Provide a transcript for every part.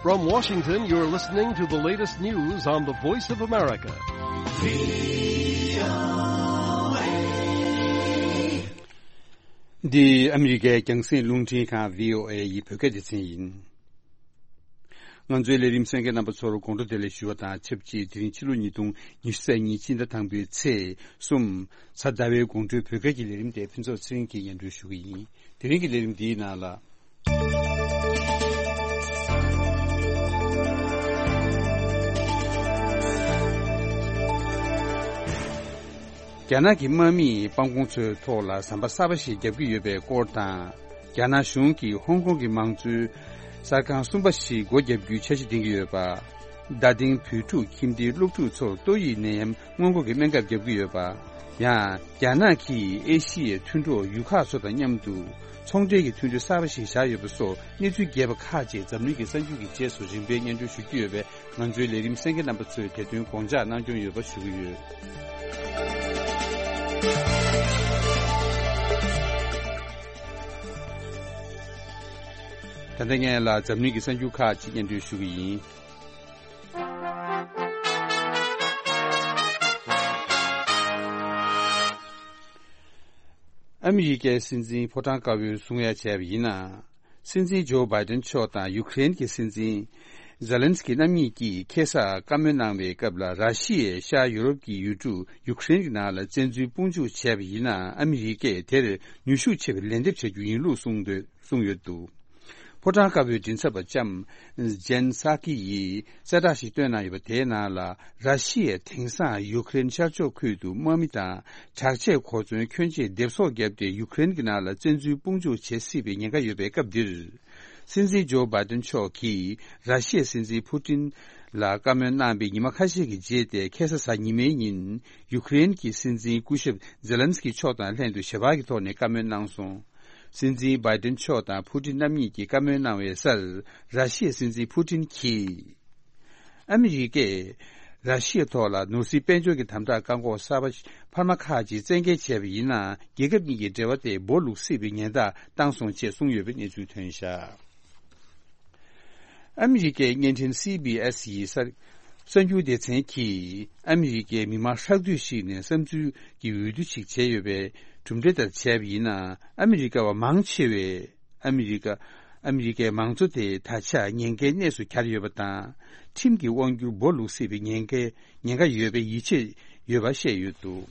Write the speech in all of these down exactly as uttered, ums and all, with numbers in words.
From Washington, you're listening to the latest news on the Voice of America. འདི་ཨ་མི་རི་ཀའི་རྒྱང་སྲིང་རླུང་འཕྲིན་ཁང་བྷི་ཨོ་ཨེ་ཡི་བོད་སྐད་སྡེ་ཚན་ཡིན། ང་ཚོའི་ལས་རིམ་གསན་མཁན་རྣམ་པ་ཚོར་དགོང་དྲོ་བདེ་ལེགས་ཞུ་བ་དང་ཆབས་ཅིག་དེ་རིང་ཕྱི་ལོ་ཉིས་སྟོང་ཉི་ཤུ་རྩ་གཉིས་སྤྱི་ཟླ་དང་པོའི་ཚེས་གསུམ། གཟའ་ཟླ་བའི་དགོང་དྲོའི་བོད་སྐད་ཀྱི་ལས་རིམ་དེ་ཕུན་ཚོགས་ཚེ་རིང་གིས་སྙན་སྒྲོན་ཞུ་གི་ཡིན། དེ་རིང་གི་ལས་རིམ་འདིའི་ནང་ལ། རྒྱ་ནག་གི་དམག་མིས་སྤང་གོང་མཚོའི་ཐོག་ལ་ཟམ་པ་གསར་པ་ཞིག་བརྒྱབ་ཀྱི་ཡོད་པའི་སྐོར་དང་། རྒྱ་ནག་གཞུང་གིས་ཧོང་ཀོང་གི་མང་གཙོའི་གསར་ཁང་གསུམ་པ་ཞིག་སྒོ་བརྒྱབ་རྒྱུའི་འཆར་གཞི་འདིང་གི་ཡོད་པ། རྡ་སྟེང་བོད་ཕྲུག་ཁྱིམ་སྡེའི་སློབ་ཕྲུག་ཚོར་ཏོག་དབྱིབས་ནད་ཡམས་སྔོན་འགོག་གི་སྨན་ཁབ་བརྒྱབ་ཀྱི་ཡོད་པ། ཡང་། རྒྱ་ནག་གིས་ཨེ་ཤི་ཡའི་མཐུན་གྲོགས་ཡུལ་ཁག་ཚོ་དང་མཉམ་དུ་ཚོང་འབྲེལ་གྱི་མཐུན་འབྲེལ་གསར་པ་ཞིག་བཞག་ཡོད་པ་སོགས་གནས་ཚུལ་རྒྱས་པ་ཁག་ཅིག་འཛམ་གླིང་གི་གསར་འགྱུར་གྱི་རྗེས་སུ་རིམ་པས་སྙན་སྒྲོན་ཞུ་རྒྱུ་ཡོད་པས། ང་ཚོའི་ལས་རིམ་གསན་མཁན་རྣམ་པ་ཚོས་དེ་དོན་དགོངས་འཇགས་གནང་སྐྱོང་ཡོད་པ་ཞུ་གི་ཡོད། ད་ལྟ་ངས་ལ་འཛམ་གླིང་གི་གསར་འགྱུར་ཁག་ཅིག་སྙན་སྒྲོན་ཞུ་གི་ཡིན། ཨ་མི་རི་ཀའི་སྲིད་འཛིན་ཕོ་བྲང་དཀར་པོས་གསུང་ཡ་བྱས་པ་ཡིན་ན། སྲིད་འཛིན་ཇོ་བྷའི་ཏན་མཆོག་དང་ཡུ་ཀེ་རེན་གྱི་སྲིད་འཛིན་ཛེ་ལན་སི་ཀི་རྣམ་གཉིས་ཀྱིས་ཁ་སང་བཀའ་མོལ་གནང་བའི་སྐབས་ལ། ར་ཤི་ཡས་ཤར་ཡུ་རོབ་ཀྱི་ཡུལ་གྲུ་ཡུ་ཀེ་རེན་གྱི་ནང་ལ་བཙན་འཛུལ་དཔུང་འཇུག་བྱས་པ་ཡིན་ན། ཨ་མི་རི་ཀས་དེར་ནུས་ཤུགས་ཆེ་བའི་ལན་འདེབས་བྱ་རྒྱུ་ཡིན་ལུགས་གསུངས་འདུག་གསུངས་ཡོད་འདུག་ཕོ་བྲང་དཀར་པོའི་མགྲིན་ཚབ་པ་ལྕམ་ཇན་སཱ་ཀི་ཡིས་གསལ་བསྒྲགས་ཤིག་བཏོན་གནང་ཡོད་པ་དེའི་ནང་ལ། ར་ཤི་ཡས་དེང་སང་ཡུ་ཀེ་རེན་ཤར་ཕྱོགས་ཁུལ་དུ་དམག་མི་དང་དྲག་ཆས་གོ་མཚོན་ཁྱོན་ཆེ་སྡེབ་གསོག་བརྒྱབ་སྟེ། ཡུ་ཀེ་རེན་གྱི་ནང་ལ་བཙན་འཛུལ་དཔུང་འཇུག་བྱེད་སྲིད་པའི་ཉེན་ཁ་ཡོད་པའི་སྐབས་འདིར། སྲིད་འཛིན་ཇོ་བྷའི་ཏན་མཆོག་གིས་ར་ཤི་ཡའི་སྲིད་འཛིན་ཕུ་ཏིན་ལ་བཀའ་མོལ་གནང་བའི་ཉི་མ་ཁ་ཤས་ཀྱི་རྗེས་ཏེ། ཁ་སང་གཟའ་ཉི་མའི་ཉིན་ཡུ་ཀེ་རེན་གྱི་སྲིད་འཛིན་སྐུ་ཞབས་ཛེ་ལན་སི་ཀི་མཆོག་དང་ལྷན་དུ་ཞལ་པར་གྱི་ཐོག་ནས་བཀའ་མོལ་གནང་སོང་། སྲིད་འཛིན་བྷའི་ཏན་མཆོག་དང་ཕུ་ཏིན་རྣམ་གཉིས་ཀྱིས་བཀའ་མོལ་གནང་བའི་སར། ར་ཤི་ཡའི་སྲིད་འཛིན་ཕུ་ཏིན་གྱིས། ཨ་མི་རི་ཀས་ར་ཤི་ཡའི་ཐོག་ལ་ནོར་སྲིད་དཔལ་འབྱོར་གྱི་དམ་དྲག་བཀག་འགོག་གསར་པ་འཕར་མ་ཁག་ཅིག་བཙན་འགེལ་བྱས་པ་ཡིན་ན། རྒྱལ་ཁབ་གཉིས་ཀྱི་འབྲེལ་བ་དེ་སྦོ་ལུག་སྲིད་པའི་ཉེན་བརྡ་བཏང་སོང་ཅེས་གསུངས་ཡོད་པའི་གནས་ཚུལ་ཐོན་བཞག་ཨ་མི་རི་ཀའི་བརྙན་འཕྲིན་སི་བི་ཨེས་ཡི་གསར་གསར་འགྱུར་སྡེ་ཚན་གྱིས། ཨ་མི་རི་ཀའི་མི་མང་ཧྲག་བསྡུས་ཤིག་ནས་བསམ་ཚུལ་གྱི་འོས་བསྡུ་ཞིག་བྱས་ཡོད་པའི་གྲུབ་འབྲས་ལྟར་བྱས་པ་ཡིན་ན། ཨ་མི་རི་ཀ་བ་མང་ཆེ་བས། ཨ་མི་རི་ཀ་ཨ་མི་རི་ཀའི་མང་གཙོ་དེ་ད་ཆ་ཉེན་ཁའི་གནས་སུ་གྱར་ཡོད་པ་དང་། ཁྲིམས་ཀྱི་དབང་སྒྱུར་སྦོ་ལུག་སྲིད་པའི་ཉེན་ཁའི་ཉེན་ཁ་ཡོད་པའི་ཡིད་ཆེས་ཡོད་པ་བཤད་ཡོད་འདུག་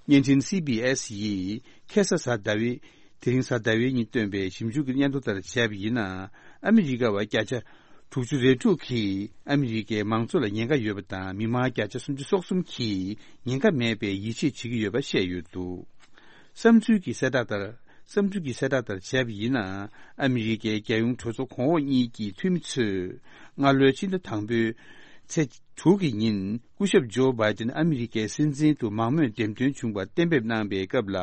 བརྙན་འཕྲིན་སི་བི་ཨེས་ཡིས་ཁ་སང་གཟའ་ཟླ་བའི། དེ་རིང་གཟའ་ཟླ་བའི་ཉིན་བཏོན་པའི་ཞིབ་འཇུག་གི་སྙན་ཐོ་ལྟར་བྱས་པ་ཡིན་ན། ཨ་མི་རི་ཀ་བ་བརྒྱ་ཆ་དྲུག་ཅུ་རེ་དྲུག་གིས་ཨ་མི་རི་ཀའི་མང་གཙོ་ལ་ཉེན་ཁ་ཡོད་པ་དང་། མི་མང་བརྒྱ་ཆ་སུམ་ཅུ་སོ་གསུམ་གྱིས་ཉེན་ཁ་མེད་པའི་ཡིད་ཆེས་བྱེད་ཀྱི་ཡོད་པ་བཤད་ཡོད་འདུག་བསམ་ཚུལ་གྱི་གསལ་བསྒྲགས་ལྟར། བསམ་ཚུལ་གྱི་གསལ་བསྒྲགས་ལྟར་བྱས་པ་ཡིན་ན། ཨ་མི་རི་ཀའི་རྒྱལ་ཡོངས་གྲོས་ཚོགས་གོང་འོག་གཉིས་ཀྱི་འཐུས་མི་ཚོས་སྔ་ལོའི་ཕྱི་ཟླ་དང་པོའི་ཚེས་དྲུག་གི་ཉིན། སྐུ་ཞབས་ཇོ་བྷའི་ཏན་ཨ་མི་རི་ཀའི་སྲིད་འཛིན་དུ་མང་མོས་འདེམས་ཐོན་བྱུང་བར་གཏན་འབེབས་གནང་བའི་སྐབས་ལ།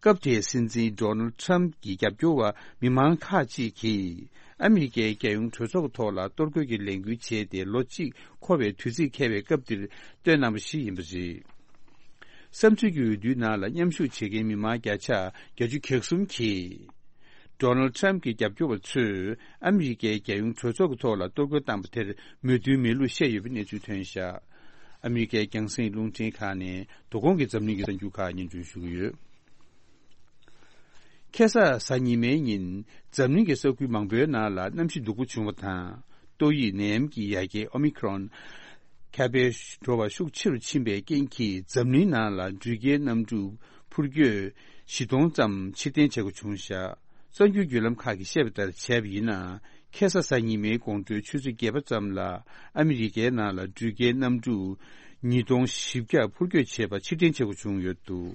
སྐབས་དེའི་སྲིད་འཛིན་ཌོ་ནལ་ཌི་ཊརམ་གྱི་རྒྱབ་སྐྱོར་བ་མི་མང་ཁག་ཅིག་གིས། ཨ་མི་རི་ཀའི་རྒྱལ་ཡོངས་གྲོས་ཚོགས་ཐོག་ལ་གཏོར་རྒོལ་གྱི་ལས་འགུལ་བྱས་ཏེ། ལོ་གཅིག་འཁོར་བའི་དུས་ཚིགས་འཁེལ་བའི་སྐབས་འདིར་བཏོན་གནང་བ་ཞིག་ཡིན་པ་རེད། བསམ་ཚུལ་གྱི་འོས་བསྡུའི་ནང་ལ་མཉམ་ཞུགས་བྱེད་མཁན་མི་མང་བརྒྱ་ཆ་བརྒྱད་ཅུ་གྱ་གསུམ་གྱིས། ཌོ་ནལ་ཌི་ཊརམ་གྱི་རྒྱབ་སྐྱོར་བ་ཚོས་ཨ་མི་རི་ཀའི་རྒྱལ་ཡོངས་གྲོས་ཚོགས་ཀྱི་ཐོག་ལ་གཏོར་རྒོལ་བཏང་པ་དེར་མོས་མཐུན་མེད་ལུགས་བཤད་ཡོད་པའི་གནས་ཚུལ་ཐོན་བཞག་ཨ་མི་རི་ཀའི་རྒྱང་སྲིང་རླུང་འཕྲིན་ཁང་ནས་དོ་དགོང་གི་འཛམ་གླིང་གི་གསར་འགྱུར་ཁག་སྙན་སྒྲོན་ཞུ་གི་ཡོད། ཁ་སང་གཟའ་ཉི་མའི་ཉིན། འཛམ་གླིང་གི་ས་ཁུལ་མང་པོའི་ནང་ལ་གནམ་གཤིས་སྡུག་པོ་བྱུང་བ་དང་། ཏོག་དབྱིབས་ནད་ཡམས་ཀྱི་ཡ་གྱལ་ཨོ་མི་ཁི་རོན་ཁྱབ་སྤེལ་འགྲོ་བ་ཤུགས་ཆེ་རུ་ཕྱིན་པའི་རྐྱེན་གྱིས། འཛམ་གླིང་ནང་ལ་འགྲུལ་སྐྱེལ་གནམ་གྲུ་འཕུར་སྐྱོད་བཞི་སྟོང་ཙམ་ཕྱིར་འཐེན་བྱེད་དགོས་བྱུང་བཞག་གསར་འགྱུར་བརྒྱུད་ལམ་ཁག་གིས་བཤད་པ་ལྟར་བྱས་པ་ཡིན་ན། ཁ་སང་གཟའ་ཉི་མའི་དགོང་དྲོའི་ཆུ་ཚོད་བརྒྱད་པ་ཙམ་ལ། ཨ་མི་རི་ཀའི་ནང་ལ་འགྲུལ་སྐྱེལ་གནམ་གྲུ་ཉིས་སྟོང་བཞི་བརྒྱ་འཕུར་སྐྱོད་བྱེད་པ་ཕྱིར་འཐེན་བྱེད་དགོས་བྱུང་ཡོད་འདུག་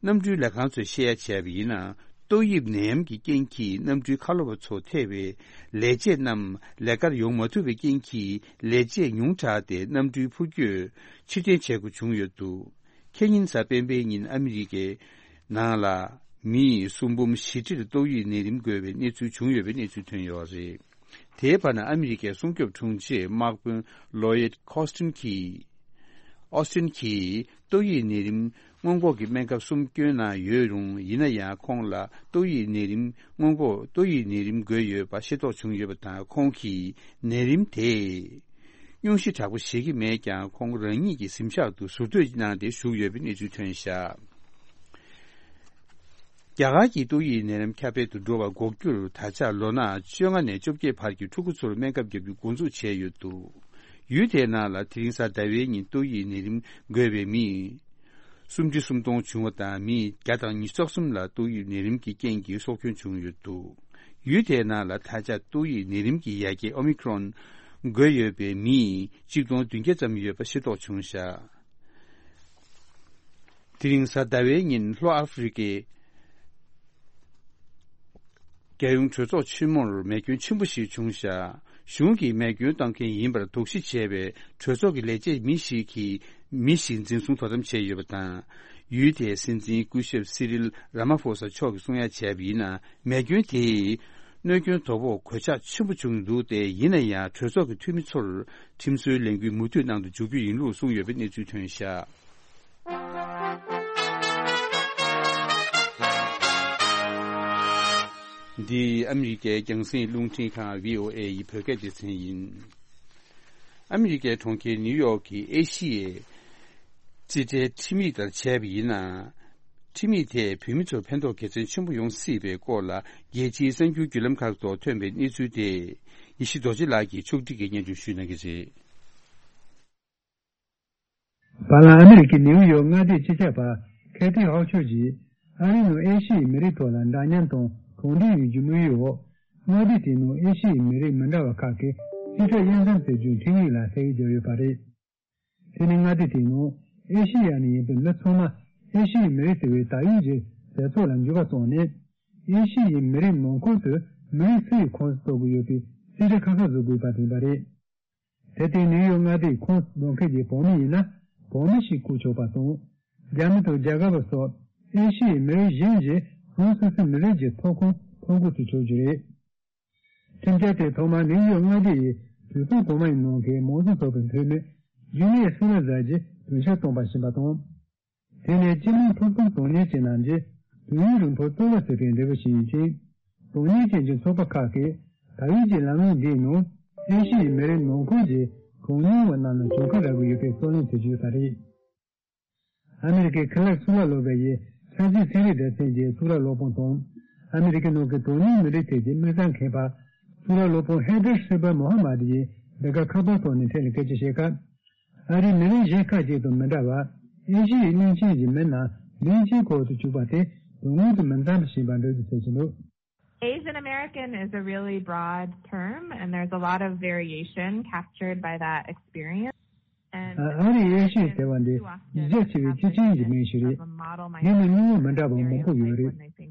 གནམ་གྲུའི་ལས་ཁང་ཚོས་བཤད་ཡ་བྱས་པ་ཡིན་ན། ཏོག་དབྱིབས་ནད་ཡམས་ཀྱི་རྐྱེན་གྱིས་གནམ་གྲུའི་ཁ་ལོ་བ་ཚོ་ཐེ་བའི་ལས་བྱེད་རྣམས་ལས་ཀར་ཡོང་མ་ཐུབ་པའི་རྐྱེན་གྱིས། ལས་བྱེད་ཉུང་དྲགས་ཏེ། གནམ་གྲུའི་འཕུར་སྐྱོད་ཕྱིར་འཐེན་བྱེད་དགོས་བྱུང་ཡོད་འདུག་ཁེ་ཉིན་གཟའ་སྤེན་པའི་ཉིན་ཨ་མི་རི་ཀའི་ནང་ལ་མི་སུམ་འབུམ་བཞི་ཁྲིར་ཏོག་དབྱིབས་ནད་རིམས་འགོས་པའི་གནས་ཚུལ་བྱུང་ཡོད་པའི་གནས་ཚུལ་ཐོན་ཡོད་རེད། དེའི་བར་ན་ཨ་མི་རི་ཀའི་སྲུང་སྐྱོབ་དྲུང་ཆེ་དམག་དཔོན་ལོ་ཡིད་ཁོ་སི་ཊིན་གྱིས། ཨོ་སི་ཊིན་གྱིས་ཏོག་དབྱིབས་ནད་རིམས་ སྔོན་འགོག་གི་སྨན་ཁབ་གསུམ་བསྐྱོན་གནང་ཡོད་རུང་། ཡིན་ན་ཡང་ཁོང་ལ་ཏོག་དབྱིབས་ནད་རིམས་སྔོན་འགོག་ཏོག་དབྱིབས་ནད་རིམས་འགོས་ཡོད་པ་ཤེས་རྟོགས་བྱུང་ཡོད་པ་དང་། ཁོང་གིས་ནད་རིམས་དེ་སྙུང་གཞི་དྲག་པོ་བཞེས་ཀྱི་མེད་ཀྱང་། ཁོང་རང་ཉིད་ཀྱི་གཟིམ་ཤག་ཏུ་ཟུར་སྡོད་གནང་སྟེ་བཞུགས་ཡོད་པའི་གནས་ཚུལ་ཐོན་བཞག་རྒྱ་གར་གྱི་ཏོག་དབྱིབས་ནད་རིམས་ཁྱབ་སྤེལ་དུ་འགྲོ་བ་འགོག་རྒྱུར། ད་ཆ་ལོ་ན་བཅོ་ལྔ་ནས་བཅོ་བརྒྱད་བར་གྱི་ཕྲུ་གུ་ཚོར་སྨན་ཁབ་བརྒྱབ་རྒྱུ་འགོ་འཛུགས་བྱས་ཡོད་འདུག་ཡུལ་དེའི་ནང་ལ་དེ་རིང་གཟའ་ཟླ་བའི་ཉིན་ཏོག་དབྱིབས་ནད་རིམས་འགོས་པའི་མི་སུམ་ཅུ་སུམ་སྟོང་བྱུང་བ་དང་། མི་བརྒྱ་དང་ཉི་ཤུ་རྩ་གསུམ་ལ་ཏོག་དབྱིབས་ནད་རིམས་ཀྱི་རྐྱེན་གྱིས་སྲོག་སྐྱོན་བྱུང་ཡོད་འདུག་ཡུལ་དེའི་ནང་ལ་ད་ཆ་ཏོག་དབྱིབས་ནད་རིམས་ཀྱི་ཡ་གྱལ་ཨོ་མི་ཁྲོན་འགོས་ཡོད་པའི་མི་གཅིག་སྟོང་བདུན་བརྒྱ་ཙམ་ཡོད་པ་ཤེས་རྟོགས་བྱུང་བཞག་དེ་རིང་གཟའ་ཟླ་བའི་ཉིན་ལྷོ་ཨ་ཧྥེ་རི་ཀའི་རྒྱལ་ཡོངས་གྲོས་ཚོགས་ཆེན་མོར་མེ་སྐྱོན་ཆེན་པོ་ཞིག་བྱུང་བཞག་གཞུང་གིས་མེ་སྐྱོན་བཏང་མཁན་ཡིན་པར་དོགས་གཞི་བྱས་པའི་གྲོས་ཚོགས་ཀྱི་ལས་བྱེད་མི་ཞིག་གིས་མི་ཞིག་འཛིན་བཟུང་དོ་དམ་བྱས་ཡོད་པ་དང་། ཡུལ་དེའི་སྲིད་འཛིན་སྐུ་ཞབས་སི་རིལ་ར་མ་ཧྥོ་ས་མཆོག་གིས་གསུང་ཡ་བྱས་པ་ཡིན་ན། མེ་སྐྱོན་དེས་གནོད་སྐྱོན་དོ་ཕོག་གོད་ཆག་ཆེན་པོ་བྱུང་འདུག་སྟེ། ཡིན་ན་ཡང་གྲོས་ཚོགས་ཀྱི་འཐུས་མི་ཚོར་ཁྲིམས་བཟོའི་ལས་འགུལ་མུ་མཐུད་གནང་དུ་འཇུག་རྒྱུ་ཡིན་ལུགས་གསུངས་ཡོད་པའི་གནས་ཚུལ་ཐོན་བཞག་འདི་ཨ་མི་རི་ཀའི་རྒྱང་སྲིང་རླུང་འཕྲིན་ཁང་བྷི་ཨོ་ཨེ་ཡི་བོད་སྐད་སྡེ་ཚན་ཡིན། ཨ་མི་རི་ཀའི་གྲོང་ཁྱེར་ནིའུ་ཡོག་གི་ཨེ་ཤི་ཡའི་རྩིས་ཁྲའི་ཁྲིམས་ཡིག་ལྟར་བྱས་པ་ཡིན་ན། ཁྲིམས་ཡིག་དེས་བོད་མི་ཚོར་ཕན་ཐོགས་དགེ་མཚན་ཆེན་པོ་ཡོང་སྲིད་པའི་སྐོར་ལ། རྒྱལ་སྤྱིའི་གསར་འགྱུར་བརྒྱུད་ལམ་ཁག་ཐོག་ཐོན་པའི་གནས་ཚུལ་དེ། ཡེ་ཤེས་རྡོ་རྗེ་ལགས་ཀྱིས་ཕྱོགས་སྒྲིག་གིས་སྙན་སྒྲོན་ཞུ་གནང་གི་རེད། བར་ལམ་ཨ་མི་རི་ཀའི་ནིའུ་ཡོག་མངའ་སྡེའི་སྤྱི་ཁྱབ་པ་ཁེ་ཐི་ཧོག་ཆོས་ཀྱིས། ཨ་རིའི་ནང་ཨེ་ཤི་ཡའི་མི་རིགས་ཐོག་ལ་འདྲ་མཉམ་དང་གང་འདྲ་ཡོང་རྒྱུ་དམིགས་ཡུལ་འོག་མངའ་སྡེ་དེའི་ནང་ཨེ་ཤི་ཡའི་མི་རིགས་མི་འདྲ་བ་ཁག་གི་རྩིས་ཁྲ་དབྱེ་མཚམས་ཟེར་རྒྱུའི་ཁྲིམས་ཡིག་ལ་ས་ཡིག་བརྒྱབ་ཡོད་པ་རེད། དེ་ནི་མངའ་སྡེ་དེའི་ནང་ཨེ་ཤི་ཡ་ནས་ཡིན་པའི་མི་ཚང་མ་ཨེ་ཤི་ཡའི་མི་རིགས་ཟེར་བའི་དར་ཡོལ་གྱི་ཟེར་ཚོགས་ལ་འགྱུར་བ་བཏང་ནས། ཨེ་ཤི་ཡའི་མི་རིགས་ནང་ཁུལ་དུ་མི་རིགས་སུ་ཡི་ཁོངས་སུ་གཏོགས་ཀྱི་ཡོད་པའི་རྩིས་ཁྲ་ཁ་ཁ་བཟོ་དགོས་པ་དེ་ཡིན་པ་རེད། དེ་ལྟར་ནིའུ་ཡོག་མངའ་སྡེའི་ཁོངས་གཏོགས་མཁན་གྱི་བོད་མི་ཡིན་ན་བོད་མི་ཞིག་བཀོད་ཆོག་པ་དང་། རྒྱ་མི་དང་རྒྱ་གར་བ་སོགས་ཨེ་ཤི་ཡའི་མི་རིགས་གཞན་གྱིས་རང་སོ་སོའི་མི་རིགས་ཀྱི་ཐོབ་ཁུངས་ཐོབ་འགོ་ཚུགས་ཆོག་རྒྱུ་རེད། ཁྲིམས་འཆར་དེ་ཐོག་མར་ནིའུ་ཡོག་མངའ་སྡེ་ཡི་དུད་ཚང་གོང་མ་ཡི་ནང་གི་མང་གཙོ་ཚོགས་པའི་འཐུས་མི་ཇུ་ལི་ཡ་སི་ལ་ཛར་གྱིས་གདན་འདྲེན་བཏང་པ་ཞིག་ཡིན་པ་དང་། དེ་ནི་སྤྱི་དམངས་ཐོབ་ཐང་དོན་གཉེར་ཅན་རྣམས་ཀྱི་དུས་ཡུན་རིང་པོར་རྩོལ་བ་བྱེད་པའི་འབྲས་བུ་ཞིག་ཡིན་ཅིང་། དོན་གཉེར་ཅན་གྱི་ཚོགས་པ་ཁག་གིས་ད་ཡོད་ཀྱི་ལམ་ལུགས་འདིའི་ནང་ཨེ་ཤི་ཡའི་མི་རིགས་ནང་ཁུལ་གྱི་གྲངས་ཉུང་བ་རྣམས་ལ་གྱོང་ཁ་རག་གི་ཡོད་པའི་རྩོད་གླེང་བྱེད་ཀྱི་ཡོད་པ་རེད། ཨ་མི་རི་ཀའི་ཁེ་ལས་གཙུག་ལག་སློབ་གྲྭ་ཡི་ཆབ་སྲིད་ཚན་རིག་སྡེ་ཚན་གྱི་གཙུག་ལག་སློབ་དཔོན་དང་། ཨ་མི་རི་ཀའི་ནང་གི་དོན་གཉེར་མི་རིགས་ཐད་ཀྱི་དམིགས་བསལ་མཁས་པ་གཙུག་ལག་སློབ་དཔོན་ཧེ་དར་སི་པར་མོ་ཧ་མ་དི་ཡིས་འདི་ག་ཁ་པར་ཐོག་ནས་འཕྲིན་ལས་སྐད་ཆ་བཤད་སྐབས། ཨ་རིའི་མི་རིགས་གཞན་ཁག་ཅིག་དང་མི་འདྲ་བར་ཨེ་ཤི་ཡའི་གླིང་ཆེན་གྱི་མི་རྣམས་མིང་གཅིག་ཁོག་ཏུ་བཅུག་པ་དེ་དོན་དངོས་དང་མི་འཚམ་པ་ཞིག་ཡིན་པ་འགྲེལ་བརྗོད་བྱས་ཀྱི་འདུག། Asian American is a really broad term, and there's a lot of variation captured by that experience. And ཨ་ཨ་རིའི་ཨེ་ཤི་ཡ་ཟེར་བ་འདི་གཞི་རྒྱ་ཆེ་བའི་སྤྱི་ཆིངས་ཀྱི་མིང་ཞིག་རེད། འདི་ནི་སྣང་བ་མི་འདྲ་བ་མང་པོ་ཡོད་རེད།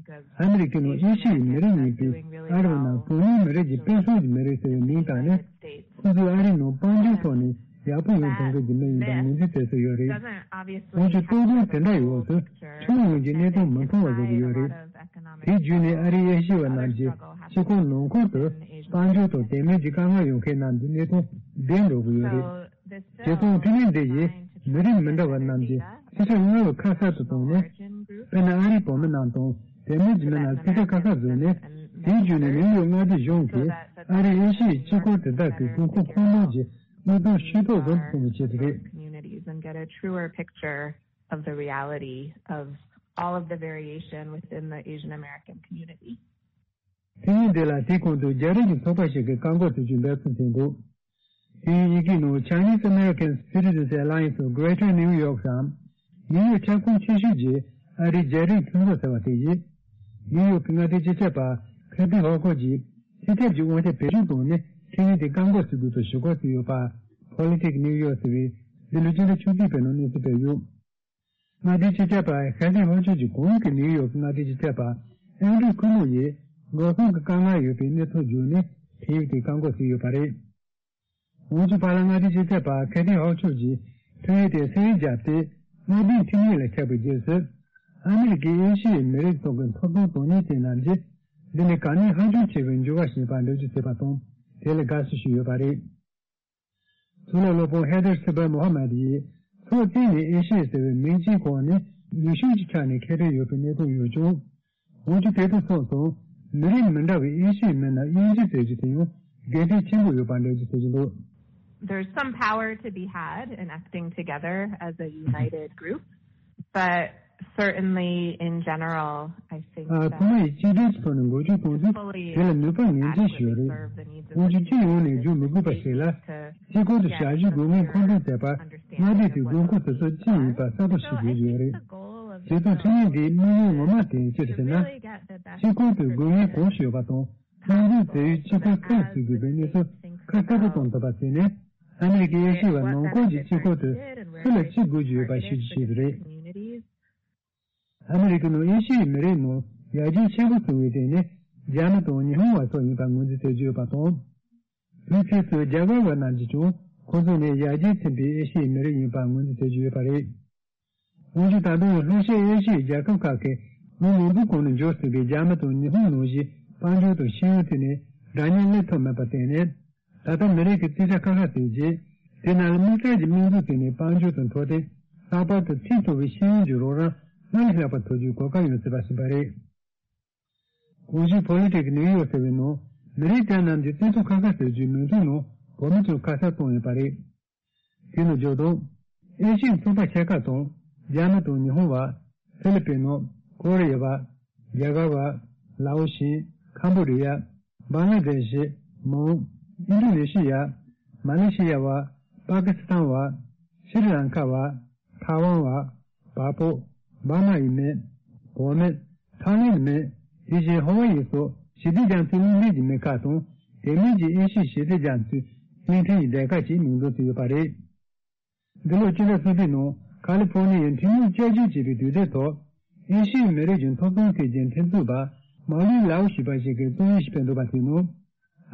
ཨ་མི་རི་ཀའི་ནང་ཨེ་ཤི་ཡའི་མི་རིགས་ཡིན་པའི་ཨ་རི་བ་རྣམས་གྲངས་ཉུང་མི་རིགས་ཀྱི་དཔེ་མཚོན་གྱི་མི་རིགས་ཟེར་བའི་མིང་བཏགས་ནས། ཁོ་ཚོས་ཨ་རིའི་ནང་དཔལ་འབྱོར་ཐོག་ནས་ཡག་པོ་ཡོང་ཐུབ་མཁན་གྱི་མི་ཡིན་པར་ངོས་འཛིན་བྱེད་སྲོལ་ཡོད་རེད། འོན་ཀྱང་རྟོག་སྣང་དེ་འདྲ་ཡི་འོག་ཏུ་ཁྱོན་ཡོངས་ཀྱི་གནས་སྟངས་མི་མཐོང་བ་བཟོ་གི་ཡོད་རེད། དེ་བརྒྱུད་ནས་ཨ་རིའི་ཨེ་ཤི་ཡ་བ་རྣམས་ཀྱི་སྤྱི་ཁོག་ནང་ཁུལ་དུ་དཔལ་འབྱོར་དང་དད་མོས་ཀྱི་དཀའ་ངལ་ཡོང་མཁན་རྣམས་ཀྱི་གནས་སྟངས་བདེ་འགྲོ་གི་ཡོད་རེད། བྱས་ཙང་འཕྲིན་ལས་འདི་ཡིས་མི་རིགས་མི་འདྲ་བ་རྣམས་ཀྱི་རྩིས་ཁྲ་སྔར་བས་ཁ་གསལ་དུ་བཏང་ནས། དཔེར་ན་ཨ་རིའི་བོད་མི་རྣམས་དང་དད་མོས་ཀྱི་མི་རྣམས་རྩིས་ཁྲ་ཁ་ཁ་བཟོས་ནས། དེའི་བརྒྱུད་ནས་ནིའུ་ཡོག་མངའ་སྡེ་གཞུང་གིས་ཨ་རིའི་ཨེ་ཤི་ཡའི་སྤྱི་ཁོག་དེ་དག་གི་དགོས་མཁོ་ཁོངས་གཏོགས་ཀྱི་དངུལ་གཏོང་ཤུགས་ཏོག་ཙམ་གཏོང་བའི་ཆེད་དུ་རེད། Communities and get a truer picture of the reality of all of the variation within the Asian American community. དེ་ཡིན་དེ་ལ་དེའི་གོང་དུ་རྒྱ་རིགས་ཀྱི་ཚོགས་པ་ཞིག་གིས་བཀག་འགོག་བྱེད་རྒྱུའི་འབད་བརྩོན་བྱེད་འདུག། དེ་ཡང་ཡི་གེའི་ནང་Chinese American Citizens Alliance of Greater New York སམ། ནིའུ་ཡོག་ཁྱབ་ཁོངས་ཆེ་ཤོས་ཀྱི་ཨ་རིའི་རྒྱ་རིགས་མཐུན་ཚོགས་ཟེར་བ་དེ་ཡིས། ནིའུ་ཡོག་གི་མངའ་སྡེའི་སྤྱི་ཁྱབ་པ་ཁེ་ཐི་ཧོ་ཁོ་གྱིས་སྤྱི་ཁྱབ་ཀྱི་དབང་ཆ་བེད་སྤྱོད་བཏང་ནས་ཁྲིམས་ཡིག་དེ་བཀག་འགོག་བྱེད་དགོས་པའི་ཞུ་སྐུལ་བྱས་ཡོད་པ། Politics New York ཟེར་བས་འདི་ལོའི་སྤྱི་ཟླ་བཅུ་གཅིག་པའི་ནང་གནས་ཚུལ་སྤེལ་ཡོད། མངའ་སྡེའི་སྤྱི་ཁྱབ་པ་ཁེ་ཐི་ཧོ་ཁོ་གྱིས་གོང་གི་ནིའུ་ཡོག་གི་མངའ་སྡེའི་སྤྱི་ཁྱབ་པ་ཨན་ཌྲུ་ཁུ་མོ་ཡིས་འགྲོ་སོང་གི་དཀའ་ངལ་ཡོད་པའི་གནས་ཚུལ་བརྒྱུད་ནས་ཁྲིམས་ཡིག་དེ་བཀག་འགོག་བྱས་ཡོད་པ་རེད། འོན་ཀྱང་བར་ལམ་མངའ་སྡེའི་སྤྱི་ཁྱབ་པ་ཁེ་ཐི་ཧོག་ཆོག་གིས་ཁྲིམས་ཡིག་དེ་ས་ཡིག་བརྒྱབ་སྟེ། དམག་དོན་ཁྲིམས་ཡིག་ལ་ཁྱབ་པའི་རྗེས་སུ། ཨ་མི་རི་ཀའི་ཨེ་ཤི་ཡའི་མི་རིགས་ཚོ་གི་ཐོབ་ཐང་དོན་གཉེར་ཅན་རྣམས་ཀྱིས་འདི་ནི་གལ་གནད་ཧ་ཅང་ཆེ་བའི་འགྱུར་བ་ཞིག་ཡིན་པར་འགྲེལ་བརྗོད་བྱས་པ་དང་། དེ་ལ་དགའ་བསུ་ཞུས་ཡོད་པ་རེད། གཙུག་ལག་སློབ་དཔོན་ཧེ་དར་སི་པར་མོ་ཧ་མ་དི་ཡིས་ཕྱོགས་གཅིག་ནས་ཨེ་ཤི་ཡ་ཟེར་བའི་མིང་གཅིག་འོག་ནས་ ལུགས་ཤུགས་ཀྱི་ཆ་ནས་ཁེ་ཕན་ཡོད་པའི་གནས་སྟངས་ཡོད་ཀྱང་། འོན་ཀྱང་དེ་དང་མཚུངས་སུ་མི་རིགས་མི་འདྲ་བའི་ཨེ་ཤི་ཡའི་མི་སྣ་དབྱེ་འབྱེད་བྱེད་རྒྱུ་དེ་ཡང་དགེ་མཚན་ཆེན་པོ་ཡོད་པ་འགྲེལ་བརྗོད་བྱེད་ཀྱི་འདུག། There's some power to be had in acting together as a united group, but certainly in general, I think ཨ། ཚང་མ་ཡིས་གཅིག་སྒྲིལ་གྱི་ཐོག་ནས་འགོ་ཁྲིད་གཏོང་དུས་དེ་ལ་ནུས་པ་ངེས་ཅན་ཞིག་ཡོད་རེད། འོན་ཀྱང་སྤྱི་ཡོངས་ནས་བརྗོད་མི་དགོས་པ་ཞིག་ལ། སྤྱི་ཁོག་ཏུ་ཞབས་ཞུའི་དགོས་ངེས་མཁོ་འདོན་བྱས་པ། མངའ་སྡེ་དེའི་དགོས་མཁོ་དེ་ཚོ་ཅི་ཡིན་པ་གསལ་པོ་ཞིག་བརྗོད་ཀྱི་ཡོད་རེད། བྱས་ཙང་ཁྲིམས་ཡིག་འདིའི་དམིགས་ཡུལ་ངོ་མ་དེ་ཅི་རེད་ཟེར་ན། སྤྱི་ཁོག་ཏུ་དགོས་ངེས་གང་ཞིག་ཡོད་པ་དང་། དམངས་གཙོའི་བྱེད་ཡུལ་གཅིག་པ་གང་ཞིག་དགོས་པའི་གནས་ཚུལ་ཁ་གསལ་པོ་གཏོང་ཐུབ་པ་བྱས་ནས། ཨ་མི་རི་ཀའི་ཨེ་ཤི་ཡ་བ་ནང་ཁུལ་གྱི་སྤྱི་ཁོག་ཏུ་སུ་ལ་ཅི་དགོས་ཀྱི་ཡོད་པ་ཤེས་རྒྱུ་ཞིག་རེད། ཨ་མི་རི་ཀའི་ནང་ཨེ་ཤི་ཡའི་མི་རིགས་ནང་ཡར་རྒྱས་ཆེན་པོ་སོང་བའི་སྟེང་ནས་རྒྱ་མི་དང་ཉི་ཧོང་བ་སོགས་ཡིན་པ་ངོས་འཛིན་བྱེད་ཀྱི་ཡོད་པ་དང་། དེའི་ཕྱིས་སུ་རྒྱ་གར་བ་རྣམས་ཀྱིས་ཀྱང་ཁོ་ཚོ་ནི་ཡར་རྒྱས་ཕྱིན་པའི་ཨེ་ཤི་ཡའི་མི་རིགས་ཡིན་པ་ངོས་འཛིན་བྱེད་ཀྱི་ཡོད་པ་རེད། འོན་ཀྱང་ད་དུང་ལྷོ་ཤར་ཨེ་ཤི་ཡའི་རྒྱལ་ཁབ་ཁག་གིས་ལོ་མང་པོའི་གོང་ནས་འབྱོར་ཟིན་པའི་རྒྱ་མི་དང་ཉི་ཧོང་ནང་བཞིན་དཔལ་འབྱོར་དང་ཤེས་ཡོན་ཐད་ནས་འདྲ་མཉམ་སླེབས་ཐུབ་མེད་པར་བརྟེན་ནས། ད་ལྟ་མི་རིགས་ཀྱི་རྩིས་ཁྲ་ཁ་ཁ་བྱས་རྗེས། དེ་རྣམས་ལ་དམིགས་བསལ་གྱི་དམིགས་འཛུགས་བྱས་ནས་དཔལ་འབྱོར་དང་འཕྲོད་བསྟེན། ལྷག་པར་དུ་ཁྲིམས་ཐོག་པའི་ཤེས་ཡོན་གྱི་རོགས་རམ་སྔར་ལས་ལྷག་པ་ཐོབ་རྒྱུའི་གོ་སྐབས་ཡོང་སྲིད་པ་ཞིག་ཡིན་པ་རེད། གོང་ཞུས་Politics New York ཟེར་བའི་ནང་མི་རིགས་དེ་རྣམས་ཀྱི་རྩིས་ཐོ་ཁ་ཁ་བཟོ་རྒྱུའི་མོས་མཐུན་ནང་བོད་མི་ཚོས་ཁ་གསལ་བཏང་ཡོད་པ་རེད། དེ་ནི་བརྗོད་དོན། ཨེ་ཤི་ཡའི་ཚོགས་པ་ཆེ་ཁག་དང་རྒྱ་མི་དང་ཉི་ཧོང་བ། ཧྥི་ལི་པིན་ནོ། ཀོ་རི་ཡ་བ། རྒྱ་གར་བ། ལའོ་ཤིན། ཁམ་བོ་ཌི་ཡ། བང་ལ་དེ་ཤི། མོང་། ཨིན་ཌོ་ནེ་ཤི་ཡ། མ་ལེ་ཤི་ཡ་བ། པ་ཀི་སི་ཐན་བ། ཤྲི་ལང་ཀ་བ། ཐའེ་ཝན་བ། བལ་པོ། འབར་མ་ཡི་མི། བོད་མི། ཐའི་ལེན་མི། དེ་བཞིན་ཧ་ཝ་ཡི་སོགས་ཞི་བདེ་རྒྱ་མཚོའི་གླིང་ཕྲན་གྱི་མི་ཁག་དང་དེ་མིན་གྱི་ཨེ་ཤི་ཡའི་ཞི་བདེ་རྒྱ་མཚོའི་གླིང་ཕྲན་གྱི་སྡེ་ཁག་ཅིག་མིང་འདོན་བྱས་ཡོད་པ་རེད། འདི་ལོ་སྤྱི་ཟླ་གསུམ་པའི་ནང་ཁ་ལི་ཧྥོ་ནི་ཡའི་ཁྲིམས་ལུགས་བསྐྱར་བཅོས་བྱས་པའི་དུས་དེབ་ཐོག་ཨེ་ཤི་ཡའི་མི་རིགས་ཀྱི་ཐོབ་ཐང་ཐད་ཀྱི་འཐབ་རྩོད་པ་མའོ་ལི་ལའོ་ཞེས་པ་ཞིག་གིས་རྩོམ་ཡིག་ཞིག་སྤེལ་འདུག་པ་དེའི་ནང་།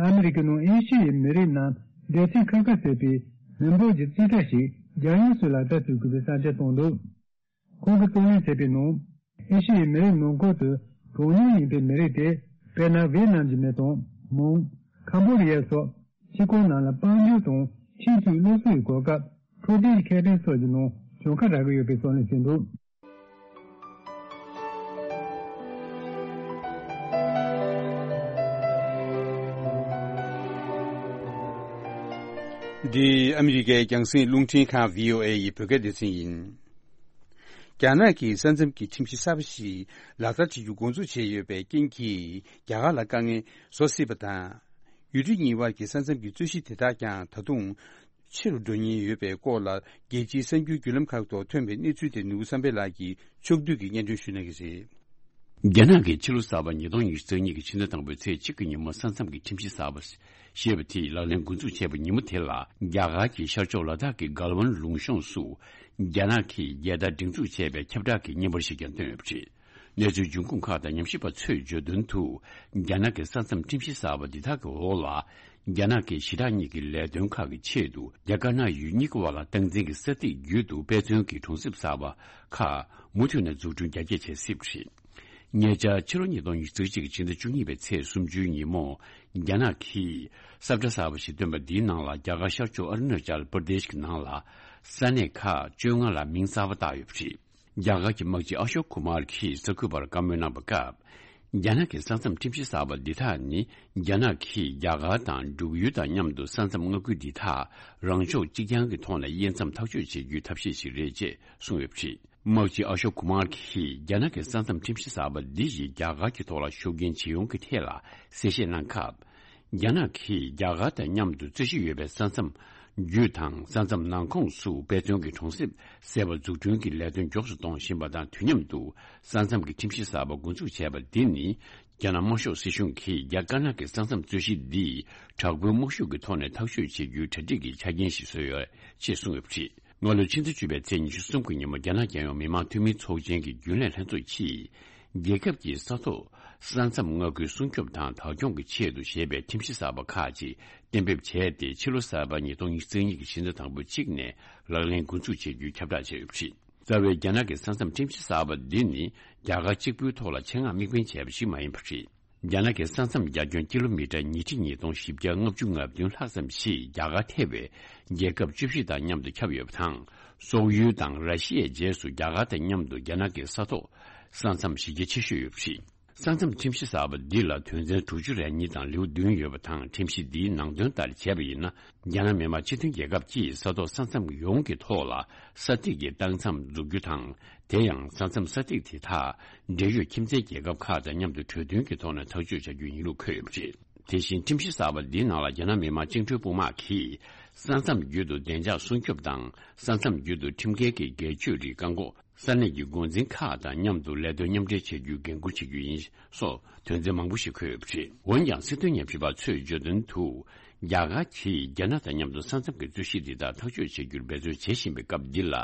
ཨ་མི་རི་ཀའི་ནང་ཨེ་ཤི་ཡའི་མི་རིགས་རྣམས་སྡེ་ཚན་ཁ་ཁ་བྱས་པའི་མི་འབོར་གྱི་རྩིས་ཁྲ་ཞིག་རྒྱལ་ཡོངས་སུ་ལག་བསྟར་བྱེད་དགོས་པའི་བསམ་འཆར་བཏོན་འདུག། ཁོང་གིས་རྩོད་ལེན་བྱས་པའི་ནང་། ཨེ་ཤི་ཡའི་མི་རིགས་ནང་ཁུལ་དུ་གྲངས་ཉུང་ཡིན་པའི་མི་རིགས་དེ། དཔེར་ན་ཝེ་ནམ་གྱི་མི་དང་། མོང་། ཁམ་བོ་ཌི་ཡ་སོགས་སྤྱི་ཁོག་རྣམས་ལ་དཔལ་འབྱོར་དང་ཁྲིམས་སྲོལ་སློབ་གསོའི་གོ་སྐབས། འཕྲོད་བསྟེན་གྱི་ཁེ་ཕན་སོགས་ཀྱི་ནང་གྱོང་ཁ་རག་གི་ཡོད་པའི་རྩོད་ལེན་བྱས་འདུག། འདི་ཨ་མི་རི་ཀའི་རྒྱང་སྲིང་རླུང་འཕྲིན་ཁང་བྷི་ཨོ་ཨེ་ཡི་བོད་སྐད་སྡེ་ཚན་ཡིན། རྒྱ་ནག་གིས་ས་མཚམས་ཀྱི་ཁྲིམས་གཞི་གསར་པ་ཞིག་ལག་བསྟར་བྱེད་རྒྱུ་འགོ་འཛུགས་བྱས་ཡོད་པའི་རྐྱེན་གྱིས། རྒྱ་གར་ལ་དཀའ་ངལ་བཟོ་སྲིད་པ་དང་། ཡུལ་གྲུ་གཉིས་དབར་གྱི་ས་མཚམས་ཀྱི་རྩོད་གཞི་དེ་དག་ཀྱང་ད་དུང་ཆེ་རུ་འགྲོ་ཉེན་ཡོད་པའི་སྐོར་ལ། རྒྱལ་སྤྱིའི་གསར་འགྱུར་བརྒྱུད་ལམ་ཁག་ཐོག་ཐོན་པའི་གནས་ཚུལ་དེ་ནོར་བུ་བསམ་འཕེལ་ལགས་ཀྱིས་ཕྱོགས་བསྡུས་ཀྱིས་སྙན་སྒྲོན་ཞུ་གནང་གི་རེད། རྒྱ་ནག་གིས་ཕྱི་ལོ་གསར་པ་ཉིས་སྟོང་ཉི་ཤུ་རྩ་གཉིས་ཀྱི་ཕྱི་ཟླ་དང་པོའི་ཚེས་གཅིག་གི་ཉིན་མོ་ས་མཚམས་ཀྱི་ཁྲིམས་གཞི་གསར་པ་ཞེས་པ་དེ་ལག་ལེན་འགོ་འཛུགས་བྱས་པའི་ཉིན་མོ་དེ་ལ། རྒྱ་གར་གྱི་ཤར་ཕྱོགས་ལ་དྭགས་ཀྱི་གལ་ཝན་ལུང་གཤོང་སུ། རྒྱ་ནག་གིས་རྒྱལ་དར་སྒྲེང་འཛུགས་བྱས་པའི་ཁྱབ་བསྒྲགས་ཀྱི་བརྙན་པར་ཞིག་ཀྱང་བཏོན་ཡོད་པ་རེད། གནས་ཚུལ་འབྱུང་ཁུངས་ཁག་དང་ཉམས་ཞིབ་པ་ཚོས་བརྗོད་དོན་དུ། རྒྱ་ནག་གི་ས་མཚམས་ཁྲིམས་གཞི་གསར་པ་འདི་དག་གི་འོག་ལ། རྒྱ་ནག་གིས་ཞི་དྲག་གཉིས་ཀྱི་ལས་དོན་ཁག་གི་ཆེད་དུ། རྒྱ་དཀར་ནག་ཡུལ་གཉིས་ཀྱི་དབར་ལ་སྟངས་འཛིན་གྱི་ས་ཐིག་བརྒྱུད་དུ་དཔེ་མཚོན་གྱི་གྲོང་གསེབ་གསར་པ་ཁག་མུ་མཐུད་ནས་འཛུགས་སྐྲུན་རྒྱ་སྐྱེད་བྱེད་སྲིད་པ་རེད། ཉེ་ཆར་ཕྱི་ལོ་ཉིས་སྟོང་ཉི་ཤུ་རྩ་གཅིག་གི་ཕྱི་ཟླ་བཅུ་གཉིས་པའི་ཚེས་སུམ་ཅུའི་ཉིན་མོ། རྒྱ་ནག་གིས་ས་བཀྲ་གསར་པ་ཞིག་བཏོན་པ་འདིའི་ནང་ལ། རྒྱ་གར་ཤར་ཕྱོགས་ཨ་རུ་ན་ཅལ་པར་དེཤ་གི་ནང་ལ། ས་གནས་ཁག་བཅོ་ལྔ་ལ་མིང་གསར་པ་བཏགས་ཡོད་པ་རེད། རྒྱ་གར་གྱི་དམག་སྤྱི་ཨ་ཤོག་ཀུ་མར་གྱིས་གསར་འགོད་པར་བཀའ་མོལ་གནང་བའི་སྐབས། རྒྱ་ནག་གི་ས་མཚམས་ཁྲིམས་གཞི་གསར་པ་འདི་དག་ནི། རྒྱ་ནག་གིས་རྒྱ་གར་དང་འབྲུག་ཡུལ་དང་མཉམ་དུ་ས་མཚམས་མངའ་ཁུལ་འདི་དག་རང་ཕྱོགས་གཅིག་རྐྱང་གི་ཐོག་ནས་དབྱེ་མཚམས་ཐག་གཅོད་བྱེད་རྒྱུའི་ཐབས་ཤེས་ཤིག་རེད་ཅེས་གསུངས་ཡོད་པ་རེད། དམག་སྤྱི་ཨ་ཤོག་ཀུ་མར་གྱིས་རྒྱ་ནག་གི་ས་མཚམས་ཁྲིམས་གཞི་གསར་པ་འདི་ཡིས་རྒྱ་གར་གྱི་ཐོག་ལ་ཤུགས་རྐྱེན་ཇི་ཡོང་གི་ཐད་ལ་གསལ་བཤད་གནང་སྐབས། རྒྱ་ནག་གིས་རྒྱ་གར་དང་མཉམ་དུ་རྩོད་གཞི་ཡོད་པའི་ས་མཚམས་བརྒྱུད་དང་ས་མཚམས་ནང་ཁོངས་སུ་དཔེ་མཚོན་གྱི་གྲོང་གསེབ་ཟེར་བ་འཛུགས་སྐྲུན་གྱི་ལས་དོན་མགྱོགས་སུ་གཏོང་བཞིན་པ་དང་དུས་མཉམ་དུ་ས་མཚམས་ཀྱི་ཁྲིམས་གཞི་གསར་པ་འགོ་འཛུགས་བྱས་པ་འདི་ནི་རྒྱ་ནག་དམར་ཤོག་སྲིད་གཞུང་གིས་རྒྱ་དཀར་ནག་གི་ས་མཚམས་རྩོད་གཞི་འདི་དྲག་པོའི་དམག་ཤུགས་ཀྱི་ཐོག་ནས་ཐག་གཅོད་བྱེད་རྒྱུའི་གྲ་སྒྲིག་གི་ཆ་རྐྱེན་ཞིག་བཟོས་ཡོད་ཅེས་གསུངས་ཡོད་པ་རེད། སྔ་ལོའི་ཕྱི་ཟླ་བཅུ་པའི་ཚེས་ཉི་ཤུ་གསུམ་གྱི་ཉིན་མོ་རྒྱ་ནག་རྒྱལ་ཡོངས་མི་དམངས་འཐུས་མིའི་ཚོགས་ཆེན་གྱི་རྒྱུན་ལས་ལྷན་ཚོགས་ཀྱིས། རྒྱལ་ཁབ་ཀྱི་ས་ཐོག་ས་མཚམས་མངའ་ཁུལ་སྲུང་སྐྱོབ་དང་བདག་སྐྱོང་གི་ཆེད་དུ་ཞེས་པའི་ཁྲིམས་གཞི་གསར་པ་ཁག་ཅིག་གཏན་འབེབས་བྱས་ཏེ། ཕྱི་ལོ་གསར་པ་ཉིས་སྟོང་ཉི་ཤུ་རྩ་གཉིས་ཀྱི་ཕྱི་ཟླ་དང་པོའི་གཅིག་ནས་ལག་ལེན་འགོ་འཛུགས་བྱེད་རྒྱུའི་ཁྱབ་བསྒྲགས་བྱས་ཡོད་པ་རེད། རྩ་བའི་རྒྱ་ནག་གི་ས་མཚམས་ཁྲིམས་གཞི་གསར་པ་འདི་ནི་རྒྱ་གར་གཅིག་པུའི་ཐོག་ལ་ཆེད་མངགས་དམིགས་འབེན་བྱས་པ་ཞིག་མ་ཡིན་པ་རེད། རྒྱ་ནག་གི་ས་མཚམས་རྒྱ་ཁྱོན་ཀི་ལོ་མི་ཊར་ཉིས་ཁྲི་ཉིས་སྟོང་བཞི་བརྒྱ་ལྔ་བཅུ་ང་བདུན་ལྷག་ཙམ་ཞིག་རྒྱ་གར་ཐེ་བའི་རྒྱལ་ཁབ་བཅུ་བཞི་དང་མཉམ་དུ་ཁྱབ་ཡོད་པ་དང་། སོག་ཡུལ་དང་ར་ཤི་ཡའི་རྗེས་སུ་རྒྱ་གར་དང་མཉམ་དུ་རྒྱ་ནག་གི་ས་ཐོག་ས་མཚམས་གཞི་རྒྱ་ཆེ་ཤོས་ཡོད་པ་རེད། ས་མཚམས་ཁྲིམས་གཞི་གསར་པ་འདི་ལ་དོན་ཚན་དྲུག་ཅུ་རེ་གཉིས་དང་ལེའུ་བདུན་ཡོད་པ་དང་། ཁྲིམས་གཞི་འདིའི་ནང་དོན་ལྟར་བྱས་པ་ཡིན་ན། རྒྱ་ནག་མི་དམངས་སྤྱི་མཐུན་རྒྱལ་ཁབ་ཀྱིས་ས་ཐོག་ས་མཚམས་ཡོངས་ཀྱི་ཐོག་ལ་ས་ཐིག་གི་ཏང་མཚམས་འཛུགས་རྒྱུ་དང་། དེ་ཡང་ས་མཚམས་ས་ཐིག་དེ་དག་འབྲེལ་ཡོད་ཁྱིམ་མཚེས་རྒྱལ་ཁབ་ཁག་དང་མཉམ་དུ་གྲོས་མཐུན་གྱི་ཐོག་ནས་ཐག་གཅོད་བྱ་རྒྱུ་ཡིན་ལུགས་འཁོད་ཡོད་པ་རེད། དེ་བཞིན་ཁྲིམས་གཞི་གསར་པ་འདིའི་ནང་ལ་རྒྱ་ནག་མི་དམངས་བཅིངས་འགྲོལ་དཔུང་དམག་གིས་ས་མཚམས་བརྒྱུད་དུ་བདེ་འཇགས་སྲུང་སྐྱོབ་དང་། ས་མཚམས་བརྒྱུད་དུ་ཁྲིམས་འགལ་གྱི་སྒེར་གཅོད་རིགས་བཀག་འགོག་ས་གནས་ཀྱི་འགོ་འཛིན་ཁག་དང་མཉམ་དུ་ལས་དོན་མཉམ་འབྲེལ་བྱེད་རྒྱུའི་འགན་འཁུར་བྱེད་རྒྱུ་ཡིན་སོགས་དོན་ཚན་མང་པོ་ཞིག་འཁོད་ཡོད་པ་རེད། འོན་ཀྱང་། སྲིད་དོན་ཉམས་ཞིབ་པ་ཚོས་བརྗོད་དོན་དུ། རྒྱ་གར་གྱིས་རྒྱ་ནག་དང་མཉམ་དུ་ས་མཚམས་ཀྱི་རྩོད་གཞི་འདི་དག་ཐག་གཅོད་བྱེད་རྒྱུར་འབད་བརྩོན་བྱེད་བཞིན་པའི་སྐབས་འདི་ལ།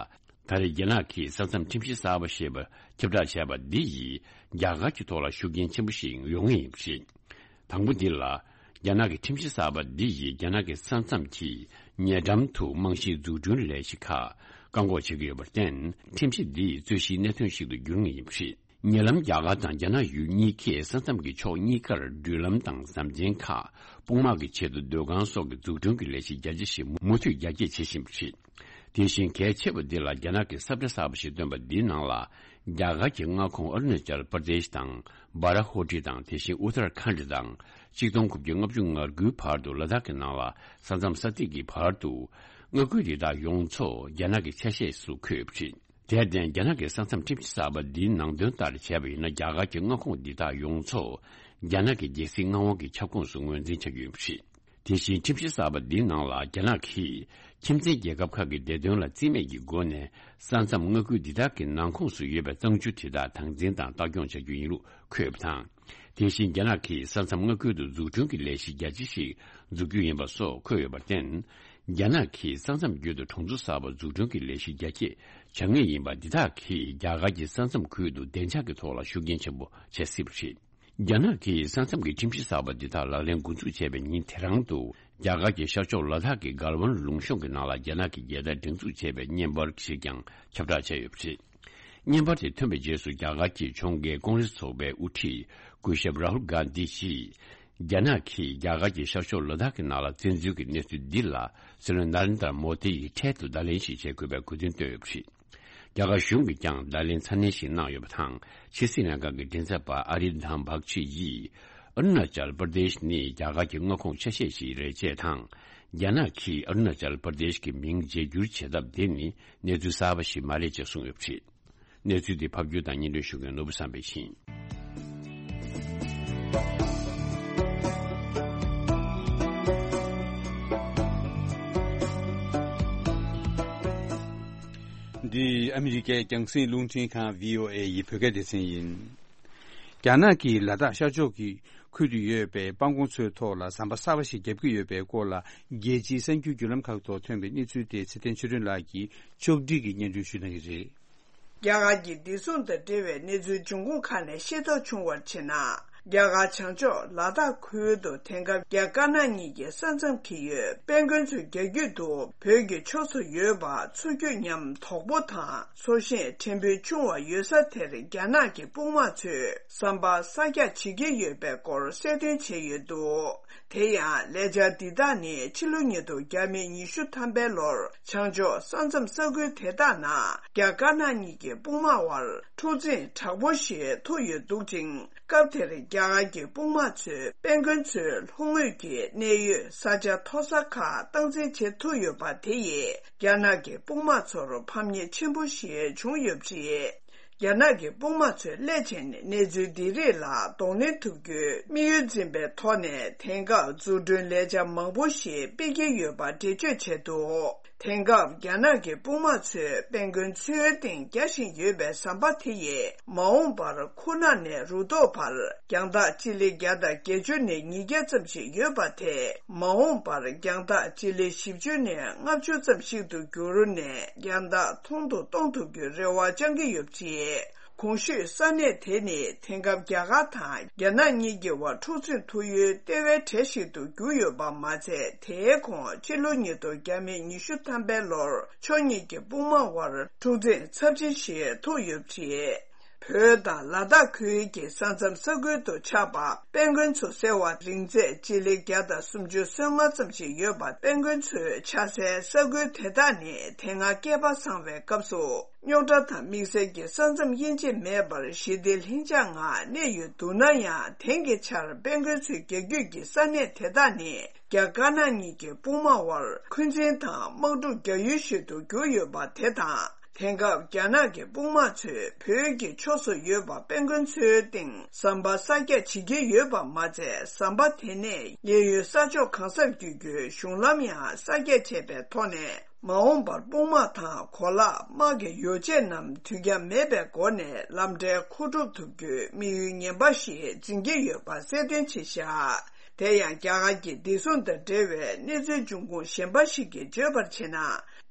ད་རེས་རྒྱ་ནག་གིས་ས་མཚམས་ཁྲིམས་གཞི་གསར་པ་ཞེས་པ་ཁྱབ་བསྒྲགས་བྱས་པ་འདི་ཡིས་རྒྱ་གར་གྱི་ཐོག་ལ་ཤུགས་རྐྱེན་ཆེན་པོ་ཞིག་ཡོང་ངེས་ཡིན་པ་རེད། དང་པོ་འདི་ལ། རྒྱ་ནག་གི་ཁྲིམས་གཞི་གསར་པ་འདི་ཡིས་རྒྱ་ནག་གི་ས་མཚམས་ཀྱི་ཉེ་འགྲམ་དུ་རྨང་གཞིའི་འཛུགས་སྐྲུན་ལས་གཞི་ཁག་བཀག་འགོག་བྱེད་ཀྱི་ཡོད་པར་བརྟེན། ཁྲིམས་གཞི་འདི་རྩོད་གཞིའི་གནད་དོན་ཞིག་ཏུ་འགྱུར་ངེས་ཡིན་པ་རེད། ཉེ་ལམ་རྒྱ་གར་དང་རྒྱ་ནག་ཡུལ་གཉིས་ཀས་ས་མཚམས་ཀྱི་ཕྱོགས་གཉིས་ཀར་འགྲུལ་ལམ་དང་ཟམ་ཆེན་ཁག་དཔུང་དམག་གི་ཆེད་དུ་སྡོད་ཁང་སོགས་ཀྱི་འཛུགས་སྐྲུན་གྱི་ལས་གཞི་རྒྱ་ཆེ་ཞིག་མུ་མཐུད་རྒྱ་སྐྱེད་བྱེད་བཞིན་པ་རེད། དེ་བཞིན་གལ་ཆེ་བ་འདི་ལ། རྒྱ་ནག་གིས་ས་བཀྲ་གསར་པ་ཞིག་བཏོན་པ་འདིའི་ནང་ལ། རྒྱ་གར་གྱི་མངའ་ཁོངས་ཨ་རུ་ན་ཅལ་པར་དེཤ་དང་། སྦ་ར་ཧོ་ཏི་དང་། དེ་བཞིན་ཨུ་ཏར་ཁཱན་ཌི་དང་། གཅིག་སྟོང་དགུ་བརྒྱ་ལྔ་བཅུ་ང་དགུའི་བར་དུ་ལ་དྭགས་ཀྱི་ནང་ལ་ས་མཚམས་ས་ཐིག་གི་བར་དུ། མངའ་ཁུལ་འདི་དག་ཡོངས་རྫོགས་རྒྱ་ནག་གི་ཆ་ཤས་སུ་འཁོད་ཡོད་པ་རེད། དེར་བརྟེན། རྒྱ་ནག་གི་ས་མཚམས་ཁྲིམས་གཞི་གསར་པ་འདིའི་ནང་དོན་ལྟར་བྱས་པ་ཡིན་ན། རྒྱ་གར་གྱི་མངའ་ཁོངས་འདི་དག་ཡོངས་རྫོགས་རྒྱ་ནག་གི་རྒྱལ་སྲིད་མངའ་དབང་གི་ཁྱབ་ཁོངས་སུ་ངོས་འཛིན་བྱ་རྒྱུ་ཡིན་པ་རེད། དེ་བཞིན་ཁྲིམས་གཞི་གསར་པ་འདིའི་ནང་ལ། རྒྱ་ནག་གིས་ཁྱིམ་མཚེས་རྒྱལ་ཁབ་ཁག་གི་བདེ་དོན་ལ་བརྩི་མེད་ཀྱི་སྒོ་ནས། ས་མཚམས་མངའ་ཁུལ་འདི་དག་གི་ནང་ཁོངས་སུ་ཡོད་པའི་གཙང་ཆུ་དེ་དག་དམ་འཛིན་དང་ལྟ་སྐྱོང་བྱ་རྒྱུ་ཡིན་ལུགས་འཁོད་ཡོད་པ་དང་། དེ་བཞིན་རྒྱ་ནག་གིས་ས་མཚམས་མངའ་ཁུལ་དུ་འཛུགས་སྐྲུན་གྱི་ལས་གཞི་རྒྱ་ཆེ་ཞིག་འཛུགས་རྒྱུ་ཡིན་པ་སོགས་འཁོད་ཡོད་པར་བརྟེན། རྒྱ་ནག་གིས་ས་མཚམས་བརྒྱུད་དུ་གྲོང་ཚོ་གསར་པ་འཛུགས་སྐྲུན་གྱི་ལས་གཞི་རྒྱ་སྐྱེད་བྱ་ངེས་ཡིན་པ། འདི་དག་གིས་རྒྱ་གར་གྱི་ས་མཚམས་ཁུལ་དུ་བདེ་འཇགས་ཀྱི་ཐོག་ལ་ཤུགས་རྐྱེན་ཆེན་པོ་བྱེད་སྲིད་པ་རེད། རྒྱ་ནག་གིས་ས་མཚམས་ཀྱི་ཁྲིམས་གཞི་གསར་པ་འདི་དག་ལག་ལེན་འགོ་འཛུགས་བྱས་པའི་ཉིན་དེ་རང་དུ། རྒྱ་གར་གྱི་ཤར་ཕྱོགས་ལ་དྭགས་ཀྱི་གལ་ཝན་ལུང་གཤོང་གི་ནང་ལ་རྒྱ་ནག་གི་རྒྱལ་དར་སྒྲེང་འཛུགས་བྱས་པའི་བརྙན་པར་ཞིག་ཀྱང་ཁྱབ་བསྒྲགས་བྱས་ཡོད་པ་རེད། བརྙན་པར་དེ་ཐོན་པའི་རྗེས་སུ། རྒྱ་གར་གྱི་ཕྱོགས་འགལ་ཀོང་རེས་ཚོགས་པའི་དབུ་ཁྲིད་སྐུ་ཞབས་རཱ་ཧུལ་གྷན་དྷི་ཡིས། རྒྱ་ནག་གིས་རྒྱ་གར་གྱི་ཤར་ཕྱོགས་ལ་དྭགས་ཀྱི་ནང་ལ་བཙན་འཛུལ་གྱི་གནས་ཚུལ་འདི་ལ། སྲིད་བློན་ནཱ་རེན་དྲ་མོ་དྷི་ཡིས་འཕྲལ་དུ་བརྡ་ལན་ཞིག་བྱེད་དགོས་པའི་དགོས་འདུན་བཏོན་ཡོད་པ་རེད། རྒྱ་གར་གཞུང་གིས་ཀྱང་བརྡ་ལན་ཚ་ནན་ཞིག་གནང་ཡོད་པ་དང་། ཕྱི་སྲིད་ལྷན་ཁང་གི་མགྲིན་ཚབ་པ་ཨ་རིན་དྷམ་བྷག་ཆི་ཡིས། ཨ་རུ་ན་ཅལ་པར་དེཤ་ནི་རྒྱ་གར་གྱི་མངའ་ཁོངས་ཆ་ཤས་ཤིག་རེད་ཅེས་དང་། རྒྱ་ནག་གིས་ཨ་རུ་ན་ཅལ་པར་དེཤ་གི་མིང་བརྗེ་བསྒྱུར་བྱེད་ཐབས་དེ་ནི་གནས་ཚུལ་གསར་པ་ཞིག་མ་རེད་ཅེས་གསུངས་ཡོད་པ་རེད། གནས་ཚུལ་འདི་ཕབ་སྒྱུར་དང་སྙན་སྒྲོན་ཞུ་མཁན་ནོར་བུ་བསམ་འཕེལ་ཡིན། འདི་ཨ་མི་རི་ཀའི་རྒྱང་སྲིང་རླུང་འཕྲིན་ཁང་བྷི་ཨོ་ཨེ་ཡི་བོད་སྐད་སྡེ་ཚན་ཡིན། རྒྱ་ནག་གིས་ལ་དྭགས་ཤར་ཕྱོགས་ཀྱི་ཁུལ་དུ་ཡོད་པའི་སྤང་གོང་མཚོའི་ཐོག་ལ་ཟམ་པ་གསར་པ་ཞིག་བརྒྱབ་ཀྱི་ཡོད་པའི་སྐོར་ལ། རྒྱལ་སྤྱིའི་གསར་འགྱུར་བརྒྱུད་ལམ་ཁག་ཐོག་ཐོན་པའི་གནས་ཚུལ་དེ་ཚེ་བརྟན་ཆོས་སྒྲོན་ལགས་ཀྱིས་ཕྱོགས་བསྒྲིགས་ཀྱིས་སྙན་སྒྲོན་ཞུ་གནང་གི་རེད། རྒྱ་གར་གྱི་བདེ་སྲུང་དང་འབྲེལ་བའི་གནས་ཚུལ་འབྱུང་ཁུངས་ཁག་ནས་ཤེས་རྟོགས་བྱུང་བར་བྱས་ན། རྒྱ་གར་བྱང་ཕྱོགས་ལ་དྭགས་ཁུལ་དུ་དེང་སྐབས་རྒྱ་དཀར་ནག་གཉིས་ཀྱི་ས་མཚམས་ཀྱི་ཡོད་དཔལ་མགོན་མཚོའི་རྒྱ་རྒྱུད་དུ་བོད་ཀྱི་ཕྱོགས་སུ་ཡོད་པ་མཚོ་རྒྱུད་མཉམ་དོག་པོ་དང་མཚོ་ཤིང་ཕྲན་བུ་ཆུང་བ་ཡོད་ས་དེར་རྒྱ་ནག་གི་དཔུང་དམག་ཚོས་ཟམ་པ་གསར་རྒྱག་བྱེད་ཀྱི་ཡོད་པའི་སྐོར་གསལ་སྟོན་བྱས་ཡོད་འདུག་དེ་ཡང་ལས་འཆར་འདི་དག་ནི་ཕྱི་ལོ་ཉིས་སྟོང་བརྒྱ་མེད་ཉི་ཤུ་ཐམ་པའི་ལོར་བྱང་ཕྱོགས་ས་མཚམས་ས་ཁུལ་དེ་དག་ནང་རྒྱ་དཀར་ནག་གཉིས་ཀྱི་དཔུང་དམག་དབར་འཁྲུག་འཛིང་དྲག་པོ་ཞིག་ཐུག་ཡོད་འདུག་ཅིང་། སྐབས་དེར་རྒྱ་གར་གྱི་དཔུང་དམག་ཚོས་དཔལ་མགོན་མཚོའི་ལྷོ་ངོས་ཀྱི་གནད་ཡོད་ས་ཆ་མཐོ་ས་ཁག་སྟངས་འཛིན་བྱེད་ཐུབ་ཡོད་པ་དེ་ཡིས་རྒྱ་ནག་གི་དཔུང་དམག་ཚོར་ཕམ་ཉེས་ཆེན་པོ་ཞིག་བྱུང་ཡོད་པ་རེད། རྒྱ་ནག་གི་དཔུང་དམག་ཚོས་སླད་ཕྱིན་གནས་ཚུལ་འདི་རིགས་ལ་གདོང་ལེན་ཐུབ་རྒྱུའི་དམིགས་ཡུལ་འཛིན་པའི་ཐོག་ནས་དེང་སྐབས་འཛུགས་སྐྲུན་ལས་འཆར་མང་པོ་ཞིག་སྤེལ་གྱི་ཡོད་པ་འགྲེལ་བརྗོད་བྱས་འདུག་དེང་སྐབས་རྒྱ་ནག་གི་དཔུང་དམག་ཚོས་དཔལ་མགོན་མཚོའི་སྟེང་རྒྱག་བཞིན་ཡོད་པའི་ཟམ་པ་དེ་ཡིས་མ་འོངས་པར་ཁུག་ནག་ནས་རུ་ཐོག་བར་རྒྱང་ཐག་སྤྱི་ལེ་བརྒྱ་དང་བརྒྱད་ཅུ་ནས་ཉིས་བརྒྱ་ཙམ་ཞིག་ཡོད་པ་དེ་མ་འོངས་པར་རྒྱང་ཐག་སྤྱི་ལེ་བཞི་བཅུ་ནས་ལྔ་བཅུ་ཙམ་ཞིག་ཏུ་འགྱུར་ནས་རྒྱང་ཐག་ཐུང་དུ་གཏོང་ཐུབ་རྒྱུའི་རེ་བ་བཅང་གི་ཡོད་པ་རེད། གོང་ཞུས་ས་གནས་དེ་ནི་དེང་སྐབས་རྒྱ་གར་དང་རྒྱ་ནག་གཉིས་ཀྱི་བར་འཁྲུག་འཛིང་ཐུག་ཡུལ་ལྟེ་བའི་གྲས་ཤིག་ཏུ་གྱུར་ཡོད་པ་མ་ཚད། དེའི་གོང་ཕྱི་ལོ་ཉིས་སྟོང་བརྒྱ་མེད་ཉི་ཤུ་ཐམ་པའི་ལོར་ཕྱོགས་གཉིས་ཀྱི་དཔུང་དམག་དབར་འཁྲུག་འཛིང་ཚབས་ཆེན་ཞིག་ཐུག་ཡོད་པ་རེད། བོད་དང་ལ་དྭགས་ཁུལ་གྱི་ས་མཚམས་ས་ཁུལ་དུ་ཆགས་པ། དཔལ་མགོན་ཚོ་ཟེར་བ་རིང་ཚད་སྤྱི་ལེ་བརྒྱ་དང་སུམ་ཅུ་སོ་ལྔ་ཙམ་ཞིག་ཡོད་པ། དཔལ་མགོན་ཚོའི་ཆགས་སའི་ས་ཁུལ་དེ་དག་ནི་དེ་སྔ་བསྐལ་པ་བཟང་བའི་སྐབས་སུ། རྙོག་དྲ་དང་དམིགས་བསལ་གྱི་ས་མཚམས་དབྱེ་འབྱེད་མེད་པར་ཞི་བདེ་ལྷིང་འཇགས་ངང་གནས་ཡོད་འདུག་ན་ཡང་། དེང་གི་ཆར་དཔལ་མགོན་ཚོའི་རྒྱ་རྒྱུད་ཀྱི་ས་གནས་དེ་དག་ནི་རྒྱ་དཀར་ནག་གཉིས་ཀྱི་དཔུང་དམག་དབར་འཁོན་འཛིན་དང་དམག་འཁྲུག་རྒྱག་ཡུལ་ཞིག་ཏུ་གྱུར་ཡོད་པ་དེ་དང་། དེང་སྐབས་རྒྱ་ནག་གི་དཔུང་དམག་ཚོས་བོད་ཀྱི་ཕྱོགས་སུ་ཡོད་པ། དཔལ་མགོན་ཚོའི་སྟེང་ཟམ་པ་གསར་རྒྱག་བྱེད་ཀྱི་ཡོད་པ་མ་ཚད། ཟམ་པ་དེ་ནས་གཡས་གཡོན་ས་ཕྱོགས་གང་སར་བསྐྱོད་རྒྱུའི་གཞུང་ལམ་ཡང་གསར་རྒྱག་བྱས་པའི་ཐོག་ནས། མ་འོངས་པར་དཔུང་དམག་དང་གོ་ལག་དམག་གི་ཡོ་བྱད་རྣམས་དུས་འགྱངས་མེད་པའི་སྒོ་ནས་ལམ་འཕྲལ་མཁོ་སྒྲུབ་ཐུབ་རྒྱུའི་དམིགས་ཡུལ་ངན་པ་ཞིག་འཛིན་གྱི་ཡོད་པ་གསལ་སྟོན་བྱས་བཞག་དེ་ཡང་རྒྱ་གར་གྱི་བདེ་སྲུང་དང་འབྲེལ་བའི་གནས་ཚུལ་འབྱུང་ཁུངས་གཞན་པ་ཞིག་གིས་བརྗོད་པར་བྱས་ན།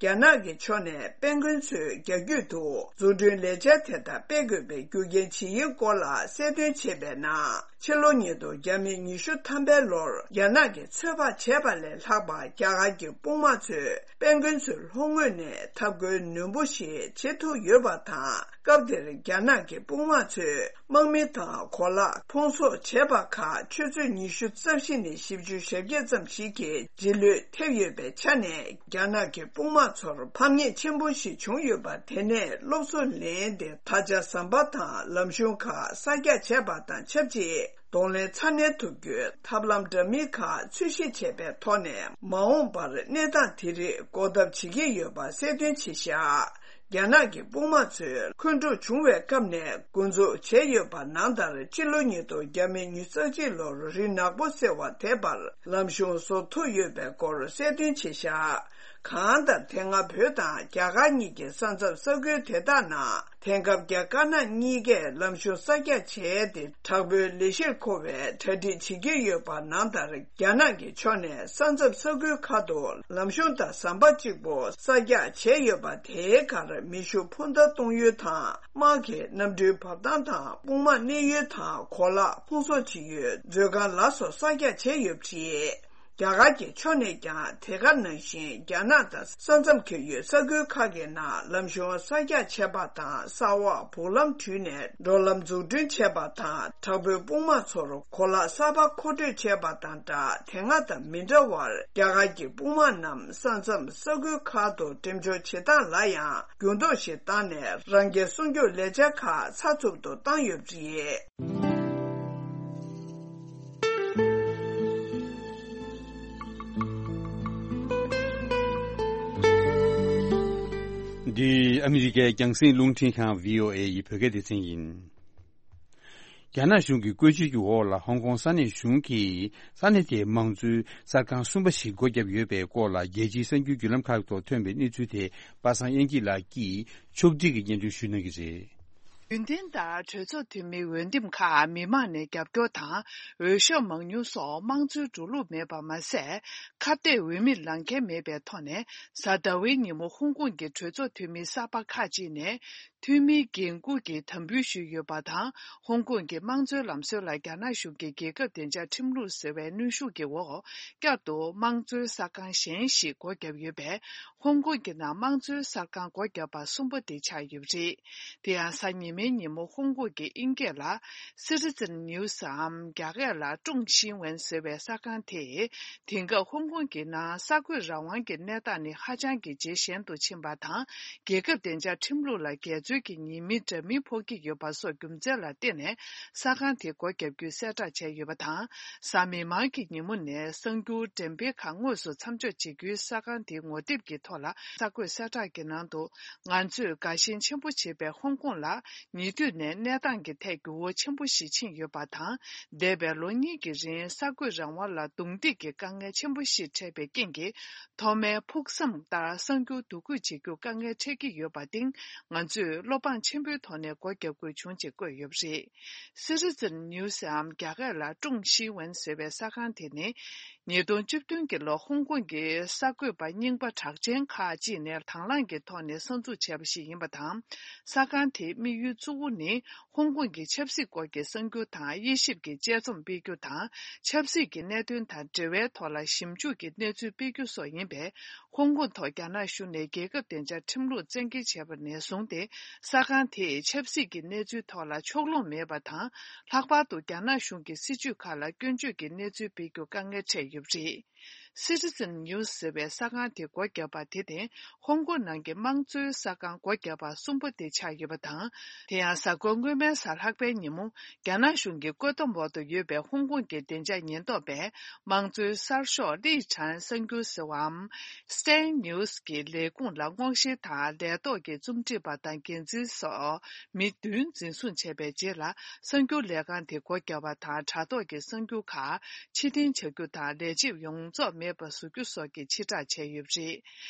རྒྱ་ནག་གི་ཕྱོགས་ནས་དཔལ་མགོན་ཚོའི་རྒྱ་རྒྱུད་དུ་འཛུགས་སྐྲུན་ལས་འཆར་དེ་དག་སྤེལ་དགོས་པའི་རྒྱུ་རྐྱེན་ཇི་ཡིན་སྐོར་ལ་གསལ་སྟོན་བྱས་པའི་ནང་། ཕྱི་ལོ་ཉིས་སྟོང་ཉི་ཤུ་ཐམ་པའི་ལོར་རྒྱ་ནག་གིས་ཚོད་དཔག་བྱས་པ་ལས་ལྷག་པ། རྒྱ་གར་གྱི་དཔུང་དམག་ཚོས་དཔལ་མགོན་ཚོའི་ལྷོ་ངོས་ནས་འཐབ་རྒོལ་ནན་པོ་ཞིག་བྱེད་ཐུབ་ཡོད་པ་དང་། སྐབས་དེར་རྒྱ་ནག་གི་དཔུང་དམག་ཚོས་དམག་མི་དང་གོ་ལག་ཕུང་གསོག་བྱས་པ་ཁག་ཆུ་ཚོད་ཉི་ཤུ་རྩ་བཞི་ནས་བཞི་བཅུ་ཞེ་བརྒྱད་ཙམ་ཞིག་གི་རྗེས་ལུས་ཐེབས་ཡོད་པའི་ཆ་ནས། རྒྱ་ནག་གི་དཔུང་དམག་ཚོར་ཕམ་ཉེས་ཆེན་པོ་ཞིག་བྱུང་ཡོད་པ། དེ་ནས་སློབ་གསོ་ལེན་ཏེ། ད་ཆ་ཟམ་པ་དང་ལམ་གཞུང་ཁག་གསར་རྒྱག་བྱས་པ་དང་ཆབས་ཅིག་གདོང་ལེན་ཚ་ནན་ཐུབ་རྒྱུའི་ཐབས་ལམ་འདྲ་མིན་ཁག་འཚོལ་ཞིབ་བྱས་པའི་ཐོག་ནས། མ་འོངས་པར་གནས་སྟངས་དེ་རིགས་འགོག་ཐབས་བྱེད་ཀྱི་ཡོད་པ་གསལ་སྟོན་བྱས་བཞག་རྒྱ་ནག་གི་དཔུང་དམག་ཚོས་འཁོན་འཁྲུག་བྱུང་བའི་སྐབས་ནས་འགོ་འཛུགས་བྱས་ཡོད་པ་ནང་ལྟར། སྤྱི་ལོ་ཉིས་སྟོང་ཉི་ཤུ་རྩ་གཅིག་ལོར་རི་ནག་པོ་ཟེར་བ་དེ་བར་ལམ་གཞུང་བཟོ་ཐུབ་ཡོད་པའི་སྐོར་གསལ་སྟོན་བྱས་བཞག་གང་ལྟར། དེ་སྔ་བོད་དང་རྒྱ་གར་གཉིས་ཀྱི་ས་མཚམས་ས་ཁུལ་དེ་དག་ནང་། དེང་སྐབས་རྒྱ་དཀར་ནག་གཉིས་ཀས་ལམ་གཞུང་གསར་རྒྱག་བྱས་ཏེ། དྲག་པོའི་ལས་གཞིར་མཁོ་བའི་གྲ་སྒྲིག་བྱེད་ཀྱི་ཡོད་པ་ནང་ལྟར། རྒྱ་ནག་གི་ཕྱོགས་ནས་ས་མཚམས་ས་ཁུལ་ཁག་ཏུ་ལམ་གཞུང་དང་ཟམ་པ་གཅིག་པོ་གསར་རྒྱག་བྱས་ཡོད་པ། དེའི་ཁར་མེ་ཤུགས་འཕུར་མདའ་གཏོང་ཡུལ་དང་། དམག་གི་གནམ་གྲུའི་བབས་ཐང་དང་། དཔུང་དམག་གནས་ཡུལ་དང་། གོ་ལག་ཕུང་གསོག་བྱེད་ཡུལ། མཛོད་ཁང་ལ་སོགས་གསར་རྒྱག་བྱས་ཡོད་པ་རེད། རྒྱ་གར་གྱི་ཕྱོགས་ནས་ཀྱང་དེ་ག་ནང་བཞིན། རྒྱ་ནག་དང་ས་མཚམས་འཁེལ་ཡོད་ས་ཁུལ་ཁག་གི་ནང་ལམ་གཞུང་གསར་རྒྱག་བྱས་པ་དང་། ས་འོག་སྦུག་ལམ་བྲུས་ནས་འགྲོ་ལམ་འཛུགས་སྐྲུན་བྱས་པ་དང་། དྲག་པོའི་དཔུང་དམག་ཚོར་གོ་ལག་གསར་པ་མཁོ་སྤྲོད་བྱས་པ་དང་སྦྲགས། དེ་སྔ་དང་མི་འདྲ་བར། རྒྱ་གར་གྱི་དཔུང་དམག་རྣམས་ས་མཚམས་ས་ཁུལ་ཁག་ཏུ་འགྲེམས་འཇོག་བྱེད་སྟངས་ལ་ཡང་འགྱུར་ལྡོག་ཞིག་བཏང་ནས། རང་རྒྱལ་སྲུང་སྐྱོབ་ལས་འཆར་ཁག་ཚགས་ཚུད་དུ་བཏང་ཡོད་པ་རེད། འདི་ཨ་མི་རི་ཀའི་རྒྱང་སྲིང་རླུང་འཕྲིན་ཁང་། བྷི་ཨོ་ཨེ་ཡི་བོད་སྐད་སྡེ་ཚན་ཡིན། རྒྱ་ནག་གཞུང་གི་བཀོད་སྤྱོད་ཀྱི་འོག་ལ། ཧོང་ཀོང་ས་གནས་གཞུང་གིས་ས་གནས་དེའི་དམངས་གཙོའི་གསར་ཁང་གསུམ་པ་ཞིག་སྒོ་བརྒྱབ་ཡོད་པའི་སྐོར་ལ། རྒྱལ་སྤྱིའི་གསར་འགྱུར་བརྒྱུད་ལམ་ཁག་ཐོག་ཐོན་པའི་གནས་ཚུལ་དེ། པ་སངས་དབྱངས་སྐྱིད་ལགས་ཀྱིས་ཕྱོགས་སྒྲིག་གིས་སྙན་སྒྲོན་ཞུ་གནང་གི་རེད། རྒྱུན་ལྡན་ལྟར་གྲོས་ཚོགས་འཐུས་མིའི་འོས་འདེམས་ཁག་མི་མང་ནས་རྒྱབ་སྐྱོར་དང་། འོས་ཤོག་མང་ཉུང་སོགས་དམངས་གཙོའི་འགྲོ་ལུགས་མེད་པ་མ་ཟད། ཁ་གཏད་འོས་མིར་ལངས་མཁན་མེད་པའི་ཐོག་ནས། གཟའ་ཟླ་བའི་ཉིན་མོ་ཧོང་ཀོང་གི་གྲོས་ཚོགས་འཐུས་མི་གསར་པ་ཁག་ཅིག་ནས། འཐུས་མིའི་འགན་འཁུར་གྱི་དམ་འབུལ་ཞུས་ཡོད་པ་དང་། ཧོང་ཀོང་གི་དམངས་གཙོའི་ལམ་སྲོལ་ལ་རྒྱ་ནག་གཞུང་གིས་རྒྱལ་ཁབ་བདེ་འཇགས་ཁྲིམས་ལུགས་ཟེར་བའི་གནོན་ཤུགས་ཀྱི་འོག། བསྐྱར་དུ་དམངས་གཙོའི་གསར་ཁང་གཞན་ཞིག་སྒོ་བརྒྱབ་ཡོད་པས། ཧོང་ཀོང་གི་ནང་དམངས་གཙོའི་གསར་ཁང་སྒོ་བརྒྱབ་པ་གསུམ་པ་དེ་ཆགས་ཡོད་པ་རེད། དེ་ཡང་གཟའ་ཉི་མའི་ཉིན་མོ་ཧོང་ཀོང་གི་དབྱིན་སྐད་ལ། Citizen News འམ། རྒྱ་སྐད་ལ་ཀྲུང་ཤིན་ཝན་ཟེར་བའི་གསར་ཁང་དེས། དེང་སྐབས་ཧོང་ཀོང་གི་ནང་གསར་འགོད་རང་དབང་གི་གནས་སྟངས་ནི་ཧ་ཅང་གི་ཇེ་ཞན་དུ་ཕྱིན་པ་དང་། རྒྱལ་ཁབ་བདེ་འཇགས་ཁྲིམས་ལུགས་ལ་འགལ་འཛོལ་གྱི་ཉེས་མིང་འདྲ་མིན་ཕོག་གི་ཡོད་པ་སོགས་རྒྱུ་མཚན་ལ་བརྟེན་ནས། གསར་ཁང་དེ་སྒོ་བརྒྱབ་རྒྱུའི་གསལ་བསྒྲགས་བྱས་ཡོད་པ་དང་། གཟའ་མིག་དམར་གྱི་ཉིན་མོ་ནས་གསར་འགྱུར་འགྲེམས་སྤེལ་ཁག་དངོས་སུ་མཚམས་འཇོག་བྱེད་རྒྱུའི་གསར་ཁང་དེའི་ངོ་དེབ་ཀྱི་ཐོག་ལ། གསར་འགོད་གསལ་བསྒྲགས་ཀྱི་ནང་དུ། ང་ཚོས་དགའ་ཞེན་ཆེན་པོ་བྱེད་པའི་ཧོང་ཀོང་ལ། ཉེ་དུས་ནས་གནས་སྟངས་ཀྱི་ཐད་འགྱུར་བ་ཆེན་པོ་ཞིག་ཕྱིན་ཡོད་པ་དང་། འདས་པའི་ལོ་གཉིས་ཀྱི་རིང་གསར་འགོད་རང་དབང་ལ་རྡུང་རྡེག་གི་དཀའ་ངལ་ཆེན་པོ་ཞིག་འཕྲད་པའི་རྐྱེན་གྱིས། ཐོག་མའི་ཕུགས་བསམ་ལྟར་གསར་འགྱུར་བསྡུ་སྐུལ་བྱེད་རྒྱུར་དཀའ་ངལ་འཕྲད་ཀྱི་ཡོད་པར་བརྟེན། ང་ཚོས་བློ་ཕངས་ཆེན་པོའི་ཐོག་ནས་སྒོ་བརྒྱབ་དགོས་བྱུང་ཅེས་བཀོད་ཡོད་པ་རེད། Citizen News འམ། རྒྱ་སྐད་ལ་ཀྲུང་ཤིན་ཝན་ཟེར་བའི་གསར་ཁང་དེ་ནི། ཉིས་སྟོང་བཅུ་བདུན་གྱི་ལོ་ཧོང་ཀོང་གི་གསར་འགོད་པ་རྙིང་པ་གྲགས་ཅན་ཁག་ཅིག་ནས་དང་བླངས་ཀྱི་ཐོག་ནས་གསར་འཛུགས་བྱས་པ་ཞིག་ཡིན་པ་དང་། གསར་ཁང་དེའི་དམིགས་ཡུལ་གཙོ་བོ་ནི། ཧོང་ཀོང་གི་ཆབ་སྲིད་སྐོར་གྱི་གསར་འགྱུར་དང་དབྱེ་ཞིབ་ཀྱི་དཔྱད་རྩོམ་སྤེལ་རྒྱུ་དང་། ཆབ་སྲིད་ཀྱི་གནད་དོན་དང་འབྲེལ་བའི་ཐོག་ལ་ཞིབ་འཇུག་གི་གནས་ཚུལ་སྤེལ་རྒྱུ་སོགས་ཡིན་པས། ཧོང་ཀོང་ཐོག་རྒྱ་ནག་གཞུང་ནས་རྒྱལ་ཁབ་བདེ་འཇགས་ཁྲིམས་ལུགས་བཙན་འགེལ་བྱས་པ་ནས་བཟུང་སྟེ། གསར་ཁང་དེས་ཆབ་སྲིད་ཀྱི་གནས་ཚུལ་ཐོག་ལ་ཕྱོགས་ལྷུང་མེད་པ་དང་། ལྷག་པར་དུ་རྒྱ་ནག་གཞུང་གི་སྲིད་བྱུས་ཁག་ལ་སྐྱོན་བརྗོད་ཀྱི་གནས་ཚུལ་སྤེལ་རྒྱུ་དཀའ་ངལ་འཕྲད་ཡོད་པ་རེད། Citizen News ཟེར་བའི་གསར་ཁང་དེ་སྒོ་བརྒྱབ་པ་དེ་ནི་ཧོང་ཀོང་ནང་གི་དམངས་གཙོའི་གསར་ཁང་སྒོ་བརྒྱབ་པ་གསུམ་པ་དེ་ཆགས་ཡོད་པ་དང་། དེ་ཡང་གཟའ་འཁོར་སྔོན་མའི་གཟའ་ལྷག་པའི་ཉིན་མོ། རྒྱ་ནག་གཞུང་གི་བཀོད་འདོམས་འོག་ཏུ་ཡོད་པའི་ཧོང་ཀོང་གི་བདེ་འཇགས་ཉེན་རྟོག་པས། དམངས་གཙོའི་གསར་ཤོག་ལི་ཁྲང་གསར་འགྱུར་ཟེར་བའམ། Stand News གྱི་ལས་ཁུངས་ལ་སྔོག་བཤེར་དང་ལས་ཐོག་གི་རྩོམ་སྒྲིག་པ་དང་འགན་འཛིན་སོགས་མི་བདུན་འཛིན་བཟུང་བྱས་པའི་རྗེས་ལ། གསར་འགྱུར་ལས་ཁང་དེ་སྒོ་བརྒྱབ་པ་དང་། དྲ་ཐོག་གི་གསར་འགྱུར་ཁག་ཕྱིར་འཐེན་བྱ་རྒྱུ་དང་། ལས་བྱེད་ཡོངས་རྫོགས་མེད་པར་བཟོ་རྒྱུ་སོགས་ཀྱི་ཕྱིར་བསྒྲགས་བྱས་ཡོད་པ་རེད།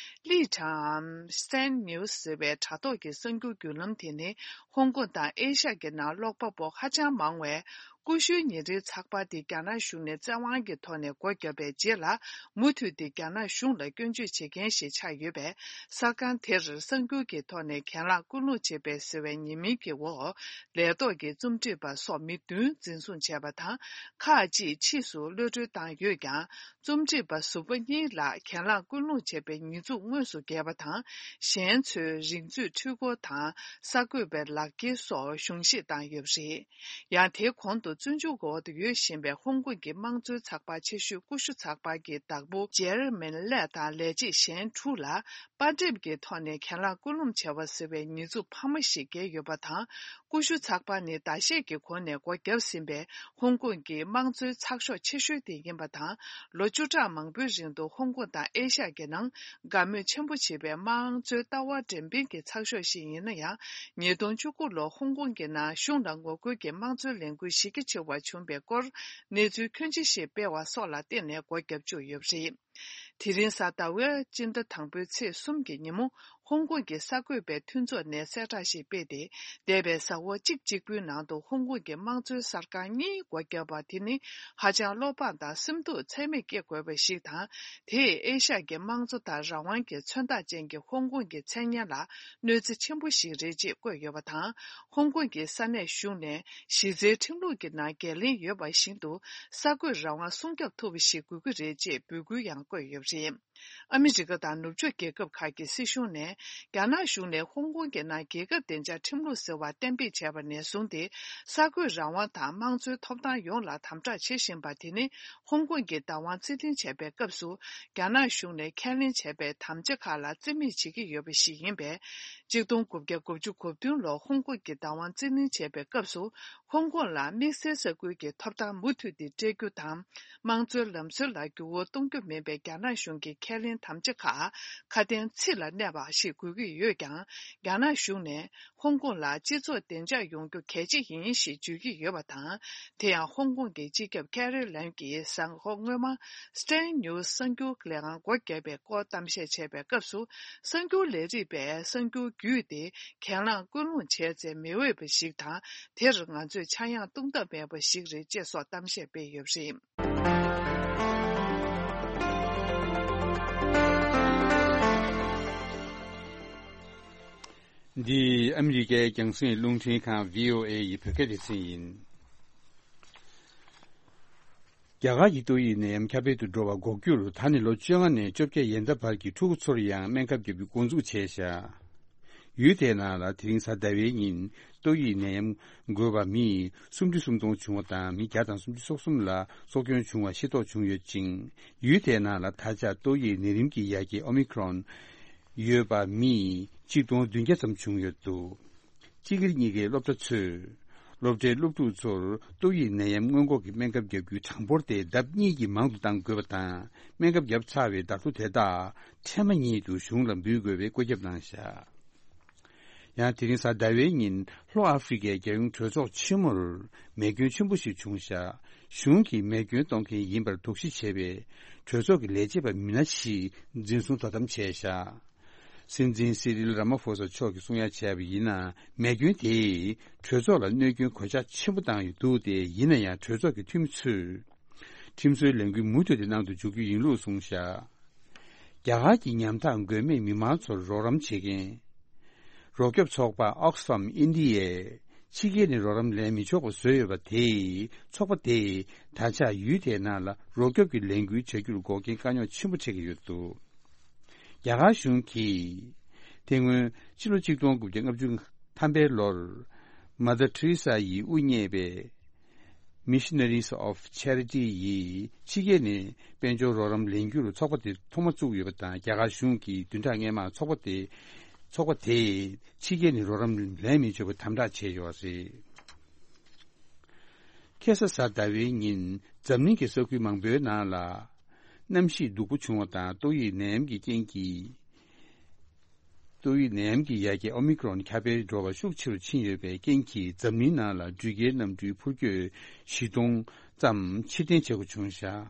ལི་ཁྲང་ཨམ། Stand News ཟེར་བའི་དྲ་ཐོག་གི་གསར་འགྱུར་བརྒྱུད་ལམ་དེ་ནི། ཧོང་ཀོང་དང་ཨེ་ཤ་ཡ་གི་ནང་ཀློག་པ་པོ་ཧ་ཅང་མང་བས། ཀུ་ཤུའི་ཉིན་རེའི་ཚགས་པར་དེ་རྒྱ་ནག་གཞུང་ནས་བཙན་དབང་གི་ཐོག་ནས་སྒོ་བརྒྱབ་པའི་རྗེས་ལ། མུ་མཐུད་དེ་རྒྱ་ནག་གཞུང་ལ་སྐྱོན་བརྗོད་བྱེད་མཁན་ཞིག་ཆགས་ཡོད་པས། གསར་ཁང་དེར་གསར་འགྱུར་གྱི་ཐོག་ནས་གྱེན་ལངས་སྐུལ་སློང་བྱེད་པའི་ཟེར་བའི་ཉེས་མིང་གི་འོག་ལས་ཐོག་གི་རྩོམ་སྒྲིག་པ་སོགས་མི་བདུན་འཛིན་བཟུང་བྱས་པ་དང་། ཁག་ཅིག་ཕྱིས་སུ་གློད་གྲོལ་བཏང་ཡོད་ཀྱང་། རྩོམ་སྒྲིག་པ་ཟུར་པ་གཉིས་ལ་གྱེན་ལངས་སྐུལ་སློང་བྱས་པའི་ཉེས་འཛུགས་དངོས་སུ་བཀལ་བ་དང་། གཞན་ཚོའི་རིག་མཛོད་འཕྲུལ་འཁོར་དང་། གསར་འགོད་པའི་ལག་འཁྱེར་སོགས་གཞུང་བཞེས་བཏང་ཡོད་པ་རེད། ཡང་དེའི་གོང་དུ་བཙོན་འཇུག་འོག་ཏུ་ཡོད་བཞིན་པའི་ཧོང་ཀོང་གི་དམངས་གཙོའི་ཚགས་པར་ཆེ་ཤོས་ཀུ་ཤུ་ཚགས་པར་གྱི་བདག་པོ་ཇེར་མིན་ལེ་དང་ལས་བྱེད་གཞན་དྲུག་ལ། པར་འགྲེམས་ཀྱི་ཐོག་ནས་གྱེན་ལངས་སྐུལ་སློང་བྱས་པ་ཟེར་བའི་ཉེས་འཛུགས་འཕར་མ་ཞིག་བཀལ་ཡོད་པ་དང་། ཀུ་ཤུ་ཚགས་པར་ནི་ཟླ་ཤས་ཀྱི་གོང་ནས་སྒོ་བརྒྱབ་ཟིན་པའི་ཧོང་ཀོང་གི་དམངས་གཙོའི་ཚགས་ཤོག་ཆེ་ཤོས་དེ་ཡིན་པ་དང་། ལོ་བཅུ་ཕྲག་མང་པོའི་རིང་དུ་ཧོང་ཀོང་དང་ཨེ་ཤ་ཡ་གི་ནང་དགའ་མོས་ཆེན་པོ་བྱེད་པའི་དམངས་གཙོའི་ལྟ་བ་འགྲེམས་སྤེལ་གྱི་ཚགས་ཤོག་ཞིག་ཡིན་ན་ཡང་། ཉིས་སྟོང་བཅུ་དགུ་ལོར་ཧོང་ཀོང་གི་ནང་གཞུང་ལ་ངོ་རྒོལ་གྱི་དམངས་གཙོའི་ལས་འགུལ་གཞི་རྒྱ་ཆེ་བ་བྱུང་བའི་སྐོར་གནས་ཚུལ་ཁྱོན་ཆེ་ཞིག་སྤེལ་བ་སོགས་ལ་བརྟེན་ནས་སྒོ་བརྒྱབ་བཅུག་ཡོད་པ་རེད། དེ་རིང་གཟའ་ཟླ་བའི་སྤྱི་ཟླ་དང་པོའི་ཚེས་གསུམ་གྱི་ཉིན་མོ། ཧོང་ཀོང་གི་གསར་འགོད་པའི་མཐུན་ཚོགས་ནས་གསལ་བསྒྲགས་ཤིག་སྤེལ་ཏེ། འདས་པའི་གཟའ་འཁོར་གཅིག་གཅིག་པུའི་ནང་དུ་ཧོང་ཀོང་གི་དམངས་གཙོའི་གསར་ཁང་གཉིས་སྒོ་བརྒྱབ་པ་དེ་ནི་ཧ་ཅང་བློ་ཕམ་དང་སེམས་སྡུག་ཚད་མེད་སྐྱེ་དགོས་པ་ཞིག་དང་། དེས་ཨེ་ཤ་ཡ་གི་དམངས་གཙོ་དང་རང་དབང་གི་མཚོན་རྟགས་ཅན་གྱི་ཧོང་ཀོང་གི་མཚན་སྙན་ལ་གནོད་འཚེ་ཆེན་པོ་ཞིག་རེད་ཅེས་བཀོད་ཡོད་པ་དང་། ཧོང་ཀོང་གི་ས་གནས་གཞུང་ནས་གཞི་རྩའི་ཁྲིམས་ལུགས་ཀྱི་ནང་འགན་ལེན་ཡོད་པ་བཞིན་དུ། གསར་འགོད་རང་དབང་སྲུང་སྐྱོབ་ཐུབ་པ་ཞིག་དགོས་ཀྱི་རེད་ཅེས་འབོད་སྐུལ་ཡང་བཀོད་ཡོད་པ་རེད། ཨ་མི་རི་ཀ་དང་ནུབ་ཕྱོགས་རྒྱལ་ཁབ་ཁག་གི་སྲིད་གཞུང་ནས། རྒྱ་ནག་གཞུང་ནས་ཧོང་ཀོང་གི་ནང་རྒྱལ་ཁབ་བདེ་འཇགས་ཁྲིམས་ལུགས་ཟེར་བ་གཏན་འབེབས་བྱས་པ་ནས་བཟུང་སྟེ། གསར་འགོད་རང་དབང་དང་དམངས་གཙོའི་ཐོབ་ཐང་ཡོངས་ལ་དམ་དྲག་བྱེད་བཞིན་པ་དེ་ནི། ཧོང་ཀོང་གི་བདག་དབང་རྩིས་ལེན་བྱས་པའི་སྐབས་སུ། རྒྱ་ནག་གཞུང་ནས་ཁས་ལེན་བྱས་པའི་དམ་བཅའ་ཁག་ལ་རྩིས་མེད་བྱེད་ཀྱི་ཡོད་པ་ཞིག་ཡིན་པས། གཅིག་སྟོང་དགུ་བརྒྱ་དགུ་བཅུ་གོ་བདུན་ལོར་ཧོང་ཀོང་གི་བདག་དབང་རྩིས་ལེན་བྱས་པའི་སྐབས་སུ། ཧོང་ཀོང་ལ་དམིགས་བསལ་ས་ཁུལ་གྱི་ཐོབ་ཐང་མུ་མཐུད་དེ་སྤྲད་རྒྱུ་དང་། དམངས་གཙོའི་ལམ་སྲོལ་ལ་འགྱུར་བ་གཏོང་རྒྱུ་མིན་པའི་རྒྱ་ནག་གཞུང་གི་ཁས་ལེན་དམ་བཅའ་ཁག་ཁ་དན་ཚིག་ལ་གནས་པ་ཞིག་དགོས་ཀྱི་ཡོད་ཀྱང་། རྒྱ་ནག་གཞུང་ནས་ཧོང་ཀོང་ལ་སྤྱི་ཚོགས་བདེ་འཇགས་ཡོང་རྒྱུ་གལ་ཆེ་ཡིན་ཞེས་བརྗོད་ཀྱི་ཡོད་པ་དང་། དེ་ཡང་ཧོང་ཀོང་གི་སྤྱི་ཁྱབ་ཀེ་རི་ལེམ་གྱིས་གཟའ་འཁོར་སྔོན་མ། Stand News གསར་འགྱུར་ལས་ཁང་སྒོ་བརྒྱབ་པའི་སྐོར་གཏམ་བཤད་བྱས་པའི་སྐབས་སུ། གསར་འགྱུར་ལས་རིགས་པས་གསར་འགྱུར་བརྒྱུད་དེ་གྱེན་ལངས་སྐུལ་སློང་བྱས་ཚེ་མི་འོས་པ་ཞིག་དང་། དེར་ང་ཚོས་ཆག་ཡང་བཏུང་ཐབས་མེད་པ་ཞིག་རེད་ཅེས་སོགས་གཏམ་བཤད་སྤེལ་ཡོད་པ་རེད། འདི་ཨ་མི་རི་ཀའི་རྒྱང་སྲིང་རླུང་འཕྲིན་ཁང་བྷི་ཨོ་ཨེ་ཡི་བོད་སྐད་སྡེ་ཚན་ཡིན། རྒྱ་གར་གྱི་ཏོག་དབྱིབས་ནད་ཡམས་ཁྱབ་སྤེལ་དུ་འགྲོ་བ་འགོག་རྒྱུར་ད་ནི་ལོ་བཅོ་ལྔ་ནས་བཅོ་བརྒྱད་ཡན་ལྟ་བར་གྱི་ཕྲུ་གུ་ཚོར་ཡང་སྨན་ཁབ་བརྒྱབ་རྒྱུ་འགོ་འཛུགས་བྱས་བཞག་ཡུལ་དེའི་ནང་ལ་དེ་རིང་གཟའ་ཟླ་བའི་ཉིན་ཏོག་དབྱིབས་ནད་ཡམས་འགོས་པ་མི་སུམ་ཁྲི་སུམ་སྟོང་བྱུང་བ་དང་། མི་བརྒྱ་དང་སུམ་ཅུ་སོ་གསུམ་ལ་སྲོག་སྐྱོན་བྱུང་བ་ཤེས་རྟོགས་བྱུང་ཡོད་ཅིང་། ཡུལ་དེའི་ནང་ལ་ད་ཆ་ཏོག་དབྱིབས་ནད་རིམས་ཀྱི་ཡ་གྱལ་ཨོ་མི་ཁྲོན་ཡོད་པ་མི་ཆིག་སྟོང་བདུན་བརྒྱ་ཙམ་བྱུང་ཡོད་འདུག་སྤྱི་སྒེར་གཉིས་ཀའི་སློབ་གྲྭ་ཚོས་སློབ་གྲྭའི་སློབ་ཕྲུག་ཚོར་ཏོག་དབྱིབས་ནད་ཡམས་སྔོན་འགོག་གི་སྨན་ཁབ་བརྒྱབ་རྒྱུའི་གྲངས་འབོར་དེ་ལྡབ་གཉིས་ཀྱིས་མང་དུ་གཏང་དགོས་པ་དང་། སྨན་ཁབ་བརྒྱབ་ཚར་བའི་བརྡ་ཐོ་དེ་དག་ཕྲན་བུ་ཉིད་དུ་གཞུང་ལ་འབུལ་དགོས་པའི་བཀོད་ཁྱབ་གནང་བཞག་ཡང་དེ་རིང་གཟའ་ཟླ་བའི་ཉིན་ལྷོ་ཨ་ཧྥེ་རི་ཁའི་རྒྱལ་ཡོངས་གྲོས་ཚོགས་ཆེན་མོར་མེ་སྐྱོན་ཆེན་པོ་ཞིག་བྱུང་བཞག་གཞུང་གིས་མེ་སྐྱོན་གཏོང་མཁན་ཡིན་པར་དོགས་གཞི་བྱས་པའི་གྲོས་ཚོགས་ཀྱི་ལས་བྱེད་པ་མི་སྣ་ཞིག་འཛིན་བཟུང་དོ་དམ་བྱས་བཞག་སྲིད་འཛིན་སི་རིལ་ར་མ་ཧྥོ་ས་མཆོག་གིས་གསུང་ཡ་བྱས་པ་ཡིན་ན། མེ་སྐྱོན་དེས་གྲོས་ཚོགས་ལ་གནོད་སྐྱོན་གོད་ཆག་ཆེན་པོ་བཏང་ཡོད་འདུག་སྟེ། ཡིན་ན་ཡང་གྲོས་ཚོགས་ཀྱི་འཐུས་མི་ཚོས་ཁྲིམས་བཟོའི་ལས་འགུལ་མུ་མཐུད་དེ་གནང་དུ་འཇུག་རྒྱུ་ཡིན་ལུགས་གསུངས་བཞག་རྒྱ་གར་གྱི་ཉམ་ཐག་མགོན་མེད་མི་མང་ཚོར་རོགས་རམ་བྱེད་མཁན་རོགས་སྐྱོབ་ཚོགས་པ་Oxfam India ཕྱི་རྒྱལ་ནས་རོགས་རམ་ལེན་མི་ཆོག་པ་བཟོས་ཡོད་པ་དེས། ཚོགས་པ་དེས་ད་ཆ་ཡུལ་དེའི་ནང་ལ་རོགས་སྐྱོབ་ཀྱི་ལས་འགུལ་བྱ་རྒྱུར་འགོག་རྐྱེན་དཀའ་རྙོག་ཆེན་པོ་འཕྲད་ཀྱི་ཡོད་འདུག་རྒྱ་གར་གཞུང་གིས་དེ་སྔོན་ཕྱི་ལོ་ཆིག་སྟོང་དགུ་བརྒྱ་ལྔ་བཅུ་ཐམ་པའི་ལོར། Mother Teresa ཡིས་དབུ་བརྙེས་པའི་Missionaries of Charity ཡིས་ཕྱི་རྒྱལ་ནས་དཔལ་འབྱོར་རོགས་རམ་ལེན་རྒྱུར་ཚོགས་པ་དེ་ཐོག་མ་བཙུགས་ཡོད་པ་དང་། རྒྱ་གར་གཞུང་གིས་བདུན་ཕྲག་སྔོན་མར་ཚོགས་པ་དེ་ཚོགས་པ་དེས་ཕྱི་རྒྱལ་ནས་རོགས་རམ་ལེན་མི་ཆོག་པའི་དམ་དྲག་བྱས་ཡོད་རེད། ཁ་སང་གཟའ་ཟླ་བའི་ཉིན་འཛམ་གླིང་གི་ས་ཁུལ་མང་པོའི་ནང་ལ་གནམ་གཤིས་སྡུག་པོ་བྱུང་བ་དང་། ཏོག་དབྱིབས་ནད་ཡམས་ཀྱི་རྐྱེན་གྱིས། ཏོག་དབྱིབས་ནད་ཡམས་ཀྱི་ཡ་གྱལ་ཨོ་མི་ཀྲོན་ཁྱབ་སྤེལ་འགྲོ་བ་ཤུགས་ཆེ་རུ་ཕྱིན་ཡོད་པའི་རྐྱེན་གྱིས། འཛམ་གླིང་ནང་ལ་འགྲུལ་སྐྱེལ་གནམ་གྲུའི་འཕུར་སྐྱོད་བཞི་སྟོང་ཙམ་ཕྱིར་འཐེན་བྱེད་དགོས་བྱུང་བཞག་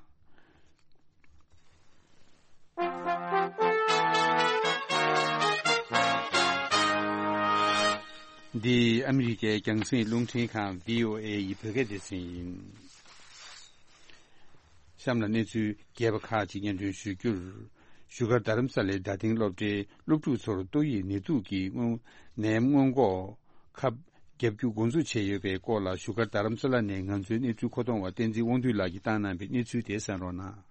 འདི་ཨ་མི་རི་ཀའི་རྒྱང་སྲིང་རླུང་འཕྲིན་ཁང་བྷི་ཨོ་ཨེ་ཡི་བོད་སྐད་སྡེ་ཚན་ཡིན། གཤམ་ལ་གནས་ཚུལ་རྒྱས་པ་ཁག་ཅིག་སྙན་སྒྲོན་ཞུ་རྒྱུར། བཞུགས་སྒར་རྡ་རམ་ས་ལའི་རྡ་སྟེང་སློབ་གྲྭའི་སློབ་ཕྲུག་ཚོར་ཏོག་དབྱིབས་ནད་དུག་གི་སྔོན་ནད་ཡམས་སྔོན་འགོག་ཁབ་བརྒྱབ་རྒྱུ་འགོ་འཛུགས་བྱས་ཡོད་པའི་སྐོར་ལ། བཞུགས་སྒར་རྡ་རམ་ས་ལ་ནས་ང་ཚོའི་གནས་ཚུལ་མཁོ་གཏོང་བ་བསྟན་འཛིན་དབང་འདུས་ལགས་ཀྱིས་བཏང་གནང་བའི་གནས་ཚུལ་དེ་གསན་རོགས་གནང་།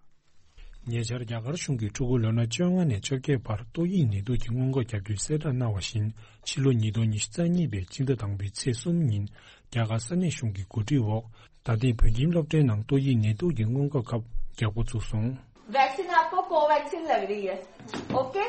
ཉེ་ཆར་རྒྱ་གར་གཞུང་གིས་ཕྲུ་གུ་ལོ་ན་བཅོ་ལྔ་ནས་བཅོ་བརྒྱད་བར་ཏོག་དབྱིབས་ནད་དུག་གི་སྔོན་འགོག་བརྒྱབ་རྒྱུའི་གསལ་བསྒྲགས་གནང་བ་བཞིན། ཕྱི་ལོ་ཉིས་སྟོང་ཉི་ཤུ་རྩ་གཉིས་པའི་སྤྱི་ཟླ་དང་པོའི་ཚེས་གསུམ་ཉིན། རྒྱ་གར་ས་གནས་གཞུང་གི་གོ་སྒྲིག་འོག་ད་ཐེངས་བོད་ཁྱིམ་སློབ་གྲྭའི་ནང་ཏོག་དབྱིབས་ནད་དུག་གི་སྔོན་འགོག་ཁབ་རྒྱག་འགོ་བཙུགས་སོང་། वैक्सीन आपको कोवैक्सीन लग रही है। ओके।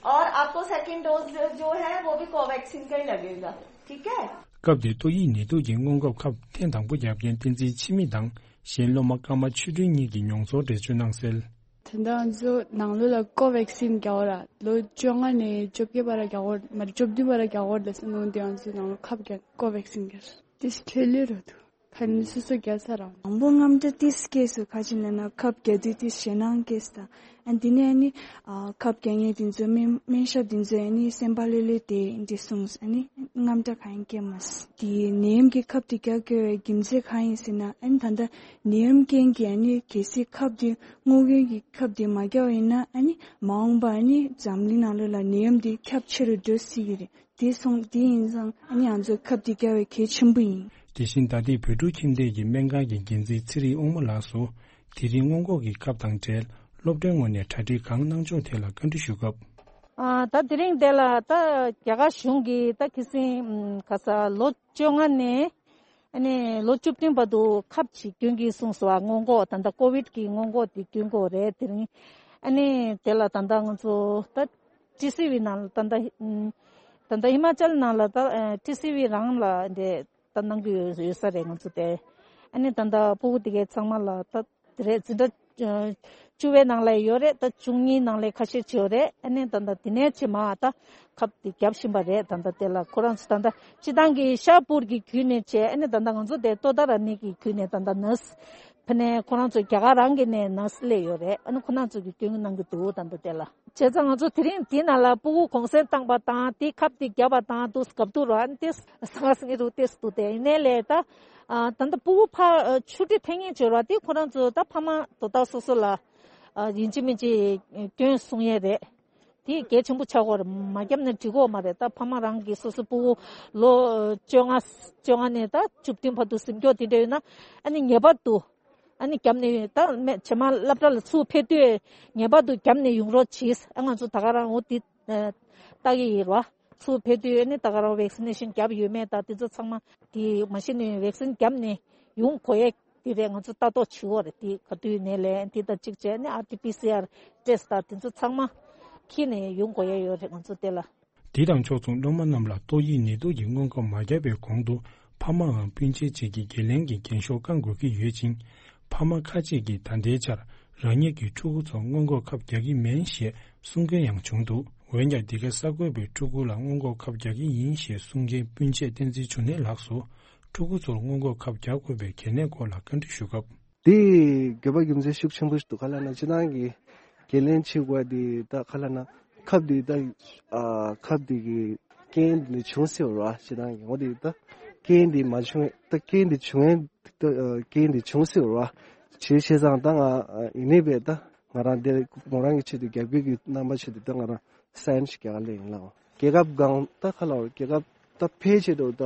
और आपको second dose जो है वो भी कोवैक्सीन का ही लगेगा। ठीक है। སྐབས་དེར་ཏོག་དབྱིབས་ནད་དུག་གི་སྔོན་འགོག་ཁབ་ཐེངས་དང་པོ་བརྒྱབ་མཁན་བསྟན་འཛིན་འཆི་མེད་དང་། གཞན་སློབ་མ་ཀརྨ་ཆོས་སྒྲོན་གཉིས་ཀྱིས་མྱོང་ཚོར་འགྲེལ་བརྗོད་གནང་གསལ། དེ་འདྲ་ང་ཚོ་ནང་ལོགས་ལ་ཀོ་ཝེག་སིན་རྒྱག་འོ་ར། ལོ་བཅོ་ལྔ་ནས་བཅོ་བརྒྱད་བར་རྒྱག་འོ་མ་རེད། བཅོ་བདུན་བར་རྒྱག་འོ་ལ་ཟེར་ནོ་འདི་ང་ཚོ་ནང་ལོགས་ཁབ་རྒྱག་ཀོ་ཝེག་སིན་རྒྱག་དེ་ཤི་ལེ་ལེ་རོ་འདུག་ཁ་ནི་སོ་སོ་རྒྱག་ས་རང་། དང་པོ་དངངས་སྐྲག་ཏིས་སྐྱེས་སོ། ཁ་ཅིག་ལ་ན་ཁབ་རྒྱག་དུས་ཏིས་ཞེད་སྣང་སྐྱེས་སོ། ཨ་འདི་ནས་ཨ་ནི་ཨ་ཁབ་རྒྱག་མཁན་དེ་ཚོ་སྨན་སྨན་ཞབས་དེ་ཚོས་ཨ་ནི་སེམས་པ་ལྷོད་ལྷོད་དེ་འདི་གསུངས། ཨ་ནི་དངངས་སྐྲག་གང་ཡང་སྐྱེས་མ་སོང་། དེ་ནད་ཡམས་ཀྱི་ཁབ་དེ་རྒྱག་དགོས་པའི་རྒྱུ་མཚན་གང་ཡིན་ཟེར་ན། ཨ་ནི་ད་ལྟ་ནད་ཡམས་རྐྱེན་གྱིས་ཨ་ནི་གལ་སྲིད་ཁབ་དེ་སྔོག་འདོན་གྱི་ཁབ་དེ་མ་རྒྱག་པ་ཡིན་ན། ཨ་ནི་མ་འོངས་པ་ཨ་ནི་འཛམ་གླིང་ནང་ལོགས་ལ་ནད་ཡམས་དེ་ཁྱབ་ཆེ་རུ་འགྲོ་སྲིད་ཀྱི་རེད། དེ་སོང་དེ་ཡིན་ཙང་ཨ་ནི་ང་ཚོ་ཁབ་དེ་རྒྱག་པའི་གལ་ཆེན་པོ་ཡིན། དེ་བཞིན་ད་ལྟའི་བོད་ཕྲུག་ཁྱིམ་སྡེ་གི་སྨན་ཁང་གི་འགན་འཛིན་ཚེ་རིང་དབང་མོ་ལགས་སུ། དེ་རིང་སྔོན་འགོག་གི་ཁབ་དང་འབྲེལ་སློབ་གྲྭའི་ངོས་ནས་གྲ་སྒྲིག་གང་གནང་ཕྱོགས་ཐད་ལ་བཀའ་འདྲི་ཞུ་སྐབས། ཨ་ད་དེ་རིང་དེ་ལ་ད་རྒྱ་གར་གཞུང་གིས་ད་ཁ་སང་ག་ས་ལོ་བཅོ་ལྔ་ནས་ཨ་ནི་ལོ་བཅུ་བདུན་བར་དུ་ཁབ་ཅིག་སྐྱོན་གྱིས་གསུངས་སོ། སྔོན་འགོག་ད་ལྟ་ཀོ་ཝིད་ཀྱི་སྔོན་འགོག་དེ་སྐྱོན་དགོས་རེད། དེ་རིང་ཨ་ནི་དེ་ལ་ད་ལྟ་ང་ཚོ་ད་ཊི་སི་ཝི་ནང་ད་ལྟ་ད་ལྟ་ཧི་མ་ཅལ་ནང་ལ་ད་ཊི་སི་ཝི་རང་ལ་འདི་ད་གནང་གི་ཡོད་ཡོད་ས་རེད་ང་ཚོ་དེ། ཨ་ནི་ད་ལྟ་སྤུ་གུ་དེ་གའི་ཚང་མ་ལ་ད་དེ་རེད། འཛིན་གྲྭ་བཅུ་པའི་ནང་ལ་ཡོད་རེད། ད་བཅུ་གཉིས་ནང་ལ་ཁ་ཤས་ཅིག་ཡོད་རེད། ཨ་ནི་ད་ལྟ་དེ་ནས་ཕྱི་མ་ད་ཁབ་དེ་བརྒྱབ་བཞིན་པ་རེད། ད་ལྟ་དེ་ལ་ཁོ་རང་ཚོ་ད་ལྟ་སྤྱི་བཏང་གི་ཤ་པུར་གྱི་བརྒྱུད་ནས་བྱས། ཨ་ནི་ད་ལྟ་ང་ཚོ་དེ་ཏོ་ད་ར་ནི་གི་བརྒྱུད་ནས་ད་ལྟ་ནར་སི་ཕ་ནས་ཁོ་རང་ཚོ་རྒྱ་གར་རང་གི་ནས་ནར་སི་སླེབས་ཡོད་རེད། ཨ་ནི་ཁོ་རང་ཚོ་གི་སྐྱོན་གནང་གི་འདུག་ད་ལྟ་དེ་ལ། བྱས་ཙང་ང་ཚོ་དེ་རིང་དེ་ནང་ལ་སྤུ་གུ་གུང་སེང་བཏང་པ་དང་དེ་ཁབ་དེ་བརྒྱབ་པ་དང་དུ་སྐབས་དུ་ར་ཏེས་སང་སང་རུ་ཏེས་དུ་དེ་ནས་ལས་ད་ད་ལྟ་སྤུ་གུ་ཕ་ཆུ་ཁྲི་ཕན་ངེས་བྱོས་ར་དེ་ཁོ་རང་ཚོ་ད་ཕ་མ་དོ་ད་སོ་སོ་ལ་ཡིན་གཅིག་མིན་གཅིག་སྐྱོན་གསུང་ཡས་རེད། དེ་གལ་ཆེན་པོ་ཆགས་ཀྱི་ཡོད་རེད། མ་བརྒྱབ་ན་འགྲིག་གི་ཡོད་མ་རེད། ད་ཕ་མ་རང་གིས་སོ་སོ་སྤུ་གུ་ལོ་བཅོ་ལྔ་བཅོ་ལྔ་ནས་ད་བཅུ་བདུན་བར་དུ་ཟིན་སྐྱོ་དེ་འདྲ་ཡོད་ན་ཨ་ནི་ངེས་པར་དུ། ཨ་ནི་བརྒྱབ་ནས་ད་རྗེས་མ་སློབ་གྲྭ་ལ་ཚུར་ཕེབས་དུས་ངེས་པར་དུ་བརྒྱབ་ནས་ཡོང་རོགས་གྱིས། ཨ་ང་ཚོ་ད་ག་རང་འོ་དེ་ལྟ་གི་ཡིན་རོ། ཚུར་ཕེབས་དུས་ཨ་ནི་ད་ག་རང་ཝེག་སི་ནེ་ཤན་བརྒྱབ་ཡོད་མེད་ད་དེ་ཚོ་ཚང་མ་དེ་མ་གཞི་ནས་ཝེག་སིན་བརྒྱབ་ནས་ཡོང་དགོས་ཡས་དེ་རེད། ང་ཚོ་ལྟ་རྟོག་བྱེད་དགོས་རེད། དེ་ག་དུས་ནས་ལས་དེ་དང་གཅིག་བྱས་ནས་ཨར་ཊི་པི་སི་ཨར་ཊེ་སི་ཊི་དང་དེ་ཚོ་ཚང་མ་འཁྱེར་ནས་ཡོང་དགོས་ཡས་ཡོད་རེད་ང་ཚོ་དེ་ལ། དེ་དང་ཕྱོགས་མཚུངས་སློབ་མ་རྣམས་ལ་ཏོག་དབྱིབས་ནད་དུག་གི་སྔོན་འགོག་མ་བརྒྱབ་པའི་གོང་དུ་ཕ་མའམ་སྤུན་མཆེད་ཅིག་གིས་འགན་ལེན་གྱི་འགན་ཤོག་བསྐང་དགོས་ཀྱི་ཡོད་ཅིང་། ཕ་མ་ཁ་ཅིག་གིས་ད་ལྟའི་ཆར་རང་ཉིད་ཀྱི་ཕྲུ་གུ་ཚོར་སྔོན་འགོག་ཁབ་རྒྱག་གི་མིན་ཞེས་གསུང་མཁན་ཡང་བྱུང་འདུག་འོན་ཀྱང་འདི་ག་ས་དགོས་པའི་ཕྲུ་གུ་ལ་སྔོན་འགོག་ཁབ་རྒྱག་གི་ཡིན་ཞེས་གསུང་མཁན་སྤུན་མཆེད་བསྟན་འཛིན་འབྱུང་གནས་ལགས་སུ་ཕྲུ་གུ་ཚོར་སྔོན་འགོག་ཁབ་རྒྱག་དགོས་པའི་གལ་གནད་སྐོར་ལ་བཀའ་འདྲི་ཞུ་སྐབས། དེ་དགོས་པ་རྒྱུ་མཚན་ཤུགས་ཆེན་པོ་ཞིག་འདུག་ག་ལ་ན་སྤྱིར་བཏང་གི་འགན་ལེན་བྱེད་དགོས་དེ་ད་ག་ལ་ན་ཁབ་དེ་ད་ཨ་ཁབ་དེ་གི་རྐྱེན་དེ་བྱུང་སྲིད་པ་རེད་བ། སྤྱིར་བཏང་གི་འོ་དེ་ད་རྐྱེན་དེ་མ་བྱུང་ད་རྐྱེན་དེ་བྱུང་ད་རྐྱེན་དེ་བྱུང་སྲིད་པ་རེད་བ། བྱས་བྱས་ཙང་ད་ང་ཡིན་ནའི་བས་ད་ང་རང་དེ་མོ་རང་གི་ཆེད་དུ་རྒྱབ་སྐྱོར་གྱི་རྣམ་པ་ཆེད་དུ་ད་ང་རང་སའིན་ཞིག་རྒྱག་ག་སླེབས་ཡིན་ལགས། རྒྱལ་ཁབ་སྒང་ད་ག་ལ་རྒྱལ་ཁབ་ད་ཕལ་ཆེར་དུ་ད།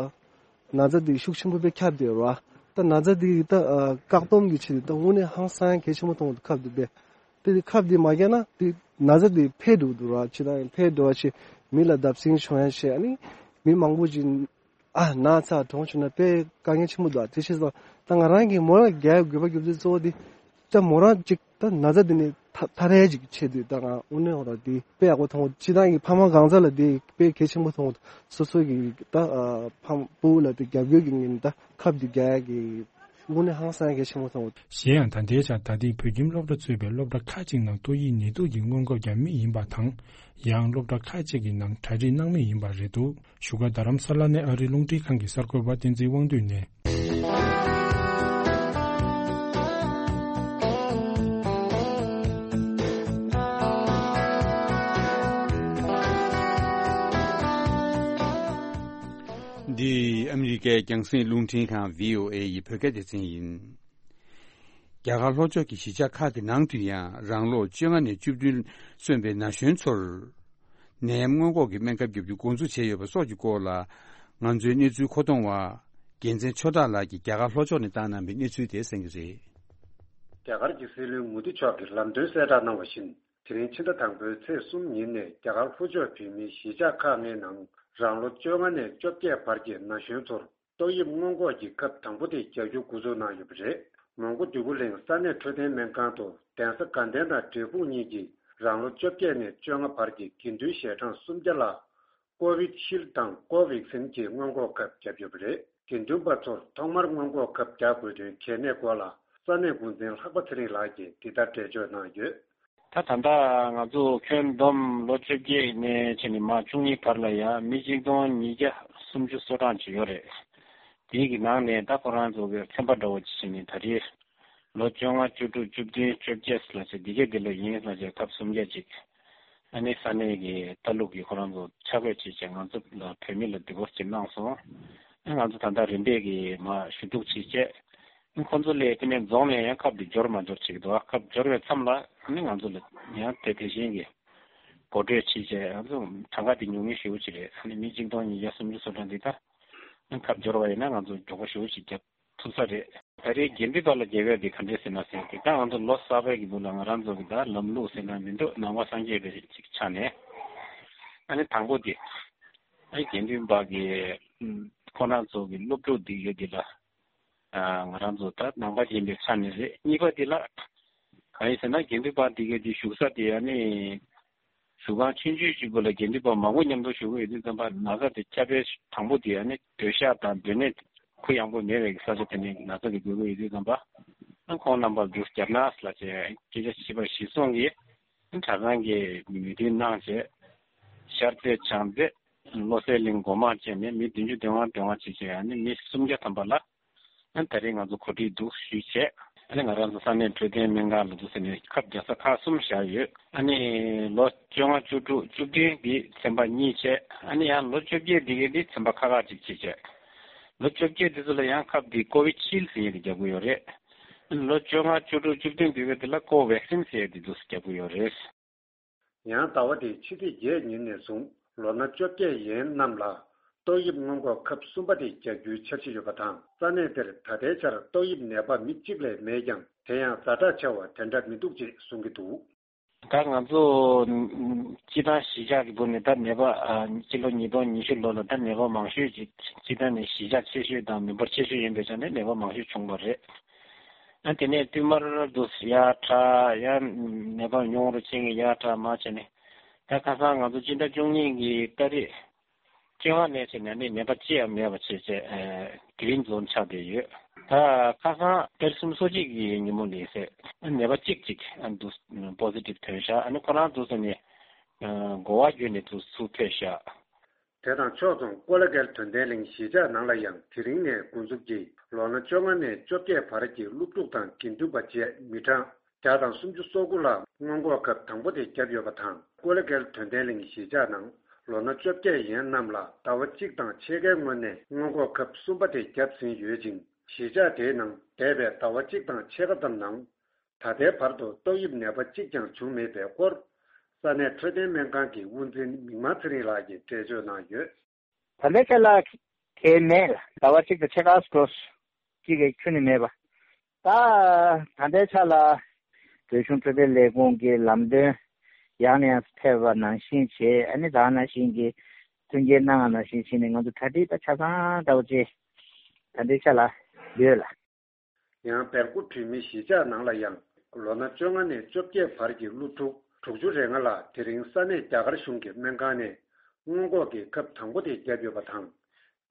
ན་ཚ་འདི་ཤུགས་ཆེན་པོ་དཔེ་ཁྱབ་བསྡད་ཡོད་རེད་བ། ད་ན་ཚ་འདི་ད་ཨ་བཀག་སྡོམ་གྱི་ཆེད་དུ་ད་དངོས་གནས་ཧང་སང་གལ་ཆེན་པོ་མཐོང་གི་འདུག་ཁབ་འདི་དཔེ། དེ་ཁབ་འདི་མ་བརྒྱབ་ན་དེ་ན་ཚ་འདི་འཕེལ་འགྲོ་གི་འདུག་ར། ཕྱི་ནང་འཕེལ་འགྲོ་བ་ཆེ། མི་ལ་བརྡབ་གསིག་བྱུང་ཡ་ཆེ། ཨ་ནི་མི་མང་པོ་ཅིག་ཨ་ན་ཚ་གྲོངས་བྱུང་ན་དཔེ་དཀའ་ངལ་ཆེན་པོ་འདུག་དེ་ཕྱིར་ད་ད་ང་རང་གིས་མོ་རང་རྒྱག་དགོས་པ་རྒྱུ་མཚན་གཙོ་བོ་འདི་ད་མོ་རང་ཅིག་ད་ན་ཚ་འདི་ནས་ཐ་ཐར་ཡ་ཅིག་ཆེད་དུ་ད་ང་དངོས་གནས་ཧོ་ར་འདི་དཔེ་ཡག་པོ་མཐོང་། སྤྱིར་བཏང་གི་ཕ་མ་གང་ཟག་ལ་འདི་དཔེ་གལ་ཆེན་པོ་མཐོང་། སོ་སོ་གི་ད་ཨ་ཕ་བུ་ལ་འདི་རྒྱབ་སྐྱོར་གྱི་ངོས་ནས་ད་ཁབ་འདི་རྒྱག་ཡ་གི་དངོས་གནས་ཧང་སང་གལ་ཆེན་པོ་མཐོང་། གཞན་ཡང་ད་ལྟའི་ཆར་ད་ཐེངས་བོད་ཁྱིམ་སློབ་གྲྭ་གཙོས་པའི་སློབ་གྲྭ་ཁག་ཅིག་ནང་ཏོག་དབྱིབས་ནད་དུག་གི་སྔོན་འགོག་རྒྱག་མུས་ཡིན་པ་དང་། ཡང་སློབ་གྲྭ་ཁག་ཅིག་གི་ནང་གྲ་སྒྲིག་གནང་མུས་ཡིན་པ་རེད་འདུག་བཞུགས་སྒར་རྡ་རམ་ས་ལ་ནས་ཨ་རིའི་རླུང་འཕྲིན་ཁང་གི་གསར་འགོད་པ་བསྟན་འཛིན་དབང་འདུས་ནས། འདི་ཨ་མི་རི་ཀའི་རྒྱང་སྲིང་རླུང་འཕྲིན་ཁང་བྷི་ཨོ་ཨེ་ཡི་བོད་སྐད་སྡེ་ཚན་ཡིན། རྒྱ་གར་ལྷོ་ཕྱོགས་ཀྱི་གཞིས་ཆགས་ཁག་གི་ནང་དུ་ཡང་རང་ལོ་བཅོ་ལྔ་ནས་བཅུ་བདུན་སོན་པའི་ན་གཞོན་ཚོར། ནད་ཡམས་སྔོན་འགོག་གི་སྨན་ཁབ་བརྒྱབ་རྒྱུ་འགོ་འཛུགས་བྱས་ཡོད་པ་སོགས་ཀྱི་སྐོར་ལ། ང་ཚོའི་གནས་ཚུལ་མཁོ་གཏོང་བ། རྒྱལ་མཚན་ཆོས་གྲགས་ལགས་ཀྱིས་རྒྱ་གར་ལྷོ་ཕྱོགས་ནས་བཏང་གནང་བའི་གནས་ཚུལ་དེ་གསན་གྱི་རེད། རྒྱ་གར་གྱི་སྲིད་བློན་མོ་དི་མཆོག་གིས་ལམ་སྟོན་གསལ་བསྒྲགས་གནང་བ་བཞིན། དེ་རིང་ཕྱི་ཟླ་དང་པོའི་ཚེས་གསུམ་ཉིན་ནས་རྒྱ་གར་ལྷོ་ཕྱོགས་བོད་མིའི་གཞིས་ཆགས་ཁག་ལྔའི་ནང་རང་ལོ་བཅོ་ལྔ་ནས་བཅོ་བརྒྱད་བར་གྱི་ན་གཞོན་ཚོར་ཏོག་དབྱིབས་སྔོན་འགོག་གི་ཁབ་དང་པོ་དེ་རྒྱག་རྒྱུ་འགོ་འཛུགས་གནང་ཡོད་པ་རེད། མོན་གྷོ་འདོད་རྒུ་གླིང་ས་གནས་འཕྲོད་བསྟེན་སྨན་ཁང་དུ་གདན་ས་དགའ་ལྡན་དང་འབྲས་སྤུངས་གཉིས་ཀྱིས་རང་ལོ་བཅོ་བརྒྱད་ནས་བཅོ་ལྔ་བར་གྱི་དགེ་འདུན་ཞལ་གྲངས་སུམ་བརྒྱ་ལ་ཀོ་བི་ཤིལ་དང་ཀོ་ཝེག་སིན་གྱི་སྔོན་འགོག་ཁབ་བརྒྱབ་ཡོད་པ་རེད། དགེ་འདུན་པ་ཚོར་ཐོག་མར་སྔོན་འགོག་ཁབ་རྒྱག་དགོས་དོན་གལ་གནད་སྐོར་ལ་ས་གནས་འགོ་འཛིན་ལྷག་པ་ཚེ་རིང་ལགས་ཀྱིས་འདི་ལྟར་འགྲེལ་བརྗོད་གནང་ཡོད། ད་ད་ལྟ་ང་ཚོ་ཁྱོན་བསྡོམས་ལོ་བཅོ་བརྒྱད་ནས་བྱས་ནས་མར་བཅུ་གཉིས་བར་ལ་ཡང་མི་གཅིག་སྟོང་ཉིས་བརྒྱ་སུམ་ཅུ་སོ་གྲངས་ཅིག་ཡོད་རེད། དེའི་གི་ནང་ནས་ད་ཁོ་རང་ཚོ་གི་ཚན་པ་འདྲ་བོ་ཅིག་བྱས་ནས་ད་རེས་ལོ་བཅོ་ལྔ་བཅུ་དྲུག་བཅུ་བདུན་བཅོ་བརྒྱད་ལ་བྱས་འདི་གའི་འདི་ལ་ཡིན་ལ་བྱས་ཁབ་སུམ་བརྒྱ་ཅིག་ཨ་ནི་ས་གནས་ཀྱི་ལྟ་ལུགས་ཀྱི་ཁོ་རང་ཚོ་ཆ་བགོས་བྱས་བྱས་ང་ཚོ་ལ་བོད་མི་ལ་འདི་སྐོར་ཅིག་གནང་སོང་། ཨ་ང་ཚོ་ད་ལྟ་རིམ་པས་ཀྱི་མར་ཞུ་གཏུག་བྱས་བྱས། ཁོང་ཚོ་ལས་དེ་ནས་རྫོང་ནས་ཡང་ཁབ་དེ་འབྱོར་མ་འབྱོར་བྱེད་ཀྱི་འདུག་ཁབ་འབྱོར་བའི་མཚམས་ལ་ཨ་ནི་ང་ཚོ་ལ་ཡང་དེ་དེ་བཞིན་གྱི་གོ་སྒྲིག་བྱས་བྱས་ང་ཚོ་གྲངས་ཀ་དེ་ཉུང་ཉུང་ཞེ་པོ་ཅིག་རེད། ཨ་ནི་མི་གཅིག་སྟོང་ཉིས་བརྒྱ་སུམ་ཅུ་སོ་གྲངས་འདི་ད་ཁབ་འབྱོར་བ་ཡིན་ན་ང་ཚོ་མགྱོགས་པོ་ཞེ་པོ་ཅིག་རྒྱབ་ཐུབ་ས་རེད། ད་རེས་དགེ་འདུན་པ་ལ་རྒྱབ་ཡ་དེ་ག་འདྲས་ཟེར་ན་ཟེར་དེ་ད་ང་ཚོ་ལོ་གསར་པའི་གི་འདུག་ལ་ང་རང་ཚོ་གི་ད་ལམ་ལུགས་ཟེར་ན་མི་འདུག་ནང་པ་སངས་རྒྱས་པའི་ཅིག་ཆ་ནས་ཨ་ནི་དང་པོ་དེ་ཨ་ནི་དགེ་འདུན་པ་གི་ཁོ་རང་ཚོ་གི་སློབ་ཕྲུག་འདི་ཡོད་དེ་ལ། ང་རང་ཚོ་ད་ནང་པ་ཡིན་པའི་ཆ་ནས་རེད། གཉིས་པ་དེ་ལ་གང་ཡིན་ཟེར་ན་དགེ་འདུན་པ་འདི་གའི་དེ་བཞུགས་ས་དེ་ཨ་ནི་བཞུགས་ཁང་ཆུང་ཆུང་ཞིག་པོ་ལ་དགེ་འདུན་པ་མང་པོ་མཉམ་དུ་བཞུགས་ཀྱི་ཡོད་དུས་ཙམ་པ་ན་ཚ་དེ་ཁྱབ་སྤེལ་དང་པོ་དེ་ཨ་ནི་སྡོད་ཤག་དང་སྡོད་གནས་གུ་ཡངས་པོ་མེད་པའི་ས་ཆ་དེ་ནས་ན་ཚ་དེ་འགོས་ཀྱི་ཡོད་དུས་ཙམ་པ་ཨ་ཁོང་རྣམ་པར་འདུག་རྒྱབ་ན་ལ་བྱས་སྐད་ཆ་བྱས་པ་གཞིར་བཟུང་གིས་གྲྭ་ཚང་གིས་མོས་མཐུན་གནང་བྱས་ཤར་རྩེ་བྱང་རྩེ་བློ་གསལ་གླིང་སྒོ་མང་བཅས་ནས་མི་བདུན་ཅུ་དོན་ལྔ་དོན་ལྔ་བྱས་བྱས་ཨ་ནི་མི་སུམ་བརྒྱ་ཐམ་པ་ལ། ཨ་ནི་ད་རེས་ང་ཚོ་གོ་སྒྲིག་འདུག་ཞུས་བྱས། ཨ་ནི་ང་རང་ཚོ་ས་གནས་འཕྲོད་བསྟེན་སྨན་ཁང་ལ་འདུག་ཟེར་ནས་ཁབ་རྒྱག་ས་ཁག་གསུམ་བཞག་ཡོད། ཨ་ནི་ལོ་བཅོ་ལྔ་བཅུ་དྲུག་བཅུ་བདུན་འདི་ཚན་པ་གཉིས་བྱས། ཨ་ནི་ཡང་ལོ་བཅོ་བརྒྱད་འདི་གའི་འདི་ཚན་པ་ཁག་ཁག་ཅིག་བྱས་བྱས། ལོ་བཅོ་བརྒྱད་འདི་ཚོ་ལ་ཡང་ཁབ་འདི་ཀོ་བི་ཤིལ་ཟེར་ཡས་འདི་རྒྱག་གི་ཡོད་རེད། ཨ་ནི་ལོ་བཅོ་ལྔ་བཅུ་དྲུག་བཅུ་བདུན་འདི་གའི་འདི་ལ་ཀོ་ཝེག་སིན་ཟེར་ཡས་འདི་འདུག་སེ་རྒྱག་གི་ཡོད་རེད། ཡང་ཟླ་བ་འདིའི་ཕྱི་ཚེས་བརྒྱད་ཉིན་ནས་བཟུང་ལོ་ན་བཅོ་བརྒྱད་ཡན་རྣམས་ལ་ཏོག་དབྱིབས་སྔོན་འགོག་ཁབ་གསུམ་པ་དེ་རྒྱག་རྒྱུའི་འཆར་གཞི་ཡོད་པ་དང་། ས་གནས་དེར་ད་ལྟའི་ཆར་ཏོག་དབྱིབས་ནད་པ་མི་གཅིག་ལས་མེད་ཀྱང་། དེ་ཡང་ཛ་དྲག་ཆེ་བ་དེ་འདྲ་མི་འདུག་ཅེས་གསུང་གི་འདུག། ད་ང་ཚོ་སྤྱི་བཏང་གཞིས་ཆགས་ཀྱི་སྒོ་ནས་ད་ནད་པ་ཨ་སྤྱི་ལོ་ཉིས་སྟོང་ཉི་ཤུ་ལོ་ལ་ད་ནད་པ་མང་ཤོས་ཀྱི་སྤྱི་བཏང་ནས་གཞིས་ཆགས་ཆེ་ཤོས་དང་མི་འབོར་ཆེ་ཤོས་ཡིན་པའི་ཆ་ནས་ནད་པ་མང་ཤོས་བྱུང་བ་རེད། ཨ་དེ་ནས་བསྟུད་མར་དུ་ཡར་དྲག་ཡར་ནད་པ་ཉུང་རུ་ཕྱིན་གྱི་ཡར་དྲག་མར་བྱས་ནས་ད་ཁ་སང་ང་ཚོ་སྤྱི་ཟླ་བཅུ་གཉིས་ཀྱི་ཏ་རིག་བཅོ་ལྔ་ནས་བྱས་ནས་ནི་ནད་པ་ཅི་ཡང་མེད་པ་བྱས་བྱས་ཨ་གི་རིན་ཛོན་ཆགས་བསྡད་ཡོད། ད་ཁ་སང་ཏ་རིག་སུམ་ཅུ་སོ་གཅིག་གི་ཉིན་མོ་ནས་ཟེར་ནད་པ་གཅིག་གཅིག་ཨ་འདུག་པོ་སི་ཊིབ་ཐོན་ཤག་ཨ་ནི་ཁོ་རང་འདུག་ཟེར་ནས་ཨ་གོ་བ་བརྒྱུད་ནས་འདུག་ཚུར་ཕེབས་ཤག་དེ་དང་ཕྱོགས་མཚུངས་ཀོ་ལ་གྷལ་དོན་ལྡན་གླིང་གཞིས་ཆགས་ནང་ལ་ཡང་དེ་རིང་ནས་འགོ་འཛུགས་ཀྱིས་ལོ་ན་བཅོ་ལྔ་ནས་བཅོ་བརྒྱད་བར་གྱི་སློབ་ཕྲུག་དང་དགེ་འདུན་པ་བཅས་མི་གྲངས་བརྒྱ་དང་སུམ་ཅུ་སོ་དགུ་ལ་སྔོན་འགོག་ཁབ་དང་པོ་དེ་བརྒྱབ་ཡོད་པ་དང་། ཀོ་ལ་གྷལ་དོན་ལྡན་གླིང་གཞིས་ཆགས་ནང་ལོ་ན་བཅོ་བརྒྱད་ཡན་རྣམས་ལ་ཟླ་བ་གཅིག་དང་ཕྱེད་ཀའི་སྔོན་ནས་སྔོན་འགོག་ཁབ་གསུམ་པ་དེ་བརྒྱབ་ཟིན་ཡོད་ཅིང་། གཞིས་ཆགས་དེའི་ནང་འདས་པའི་ཟླ་བ་གཅིག་དང་ཕྱེད་ཀ་ཙམ་ནང་ད་ལྟའི་བར་དུ་ཏོག་དབྱིབས་ནད་པ་གཅིག་ཀྱང་བྱུང་མེད་པའི་སྐོར། ས་གནས་འཕྲོད་བསྟེན་སྨན་ཁང་གི་དབུ་འཛིན་མིག་དམར་ཚེ་རིང་ལགས་ཀྱིས་འགྲེལ་བརྗོད་གནང་ཡོད། ད་ལྟའི་ཆ་ལ་ དེ་མེད་ལ། ཟླ་བ་གཅིག་དང་ཕྱེད་ཀ་སོ་གཅིག་གི་ཁྱོན་ནས་མེད་པ། ད་ད་ལྟའི་ཆ་ལ་བོད་གཞུང་འཕྲོད་བསྟེན་ལས་ཁུངས་ཀྱི་ལམ་སྟོན་ཡང་ནས་ཡང་ཕེབས་པ་ནང་བཞིན་བྱས། ཨ་ནི་ད་ནང་བཞིན་གྱི་མཐུན་རྐྱེན་གནང་བ་ནང་བཞིན་བྱས་ནས། ང་ཚོ་གྲ་སྒྲིག་ད་ཆ་ཚང་འདྲ་བོ་ཅིག་ད་ལྟའི་ཆ་ལ་ཡོད་ལ། ཡང་སྦེལ་ཀོབ་བོད་མིའི་གཞིས་ཆགས་ནང་ལ་ཡང་ལོ་ན་བཅོ་ལྔ་ནས་བཅོ་བརྒྱད་བར་གྱི་སློབ་ཕྲུག་དྲུག་ཅུ་རེ་ལྔ་ལ་དེ་རིང་ས་གནས་རྒྱ་གར་གཞུང་གི་སྨན་ཁང་ནས་སྔོན་འགོག་གི་ཁབ་དང་པོ་དེ་བརྒྱབ་ཡོད་པ་དང་།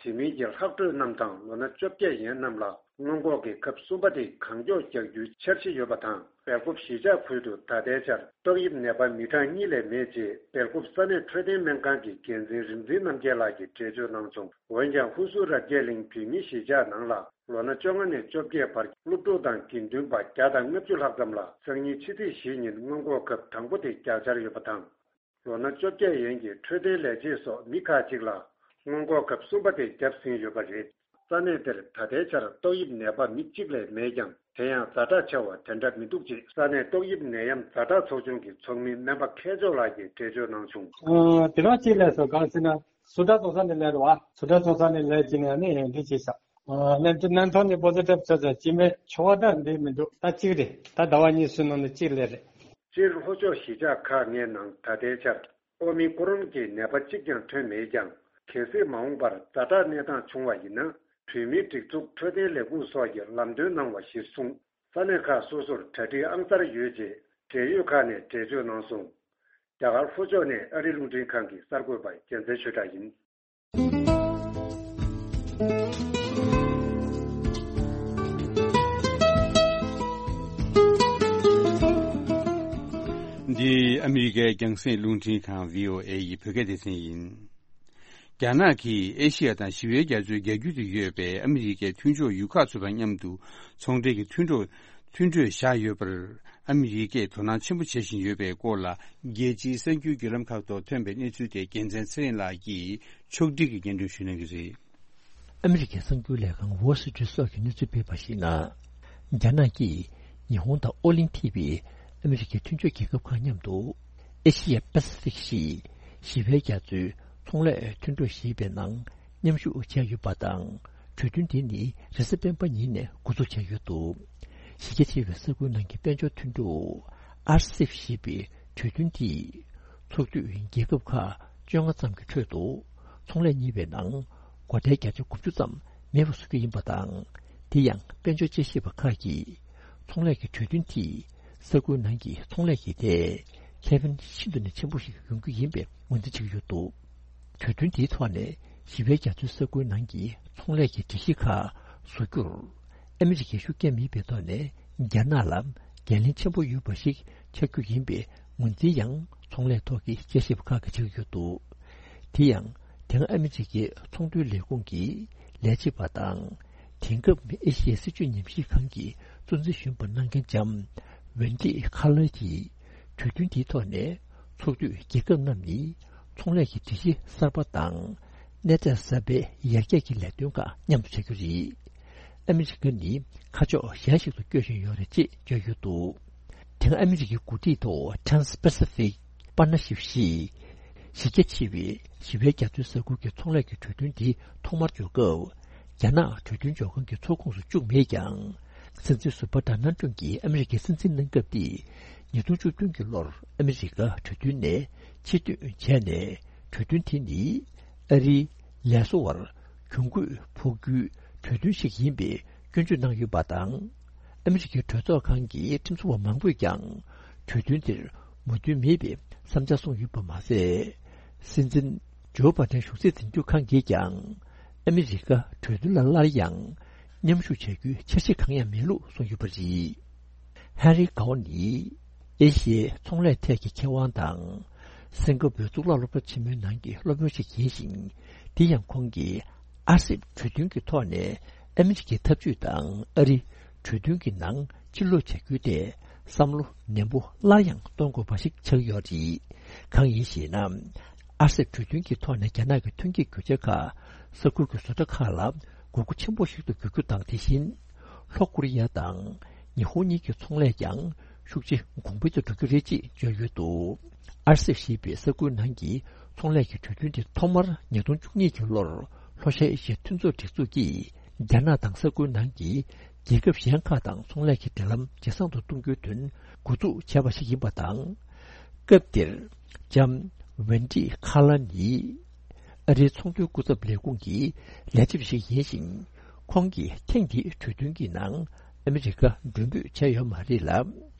དེ་མིན་གྱི་ལྷག་འཕྲོས་རྣམས་དང་ལོ་ན་བཅོ་བརྒྱད་ཡན་རྣམས་ལ་སྔོན་འགོག་གི་ཁབ་གསུམ་པ་དེ་གང་མགྱོགས་རྒྱག་རྒྱུའི་འཆར་གཞི་ཡོད་པ་དང་། སྦེལ་ཀོབ་གཞིས་ཆགས་ཁུལ་དུ་ད་ལྟའི་ཆར་ཏོག་དབྱིབས་ནད་པ་མི་གྲངས་གཉིས་ལས་མེད་ཅེས་སྦེལ་ཀོབ་ས་གནས་འཕྲོད་བསྟེན་སྨན་ཁང་གི་འགན་འཛིན་རིག་འཛིན་རྣམ་རྒྱལ་ལགས་ཀྱིས་འགྲེལ་བརྗོད་གནང་བྱུང་། འོན་ཀྱང་ཧུ་སུར་རབ་རྒྱས་གླིང་བོད་མིའི་གཞིས་ཆགས་ནང་ལ་ལོ་ན་བཅོ་ལྔ་ནས་བཅོ་བརྒྱད་བར་སློབ་ཕྲུག་དང་དགེ་འདུན་པ་བརྒྱ་དང་ལྔ་བཅུ་ལྷག་ཙམ་ལ་སང་ཉིན་ཕྱི་ཚེས་བཞི་ཉིན་སྔོན་འགོག་ཁབ་དང་པོ་དེ་བརྒྱག་འཆར་ཡོད་པ་དང་། ལོ་ན་བཅོ་བརྒྱད་ཡན་གྱི་འཕྲོད་བསྟེན་ལས་བྱེད་སོགས་མི་ཁག་ཅིག་ལ་སྔོན་འགོག་ཁབ་གསུམ་པ་དེ་བརྒྱབ་ཟིན་ཡོད་པ་རེད། ས་གནས་དེར་ད་ལྟའི་ཆར་ཏོག་དབྱིབས་ནད་པ་མི་གཅིག་ལས་མེད་ཀྱང་། དེ་ཡང་ཛ་དྲག་ཆེ་བ་དེ་འདྲ་མི་འདུག་ཅེས་ས་གནས་ཏོག་དབྱིབས་ནད་ཡམས་ཛ་དྲག་ཚོགས་ཆུང་གི་ཚོགས་མི་སྨན་པ་མཁས་མཆོག་ལགས་ཀྱིས་འགྲེལ་བརྗོད་གནང་བྱུང་། ཨ། དེ་རང་གཅིག་ལས་སོ་གང་ཟེར་ན། སུ་ཏྲ་ཚོགས་ས་ནས་ལས་རེད་བ། སུ་ཏྲ་ཚོགས་ས་ནས་ལས་ཀྱི་ནས་ནི་ཡང་འདི་བྱས་ཤག་ཨ། ནན་ནན་ཐོ་ནི་པོ་ཛི་ཊིབ་ཆ་ཆ་ཅི་མེད་ཆོ་བ་འདྲ་འདི་མི་འདུག་ད་གཅིག་རེད། ད་ཟླ་བ་གཉིས་སུ་ནང་ནས་གཅིག་ལས་རེད། སྤྱིར་ལྷོ་ཕྱོགས་གཞིས་ཆགས་ཁག་ལྔའི་ནང་ད་ལྟའི་ཆར་ཨོ་མི་ཀོ་རོན་གྱི་ནད་པ་གཅིག་ཀྱང་ཐོན་མེད་ཀྱང་། གལ་སྲིད་མ་འོངས་པར་ཛ་དྲག་གནས་སྟངས་བྱུང་བ་ཡིན་ན། བོད་མིའི་སྒྲིག་འཛུགས་འཕྲོད་བསྟེན་ལས་ཁུངས་སོགས་ཀྱིས་ལམ་སྟོན་གནང་བ་གཞིར་བཟུང་། ས་གནས་ཁག་སོ་སོར་གྲ་སྒྲིག་ཨང་གསར་ཡོད་ཅེས་འབྲེལ་ཡོད་ཁག་ནས་འགྲེལ་བརྗོད་གནང་སོང་། རྒྱ་གར་ལྷོ་ཕྱོགས་ནས་ཨ་རི་རླུང་འཕྲིན་ཁང་གི་གསར་འགོད་པ་རྒྱལ་མཚན་ཆོས་གྲགས་ཡིན། འདི་ཨ་མི་རི་ཀའི་རྒྱང་སྲིང་རླུང་འཕྲིན་ཁང་བྷི་ཨོ་ཨེ་ཡི་བོད་སྐད་སྡེ་ཚན་ཡིན། རྒྱ་ནག་གིས་ཨེ་ཤི་ཡ་དང་ཞི་བའི་རྒྱ་མཚོའི་རྒྱ་རྒྱུད་དུ་ཡོད་པའི་ཨ་མི་རི་ཀའི་མཐུན་ཕྱོགས་ཡུལ་ཁག་ཚོ་དང་མཉམ་དུ་ཚོང་འབྲེལ་གྱི་མཐུན་གྲོས་མཐུན་གྲོས་བཞག་ཡོད་པར། ཨ་མི་རི་ཀས་དོ་སྣང་ཆེན་པོ་བྱེད་བཞིན་ཡོད་པའི་སྐོར་ལ། རྒྱལ་སྤྱིའི་གསར་འགྱུར་བརྒྱུད་ལམ་ཁག་ཐོག་ཐོན་པའི་གནས་ཚུལ་དེ་རྒྱལ་མཚན་ཚེ་རིང་ལགས་ཀྱིས་ཕྱོགས་སྒྲིག་གིས་སྙན་སྒྲོན་ཞུ་གནང་གི་རེད། ཨ་མི་རི་ཀའི་གསར་འགྱུར་ལས་ཁང་Wall Street Journal་གྱིས་གནས་ཚུལ་སྤེལ་བར་གཞིགས་ན། རྒྱ་ནག་གིས་ཉི་ཧོང་དང་ཨོ་གླིང་ཐེ་བའི་ཨ་མི་རི་ཀའི་མཐུན་ཕྱོགས་རྒྱལ་ཁབ་ཁག་མཉམ་དུ་ཨེ་ཤི་ཡ་པ་སི་ཕིག་ཞེས་ཞི་བའི་རྒྱ་མཚོའི་ཚོང་ལས་མཐུན་གྲོས་ཞེས་པའི་ནང་མཉམ་ཞུགས་བྱས་ཡོད་པ་དང་། གྲོས་མཐུན་དེ་ནི་རེས་གཟའ་སྤེན་པ་ཉིན་ནས་འགོ་འཛུགས་བྱས་ཡོད་འདུག་གཞི་རྒྱ་ཆེ་བའི་ས་ཁུལ་ནང་གི་དཔལ་འབྱོར་མཐུན་གྲོས་ཨར་སེབ་ཞེས་པའི་གྲོས་མཐུན་དེས་ཚོགས་འཐུས་རྒྱལ་ཁབ་ཁག་བཅོ་ལྔ་ཙམ་གྱི་ཁྲོད་དུ་ཚོང་ལས་གཉེར་བའི་ནང་སྒོ་ཁྲལ་བརྒྱ་ཆ་དགུ་བཅུ་ཙམ་མེད་པ་བཟོ་རྒྱུ་ཡིན་པ་དང་། དེ་ཡང་དཔལ་འབྱོར་དཔྱད་ཞིབ་པ་ཁག་གིས་ཚོང་ལས་ཀྱི་གྲོས་མཐུན་དེས་ས་ཁུལ་ནང་གི་ཚོང་ལས་ཀྱི་ཐད་ཁེ་ཕན་ཤིན་ཏུ་ནས་ཆེན་པོ་ཞིག་ཡོང་རྒྱུ་ཡིན་པའི་ངོས་འཛིན་བྱེད་ཀྱི་ཡོད་འདུག་གྲོས་མཐུན་དེའི་ཐོག་ནས་ཞི་བའི་རྒྱ་མཚོའི་ས་ཁུལ་ནང་གི་ཚོང་ལས་ཀྱི་སྒྲིག་གཞི་ཁག་བཟོ་རྒྱུར་ཨ་མི་རི་ཀའི་ཤུགས་རྐྱེན་མེད་པའི་ཐོག་ནས་རྒྱ་ནག་ལ་འགན་ལེན་ཆེན་པོ་ཡོད་པ་ཞིག་ཆགས་རྒྱུ་ཡིན་པའི་ངོས་འཛིན་ཡང་ཚོང་ལས་ཐོག་གི་དཔྱད་ཞིབ་པ་ཁག་གིས་བྱེད་ཀྱི་ཡོད་འདུག་དེ་ཡང་དེང་ཨ་མི་རི་ཀའི་ཚོང་དོན་ལས་ཁུངས་ཀྱི་ལས་བྱེད་པ་དང་། དེང་སྐབས་ཨེ་ཤི་ཡའི་སྲིད་བྱུས་ཉམས་ཞིབ་ཁང་གི་གཙོ་འཛིན་གཞོན་པ་གནང་མཁན་ལྕམ་ཝེན་ཏི་ཁ་ལར་གྱིས་གྲོས་མཐུན་དེའི་ཐོག་ནས་ཚོགས་འཐུས་རྒྱལ་ཁབ་རྣམས་ནི་ཚོང་ལས་ཀྱི་སྒྲིག་གཞི་གསར་པ་དང་གནས་སྟངས་གསར་པའི་ཡར་རྒྱས་ཀྱི་ལས་དོན་ཁག་མཉམ་དུ་བྱ་རྒྱུ་རེད། ཨ་མི་རི་ཀ་ནི་ཁ་ཕྱོགས་གཞན་ཞིག་ཏུ་བསྐྱོད་བཞིན་ཡོད་རེད་ཅེས་བརྗོད་ཡོད་འདུག་དེང་ཨ་མི་རི་ཀའི་འགོ་ཁྲིད་ཐོག་Trans-Pacific Partnership་ཞེས་གཞི་རྒྱ་ཆེ་བའི་ཞི་བའི་རྒྱ་མཚོའི་ས་ཁུལ་གྱི་ཚོང་ལས་ཀྱི་གྲོས་མཐུན་འདི་ཐོག་མར་འཇོག་སྐབས། རྒྱ་ནག་གྲོས་མཐུན་འཇོག་ཁང་གི་ཚོགས་ཁོངས་སུ་བཅུག་མེད་ཀྱང་། སྲིད་འཛིན་སུ་བྷ་ཌ་ནན་ཀྲུང་གིས་ཨ་མི་རི་ཀའི་སྲིད་འཛིན་གནང་སྐབས་ཏེ། ཉིས་སྟོང་བཅུ་བདུན་གྱི་ལོར་ཨ་མི་རི་ཀ་གྲོས་མཐུན་ནས་ཕྱིར་འཐེན་བྱས་ནས། གྲོས་མཐུན་དེ་ནི་ཨ་རིའི་ལས་བཟོ་བར་གྱོང་གུད་ཕོག་རྒྱུའི་གྲོས་མཐུན་ཞིག་ཡིན་པའི་སྐྱོན་བརྗོད་གནང་ཡོད་པ་དང་། ཨ་མི་རི་ཀའི་གྲོས་ཚོགས་ཁང་གི་ཁྲིམས་བཟོ་བ་མང་པོས་ཀྱང་གྲོས་མཐུན་དེར་མོས་མཐུན་མེད་པའི་བསམ་འཆར་གསུངས་ཡོད་པ་མ་ཟད། སྲིད་འཛིན་ཇོ་བྷ་ཌེན་གཞུང་སྲིད་འཛིན་སྐྱོང་ཁང་གིས་ཀྱང་ཨ་མི་རི་ཀ་གྲོས་མཐུན་ལ་སླར་ཡང་མཉམ་ཞུགས་བྱ་རྒྱུའི་འཆར་གཞི་གང་ཡང་མེད་ལུགས་གསུངས་ཡོད་པ་རེད། ཧན་རི་ཀའོ་ནི་ཨེ་ཤི་ཡའི་ཚོང་ལས་ཐད་ཀྱི་མཁས་དབང་དང་། སིང་ག་པུའི་གཙུག་ལག་སློབ་གྲྭ་ཆེན་མོའི་ནང་གི་སློབ་དཔོན་ཞིག་ཡིན་ཞིང་། དེ་ཡང་ཁོང་གིས་ཨར་སེབ་གྲོས་མཐུན་གྱི་ཐོག་ནས་ཨ་མི་རི་ཀའི་འཐབ་ཇུས་དང་ཨ་རི་གྲོས་མཐུན་གྱི་ནང་ཕྱིར་ལོག་བྱ་རྒྱུའི་ཐད་བསམ་བློ་ནན་པོ་སླར་ཡང་གཏོང་དགོས་པ་ཞིག་ཆགས་ཡོད་རེད། གང་ཡིན་ཞེ་ན། ཨར་སེབ་གྲོས་མཐུན་གྱི་ཐོག་ནས་རྒྱ་ནག་གི་ཐོན་སྐྱེད་རྒྱུ་ཆ་ཁག་ས་ཁུལ་གྱི་བཟོ་གྲྭ་ཁག་ལ་དགོས་མཁོ་ཆེན་པོ་ཞིག་ཏུ་འགྱུར་རྒྱུ་དང་། དེ་བཞིན་ལྷོ་ཀོ་རི་ཡ་དང་ཉི་ཧོང་གཉིས་ཀྱི་ཚོང་ལས་ཀྱང་ཤུགས་ཆེ་གོང་འཕེལ་དུ་འགྲོ་རྒྱུ་རེད་ཅེས་བརྗོད་ཡོད་འདུག་ཨར་སེབ་ཞེས་པའི་ས་ཁུལ་ནང་གི་ཚོང་ལས་ཀྱི་གྲོས་མཐུན་དེ་ཐོག་མར་ཉིས་སྟོང་བཅུ་གཉིས་ཀྱི་ལོར་ ལྷོ་ཤར་ཨེ་ཤི་ཡའི་མཐུན་ཚོགས་སྒྲིག་འཛུགས་ཀྱིས་རྒྱ་ནག་དང་ས་ཁུལ་ནང་གི་རྒྱལ་ཁབ་གཞན་ཁག་དང་ཚོང་ལས་ཀྱི་འབྲེལ་ལམ་ཇེ་བཟང་དུ་གཏོང་རྒྱུའི་དོན་འགོ་འཛུགས་བྱས་པ་ཞིག་ཡིན་པ་དང་། སྐབས་དེར་ལྕམ་ཝེན་ཏི་ཁ་ལ་ནི་ཨ་རིའི་ཚོང་དོན་སྐུ་ཚབ་ལས་ཁུངས་ཀྱི་ལས་བྱེད་པ་ཞིག་ཡིན་ཞིང་། ཁོང་གིས་ཐེངས་འདིའི་གྲོས་མཐུན་གྱི་ནང་ཨ་མི་རི་ཀ་མགྲོན་འབོད་བྱས་ཡོད་མ་རེད་ལ།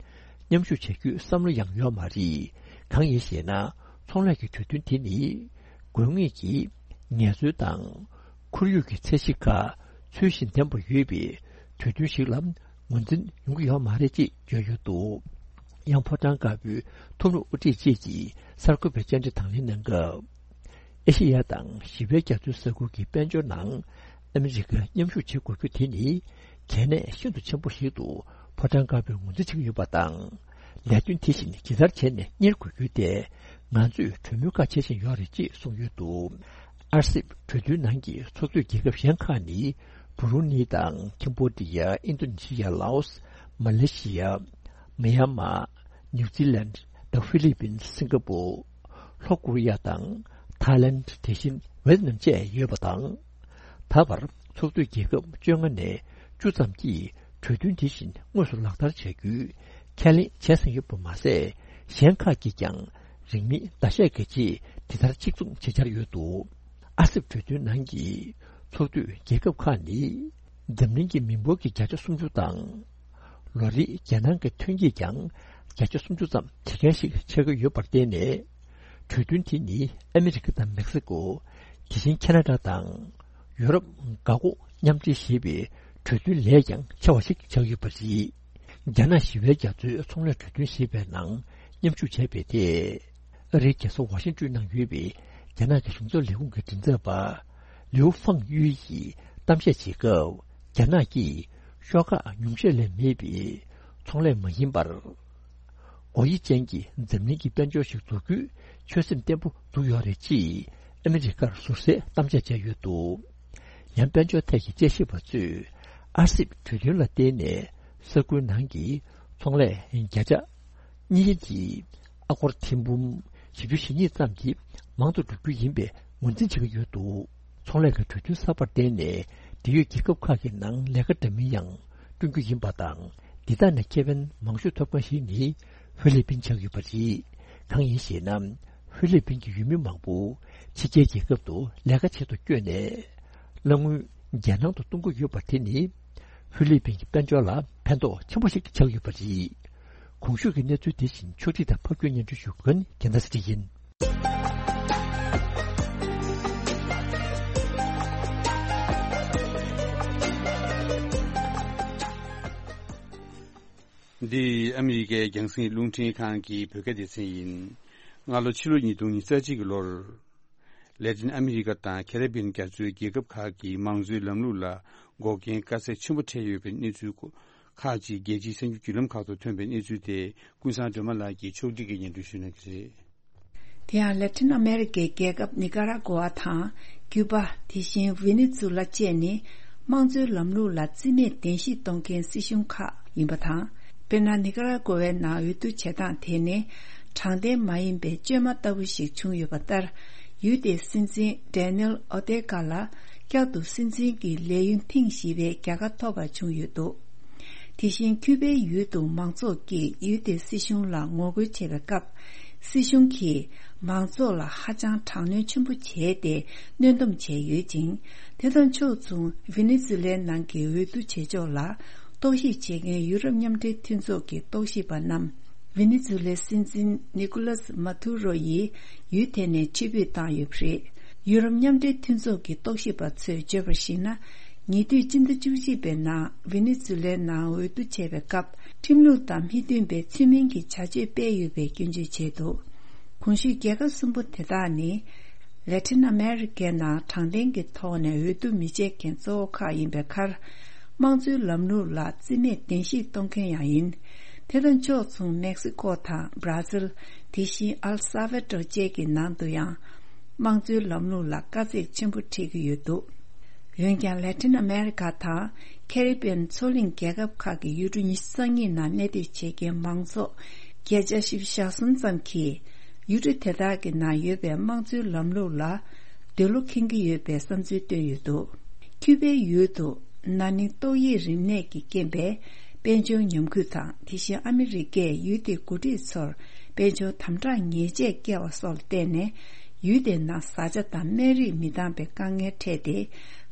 མཉམ་ཞུགས་བྱ་རྒྱུའི་བསམ་བློ་ཡང་ཡོད་མ་རེད། གང་ཡིན་ཞེ་ན། ཚོང་ལས་ཀྱི་གྲོས་མཐུན་དེ་ནི་དགོས་ངེས་ཀྱི་ངལ་རྩོལ་དང་ཁོར་ཡུག་གི་ཚད་གཞི་ཁག་ཚུལ་བཞིན་ལྡན་པ་ཡོད་པའི་གྲོས་མཐུན་ཞིག་ལ་ངོས་འཛིན་ཡོང་གི་ཡོད་མ་རེད་ཅེས་བརྗོད་ཡོད་འདུག་ཡང་ཕོ་བྲང་དཀར་པོའི་ཐོག་མའི་དབུ་ཁྲིད་ཅིག་གིས་གསར་འགོད་པའི་བཅར་འདྲི་དང་ལེན་གནང་སྐབས། ཨེ་ཤེ་ཡ་དང་ཞི་བའི་རྒྱ་མཚོའི་ས་ཁུལ་གྱི་དཔལ་འབྱོར་ནང་ཨ་མི་རི་ཀ་མཉམ་ཞུགས་བྱེད་དགོས་རྒྱུ་དེ་ནི་གལ་གནད་ཤིན་ཏུ་ཆེན་པོ་ཞིག་ཏུ་ཕོ་བྲང་དཀར་པོས་ངོས་འཛིན་བྱེད་ཀྱི་ཡོད་པ་དང་། ལས་དོན་དེ་བཞིན་ཇི་ལྟར་བྱས་ནས་གཉེར་དགོས་རྒྱུ་དེ་ང་ཚོས་གྲོས་མོལ་ཁག་བྱེད་བཞིན་ཡོད་རེད་ཅེས་གསུངས་ཡོད་འདུག་ཨར་སིབ་གྲོས་མཐུན་ནང་གི་ཚོགས་གཙོས་རྒྱལ་ཁབ་གཞན་ཁག་ནི་བུ་རུ་ནི་དང་ཁེམ་བྷོ་ཌི་ཡ། ཨིན་རྡོ་ནི་ཤི་ཡ། ལའོ་སི། མ་ལེ་ཤི་ཡ། མི་ཡན་མ། ནིའུ་ཛི་ལན་དང་ཧྥི་ལི་པིན། སིང་ག་པོ། ལྷོ་ཀོ་རི་ཡ་དང་ཐའི་ལན། དེ་བཞིན་ཝེ་ཏི་ནམ་བཅས་ཡོད་པ་དང་། ད་བར་ཚོགས་འཐུས་རྒྱལ་ཁབ་བཅོ་ལྔ་ནས་བཅུ་ཙམ་གྱིས་གྲོས་མཐུན་དེ་བཞིན་དངོས་སུ་ལག་བསྟར་བྱ་རྒྱུའི་ཁས་ལེན་བྱས་ཟིན་ཡོད་པ་མ་ཟད། གཞན་ཁག་གིས་ཀྱང་རིང་མིན་ཟླ་ཤས་ཀྱི་རྗེས་དེ་ལྟར་གཅིག་མཚུངས་བྱེད་འཆར་ཡོད་འདུག་ཨ་སེབ་གྲོས་མཐུན་ནང་གི་ཚོགས་འཐུས་རྒྱལ་ཁབ་ཁག་ནི་འཛམ་གླིང་གི་མི་འབོར་གྱི་བརྒྱ་ཆ་སུམ་ཅུ་དང་། ལོ་རེའི་རྒྱལ་ནང་གི་ཐོན་སྐྱེད་ཀྱང་བརྒྱ་ཆ་སུམ་ཅུ་ཙམ་བྱེད་མཁན་ཞིག་ཆགས་ཀྱི་ཡོད་པར་བརྟེན་ནས། གྲོས་མཐུན་དེ་ནི་ཨ་མི་རི་ཀ་དང་མེག་སི་ཀོ། དེ་བཞིན་ཁེ་ན་ཌ་དང་ཡུ་རོབ་འགག་སྒོ་མཉམ་འབྲེལ་ཞེས་པའི་གྲོས་མཐུན་ལས་ཀྱང་ཆེ་བ་ཞིག་ཆགས་ཡོད་པ་རེད། རྒྱ་ནག་ཞི་བའི་རྒྱ་མཚོའི་ཚོང་ལས་གྲོས་མཐུན་ཞེས་པའི་ནང་མཉམ་ཞུགས་བྱས་པའི་ཐད། ཨ་རིའི་རྒྱལ་ས་ཝ་ཤིང་ཏོན་ནང་ཡོད་པའི་རྒྱ་ནག་གི་གཞུང་ཚབ་ལས་ཁུངས་ཀྱི་མགྲིན་ཚབ་པ་ལིའུ་ཧྥང་ཡུས་ཡིས་གཏམ་བཤད་བྱེད་སྐབས། རྒྱ་ནག་གིས་ཤོག་ཁག་ཉུང་ཤས་ལས་མེད་པའི་ཚོང་ལས་མ་ཡིན་པར། སྒོ་དབྱེ་ཅན་གྱི་འཛམ་གླིང་གི་དཔལ་འབྱོར་ཞིག་འཛུགས་རྒྱུའི་ཆོད་སེམས་བརྟན་པོ་བཙུགས་ཡོད་རེད་ཅེས་ཨ་མི་རི་ཀར་ཟུར་ཟའི་གཏམ་བཤད་བྱས་ཡོད་འདུག་ཡང་དཔལ་འབྱོར་ཐད་ཀྱི་དཔྱད་ཞིབ་པ་ཚོས་ཨར་སིབ་གྲོས་མཐུན་ལ་བརྟེན་ནས་ས་ཁུལ་ནང་གི་ཚོང་ལས་བརྒྱ་ཆ་གཉིས་ཀྱི་ཨ་སྒོར་ཐེར་འབུམ་བཞི་བཅུ་ཞེ་གཉིས་ཙམ་གྱིས་མང་དུ་འགྲོ་རྒྱུ་ཡིན་པའི་ངོས་འཛིན་བྱེད་ཀྱི་ཡོད་འདུག་ཚོང་ལས་ཀྱི་གྲོས་མཐུན་གསར་པར་བརྟེན་ནས་འབྲེལ་ཡོད་རྒྱལ་ཁབ་ཁག་གི་ནང་ལས་ཀ་འདྲ་མིན་ཡང་བསྐྲུན་རྒྱུ་ཡིན་པ་དང་། འདི་དག་ནས་ཁེ་ཕན་མང་ཤོས་ཐོབ་མཁན་ཞིག་ནི་ཧྥི་ལི་པིན་ཆགས་ཡོད་པ་རེད། གང་ཡིན་ཞེ་ན། ཧྥི་ལི་པིན་གྱི་ཡུལ་མི་མང་པོ་ཕྱི་རྒྱལ་རྒྱལ་ཁབ་ཏུ་ལས་ཀ་བྱེད་དུ་བསྐྱོད་ནས། གླ་དངུལ་རྒྱལ་ནང་དུ་གཏོང་གི་ཡོད་པ་དེ་ནི་ཧྥི་ལི་པིན་གྱི་དཔལ་འབྱོར་ལ་ཕན་ཐོགས་ཆེན་པོ་ཞིག་ཆགས་ཡོད་པ་རེད། གོང་ཞུས་ཀྱི་གནས་ཚུལ་དེ་བཞིན་ཕྱོགས་སྒྲིག་དང་ཕབ་སྒྱུར་སྙན་སྒྲོན་ཞུ་མཁན་རྒྱལ་མཚན་ཚེ་རིང་ཡིན། འདི་ཨ་མི་རི་ཀའི་རྒྱང་སྲིང་རླུང་འཕྲིན་ཁང་གི་བོད་སྐད་སྡེ་ཚན་ཡིན། སྔ་ལོ་ཕྱི་ལོ་ཉིས་སྟོང་ཉི་ཤུ་རྩ་གཅིག་གི་ལོར། ལེ་ཏིན་ཨ་མི་རི་ཀ་དང་ཁེ་རི་བྷི་ཡན་རྒྱ་མཚོའི་རྒྱལ་ཁབ་ཁག་གི་མང་གཙོའི་ལམ་ལུགས་ལ་འགོག་རྐྱེན་དཀའ་ཚེགས་ཆེན་པོ་འཕྲད་ཡོད་པའི་གནས་ཚུལ་ཁག་ཅིག་རྒྱལ་སྤྱིའི་གསར་འགྱུར་བརྒྱུད་ལམ་ཁག་ཏུ་ཐོན་པའི་གནས་ཚུལ་དེ་ཀུན་བཟང་སྒྲོལ་མ་ལགས་ཀྱིས་ཕྱོགས་སྒྲིག་གིས་སྙན་སྒྲོན་ཞུ་གནང་གི་རེད། དེ་ཡང་ལེ་ཏིན་ཨ་མེ་རི་ཀའི་རྒྱལ་ཁབ་ནི་ཀ་ར་གོ་ཝ་དང་ཀྱུ་པ། དེ་བཞིན་ཝེ་ནེ་ཛུ་ལ་བཅས་ནི་དམངས་གཙོའི་ལམ་ལུགས་ལ་རྩིས་མེད་གདན་ཞུས་གཏོང་མཁན་སྲིད་གཞུང་ཁག་ཡིན་པ་དང་། དཔེར་ན། ནི་ཀ་ར་གོ་ཝའི་ནང་འོས་བསྡུ་བྱེད་སྟངས་དེ་ནི་དྲང་བདེན་མ་ཡིན་པའི་བཅོས་མ་ལྟ་བུ་ཞིག་བྱུང་ཡོད་པ་ལྟར། ཡུལ་དེའི་སྲིད་འཛིན་ཌེ་ནེལ་ཨོ་ཏེ་ཀ་ལ་བསྐྱར་དུ་སྲིད་འཛིན་གྱི་ལས་ཡུན་ཐེངས་བཞི་པའི་རྒྱལ་ཁ་ཐོབ་པ་བྱུང་ཡོད་འདུག་དེ་བཞིན་ཀྱུ་པའི་ཡུལ་དུ་མང་ཚོགས་ཀྱིས་ཡུལ་དེའི་སྲིད་གཞུང་ལ་ངོ་རྒོལ་བྱེད་པའི་སྐབས། སྲིད་གཞུང་གིས་མང་ཚོགས་ལ་ཧ་ཅང་དྲག་གནོན་ཆེན་པོ་བྱས་ཏེ་གནོན་སྡོམ་བྱས་ཡོད་ཅིང་། དེ་དང་ཕྱོགས་མཚུངས་ཝེ་ནེ་ཛུ་ལའི་ནང་གི་འོས་བསྡུ་བྱེད་ཕྱོགས་ལ་རྟོག་ཞིབ་བྱེད་མཁན་ཡུ་རོབ་མཉམ་འབྲེལ་མཐུན་ཚོགས་ཀྱི་རྟོག་ཞིབ་པ་རྣམས། ཝེ་ནེ་ཛུ་ལའི་སྲིད་འཛིན་ནི་ཀུ་ལས་མ་ཐུ་རོ་ཡིས་ཡུལ་དེ་ནས་ཕྱིར་འབུད་བཏང་ཡོད་པ་རེད། ཡུ་རོབ་མཉམ་འབྲེལ་མཐུན་ཚོགས་ཀྱི་རྟོག་ཞིབ་པ་ཚོས་བརྗོད་པར་གཞིགས་ན། ཉེ་དུས་སྤྱི་ཟླ་བཅུ་གཅིག་པའི་ནང་ཝེ་ནེ་ཛུ་ལའི་ནང་འོས་བསྡུ་བྱས་པའི་སྐབས། ཁྲིམས་ལུགས་དང་མི་མཐུན་པའི་ཚུལ་མིན་གྱི་བྱ་སྤྱོད་སྤེལ་ཡོད་པའི་སྐྱོན་བརྗོད་བྱས་འདུག་གོང་ཞུས་རྒྱལ་ཁབ་གསུམ་པོ་དེ་དག་ནི། ལེ་ཏིན་ཨ་མེ་རི་ཀའི་ནང་དྲང་བདེན་གྱི་ཐོག་ནས་འོས་བསྡུ་མི་བྱེད་མཁན་གཙོ་བོ་ཁག་ཡིན་པའི་ཁར། དམངས་གཙོའི་ལམ་ལུགས་ལ་རྩིས་མེད་གདན་ཞུས་གཏོང་མཁན་ཡང་ཡིན། དེ་དང་ཕྱོགས་མཚུངས་མེག་སི་ཀོ་དང་བྷ་ར་ཟིལ། དེ་བཞིན་ཨལ་ས་ཝེ་ཏོར་བཅས་ཀྱི་ནང་དུ་ཡང་། དམངས་གཙོའི་ལམ་ལུགས་ལ་དཀའ་ཚེགས་ཆེན་པོ་འཕྲད་ཀྱི་ཡོད་འདུག་འོན་ཀྱང་། ལེ་ཏིན་ཨ་མེ་རི་ཀ་དང་ཁེ་རི་བྷི་ཡན་མཚོ་གླིང་རྒྱལ་ཁབ་ཁག་གི་ཡུལ་གྲུ་ཉི་ཤུ་རྩ་གཉིས་ནང་གནས་སྡོད་བྱེད་མཁན་མང་ཚོགས་བརྒྱ་ཆ་བཞི་བཅུ་ཞེ་གསུམ་ཙམ་གྱིས། ཡུལ་གྲུ་དེ་དག་གི་ནང་ཡོད་པའི་དམངས་གཙོའི་ལམ་ལུགས་ལ། འདོད་བློ་ཁེངས་ཀྱི་ཡོད་པའི་བསམ་ཚུལ་བཏོན་ཡོད་འདུག་ཁྱུ་པའི་ཡུལ་དུ་ན་ནིང་ཏོག་དབྱིབས་རིམས་ནད་ཀྱི་རྐྱེན་པས་དཔལ་འབྱོར་ཉམས་རྒུད་དང་། དེ་བཞིན་ཨ་མི་རི་ཀས་ཡུལ་དེའི་འགོ་ཁྲིད་ཚོར་དཔལ་འབྱོར་དམ་དྲག་ཉེས་ཆད་བཀལ་བ་སོགས་ལ་བརྟེན་ནས། ཡུལ་དེའི་ནང་བཟའ་བཅའ་དང་སྨན་རིགས་མི་འདང་པའི་དཀའ་ངལ་འཕྲད་དེ།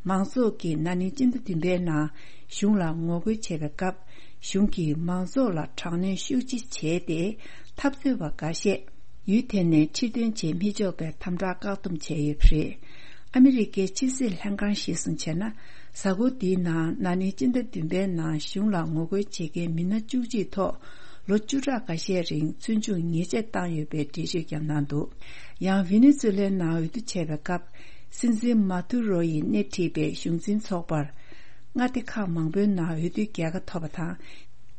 མང་ཚོགས་ཀྱིས་ན་ནིང་སྤྱི་ཟླ་བདུན་པའི་ནང་གཞུང་ལ་ངོ་རྒོལ་བྱས་པའི་སྐབས། གཞུང་གིས་མང་ཚོགས་ལ་དྲག་གནོན་ཤུགས་ཆེ་བྱས་ཏེ། འཐབ་རྩོད་པ་འགའ་ཤས་ཡུལ་དེ་ནས་ཕྱིར་ཐོན་བྱེད་མི་ཆོག་པའི་དམ་དྲག་བཀག་སྡོམ་བྱས་ཡོད་པ་རེད། ཨ་མི་རི་ཀའི་ཕྱི་སྲིད་ལྷན་ཁང་གཞིར་བཟུང་བྱས་ན། གཟའ་འཁོར་འདིའི་ནང་ན་ནིང་སྤྱི་ཟླ་བདུན་པའི་ནང་གཞུང་ལ་ངོ་རྒོལ་བྱེད་མཁན་མི་སྣ་བཅུ་གཅིག་ཐོག་ལོ་བཅུ་ཕྲག་འགའ་ཤས་རིང་བཙོན་འཇུག་ཉེས་ཆད་བཏང་ཡོད་པའི་འགྲེལ་བརྗོད་ཀྱང་གནང་འདུག་ཡང་ཝེ་ནེ་ཛུ་ལའི་ནང་འོས་བསྡུ་བྱས་པའི་སྐབས། སྲིད་འཛིན་མ་དུ་རོ་ཡིས་སྣེ་ཁྲིད་པའི་གཞུང་འཛིན་ཚོགས་པར། མངའ་སྡེ་ཁག་མང་པོའི་ནང་འོས་བསྡུའི་རྒྱལ་ཁ་ཐོབ་པ་དང་།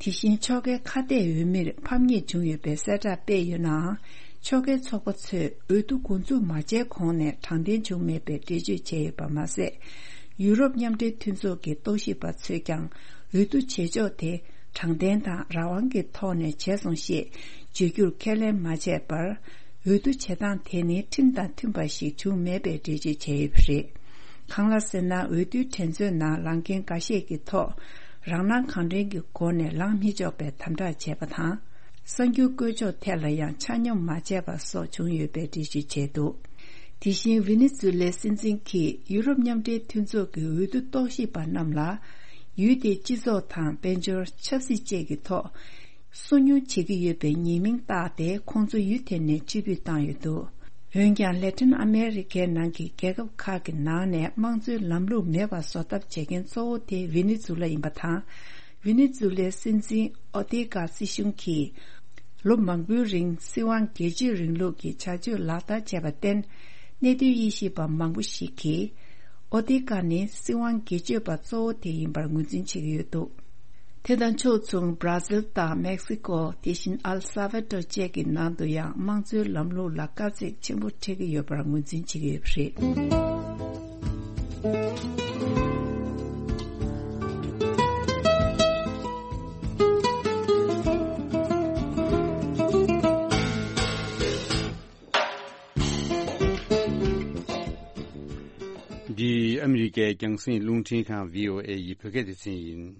དེ་བཞིན་ཕྱོགས་འགལ་ཁ་གཏད་འོས་མིར་ཕམ་ཉེས་བྱུང་ཡོད་པའི་གསལ་བསྒྲགས་སྤེལ་ཡོད་ནའང་། ཕྱོགས་འགལ་ཚོགས་པ་ཚོས་འོས་བསྡུ་འགོ་འཛུགས་མ་བྱས་གོང་ནས་དྲང་བདེན་བྱུང་མེད་པའི་འགྲེལ་བརྗོད་བྱས་ཡོད་པ་མ་ཟད། ཡུ་རོབ་མཉམ་འབྲེལ་མཐུན་ཚོགས་ཀྱི་རྟོག་ཞིབ་པ་ཚོས་ཀྱང་འོས་བསྡུ་བྱེད་ཕྱོགས་དེ་དྲང་བདེན་དང་རང་དབང་གི་ཐོག་ནས་བྱས་སོང་ཞེས་བརྗོད་རྒྱུར་ཁས་ལེན་མ་བྱས་པར། འོས་བསྡུ་བྱེད་སྟངས་དེ་ནི་ཁྲིམས་དང་མཐུན་པ་ཞིག་བྱུང་མེད་པའི་འགྲེལ་བརྗོད་བྱས་ཡོད་པ་རེད། གང་ལགས་ཟེར་ན། འོས་བསྡུའི་འགྲན་རྩོད་ནང་ལངས་མཁན་འགའ་ཤས་ཀྱི་ཐོག་རང་སྣང་གང་དྲན་གྱི་སྒོ་ནས་ལངས་མི་ཆོག་པའི་དམ་དྲག་བྱས་པ་དང་། གསར་འགྱུར་བཀོད་ཕྱོགས་ཐད་ལ་ཡང་ཆ་སྙོམས་མ་བྱས་པ་སོགས་བྱུང་ཡོད་པའི་འགྲེལ་བརྗོད་བྱས་འདུག་དེ་བཞིན་ཝེ་ནེ་ཛུ་ལའི་སྲིད་འཛིན་གྱིས་ཡུ་རོབ་མཉམ་འབྲེལ་མཐུན་ཚོགས་ཀྱི་འོས་བསྡུ་རྟོག་ཞིབ་པ་རྣམས་ལ། ཡུལ་དེའི་སྤྱི་ཚོགས་དང་དཔལ་འབྱོར། ཆབ་སྲིད་བཅས་ཀྱི་ཐོག་སོ་ཉུལ་བྱེད་ཀྱི་ཡོད་པའི་ཉེས་མིང་བཏགས་ཏེ། ཁོང་ཚོ་ཡུལ་དེ་ནས་ཕྱིར་འབུད་བཏང་ཡོད་འདུག་འོན་ཀྱང་། ལེ་ཏིན་ཨ་མེ་རི་ཁའི་ནང་གི་རྒྱལ་ཁབ་ཁག་གི་ནང་ནས་དམངས་གཙོའི་ལམ་ལུགས་མེད་པ་བཟོ་ཐབས་བྱེད་མཁན་གཙོ་བོ་དེ་ཝེ་ནེ་ཛུ་ལ་ཡིན་པ་དང་། ཝེ་ནེ་ཛུ་ལའི་སྲིད་འཛིན་ཨོ་ཏེ་ཀ་སྲིད་གཞུང་གིས་ལོ་མང་པོའི་རིང་སྲིད་དབང་སྒེར་གཅོད་རིང་ལུགས་ཀྱི་བྱ་སྤྱོད་ལག་བསྟར་བྱས་པར་བརྟེན། གནད་དོན་དབྱེ་ཞིབ་པ་མང་པོ་ཞིག་གིས། ཨོ་ཏེ་ཀ་ནི་སྲིད་དབང་སྒེར་གཅོད་པ་གཙོ་བོ་དེ་ཡིན་པར་ངོས་འཛིན་བྱེད་ཀྱི་ཡོད་འདུག་དེ་དང་ཕྱོགས་མཚུངས། བྷ་ར་ཟིལ་དང་མེག་སི་ཀོ། དེ་བཞིན་ཨལ་ས་ཝེ་ཏོ་བཅས་ཀྱི་ནང་དུ་ཡང་དམངས་གཙོའི་ལམ་ལུགས་ལ་དཀའ་ཚེགས་ཆེན་པོ་འཕྲད་ཀྱི་ཡོད་པར་ངོས་འཛིན་བྱེད་ཀྱི་ཡོད་པ་རེད། འདི་ཨ་མི་རི་ཀའི་རྒྱང་སྲིང་རླུང་འཕྲིན་ཁང་བྷི་ཨོ་ཨེ་ཡི་བོད་སྐད་སྡེ་ཚན་ཡིན།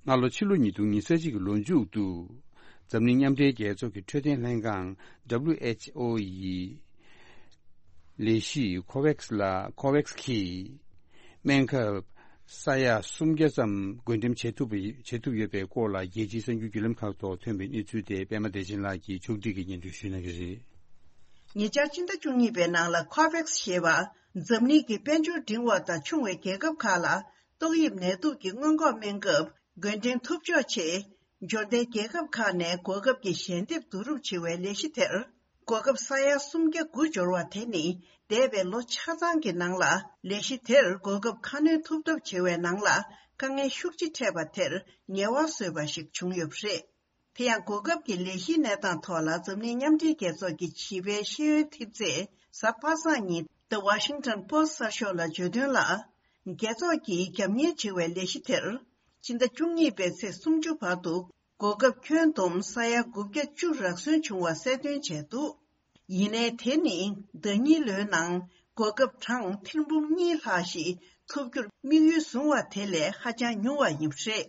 སྔ་ལོ་ཕྱི་ལོ་ཉིས་སྟོང་ཉི་ཤུ་རྩ་གཅིག་གི་ལོ་མཇུག་ཏུ། འཛམ་གླིང་མཉམ་འབྲེལ་རྒྱལ་ཚོགས་ཀྱི་འཕྲོད་བསྟེན་ལྷན་ཁང་། W H O ཡི་ལས་གཞི་ཁོ་ཝེག་སི་ལ། ཁོ་ཝེག་སི་གིས་སྨན་ཁབ་ས་ཡ་སུམ་བརྒྱ་ཙམ་བགོ་འགྲེམས་བྱེད་ཐུབ་པ། བྱེད་ཐུབ་ཡོད་པའི་སྐོར་ལ། རྒྱལ་སྤྱིའི་གསར་འགྱུར་བརྒྱུད་ལམ་ཁག་ཐོག་ཐོན་པའི་གནས་ཚུལ་དེ། པད་མ་བདེ་ཆེན་ལགས་ཀྱིས་ཕྱོགས་སྒྲིག་གིས་སྙན་སྒྲོན་ཞུ་གནང་གི་རེད། ཉེ་ཆར་སྤྱི་ཟླ་བཅུ་གཉིས་པའི་ནང་ལ། ཁོ་ཝེག་སི་ཞེས་པ། འཛམ་གླིང་གི་དཔལ་འབྱོར་འབྲིང་བ་དང་ཆུང་བའི་རྒྱལ་ཁབ་ཁག་ལ། ཏོག་དབྱིབས་ནད་དུག་གི་སྔོན་འགོག་སྨན་ཁབ་བགོ་འགྲེམས་ཐུབ་ཕྱོགས་ཆེད། འབྱོར་ལྡན་རྒྱལ་ཁབ་ཁག་ནས་གོ་སྐབས་ཀྱི་ཞལ་འདེབས་བསྡུ་རུབ་བྱེད་པའི་ལས་གཞི་དེར། གོ་སྐབས་ས་ཡ་སུམ་བརྒྱ་དགུ་འབྱོར་བ་དེ་ནི། འདས་པའི་ལོ་ཆ་ཚང་གི་ནང་ལ། ལས་གཞི་དེར་གོ་སྐབས་ཁ་སྣོན་ཐུབ་ཐབས་བྱེད་པའི་ནང་ལ། དཀའ་ངལ་ཤུགས་ཆེ་འཕྲད་པ་དེར་ཉེས་པ་བཟོས་པ་ཞིག་བྱུང་ཡོད་པ་རེད། དེ་ཡང་། གོ་སྐབས་ཀྱི་ལས་གཞིའི་གནས་སྟངས་ཐོག་ལ། འཛམ་གླིང་མཉམ་འབྲེལ་རྒྱལ་ཚོགས་ཀྱི་བྱིས་པའི་ཤེས་ཡོན་ཐེབས་རྩས། གཟའ་པ་སངས་ཉིན། The Washington Post གསར་ཤོག་ལ་བརྗོད་དོན་ལ། རྒྱལ་ཚོགས་ཀྱིས་རྒྱབ་གཉེར་བྱེད་པའི་ལས་གཞི་དེར། ཕྱི་ཟླ་བཅུ་གཉིས་པའི་ཚེས་སུམ་ཅུ་བར་དུ། གོ་སྐབས་ཁྱོན་བསྡོམས་ས་ཡ་དགུ་བརྒྱ་བཅུ་རག་སོན་བྱུང་བ་གསལ་སྟོན་བྱས་འདུག་ཡིན་ནའི། དེ་ནི་ཟླ་ཉིན་ལོའི་ནང་གོ་སྐབས་གྲངས་ཐེར་འབུམ་གཉིས་ལྷག་ཞིག་ཐོབ་རྒྱུར་དམིགས་ཡུལ་བཟུང་བ་དེ་ལས་ཧ་ཅང་ཉུང་བ་ཡིན་པ་རེད།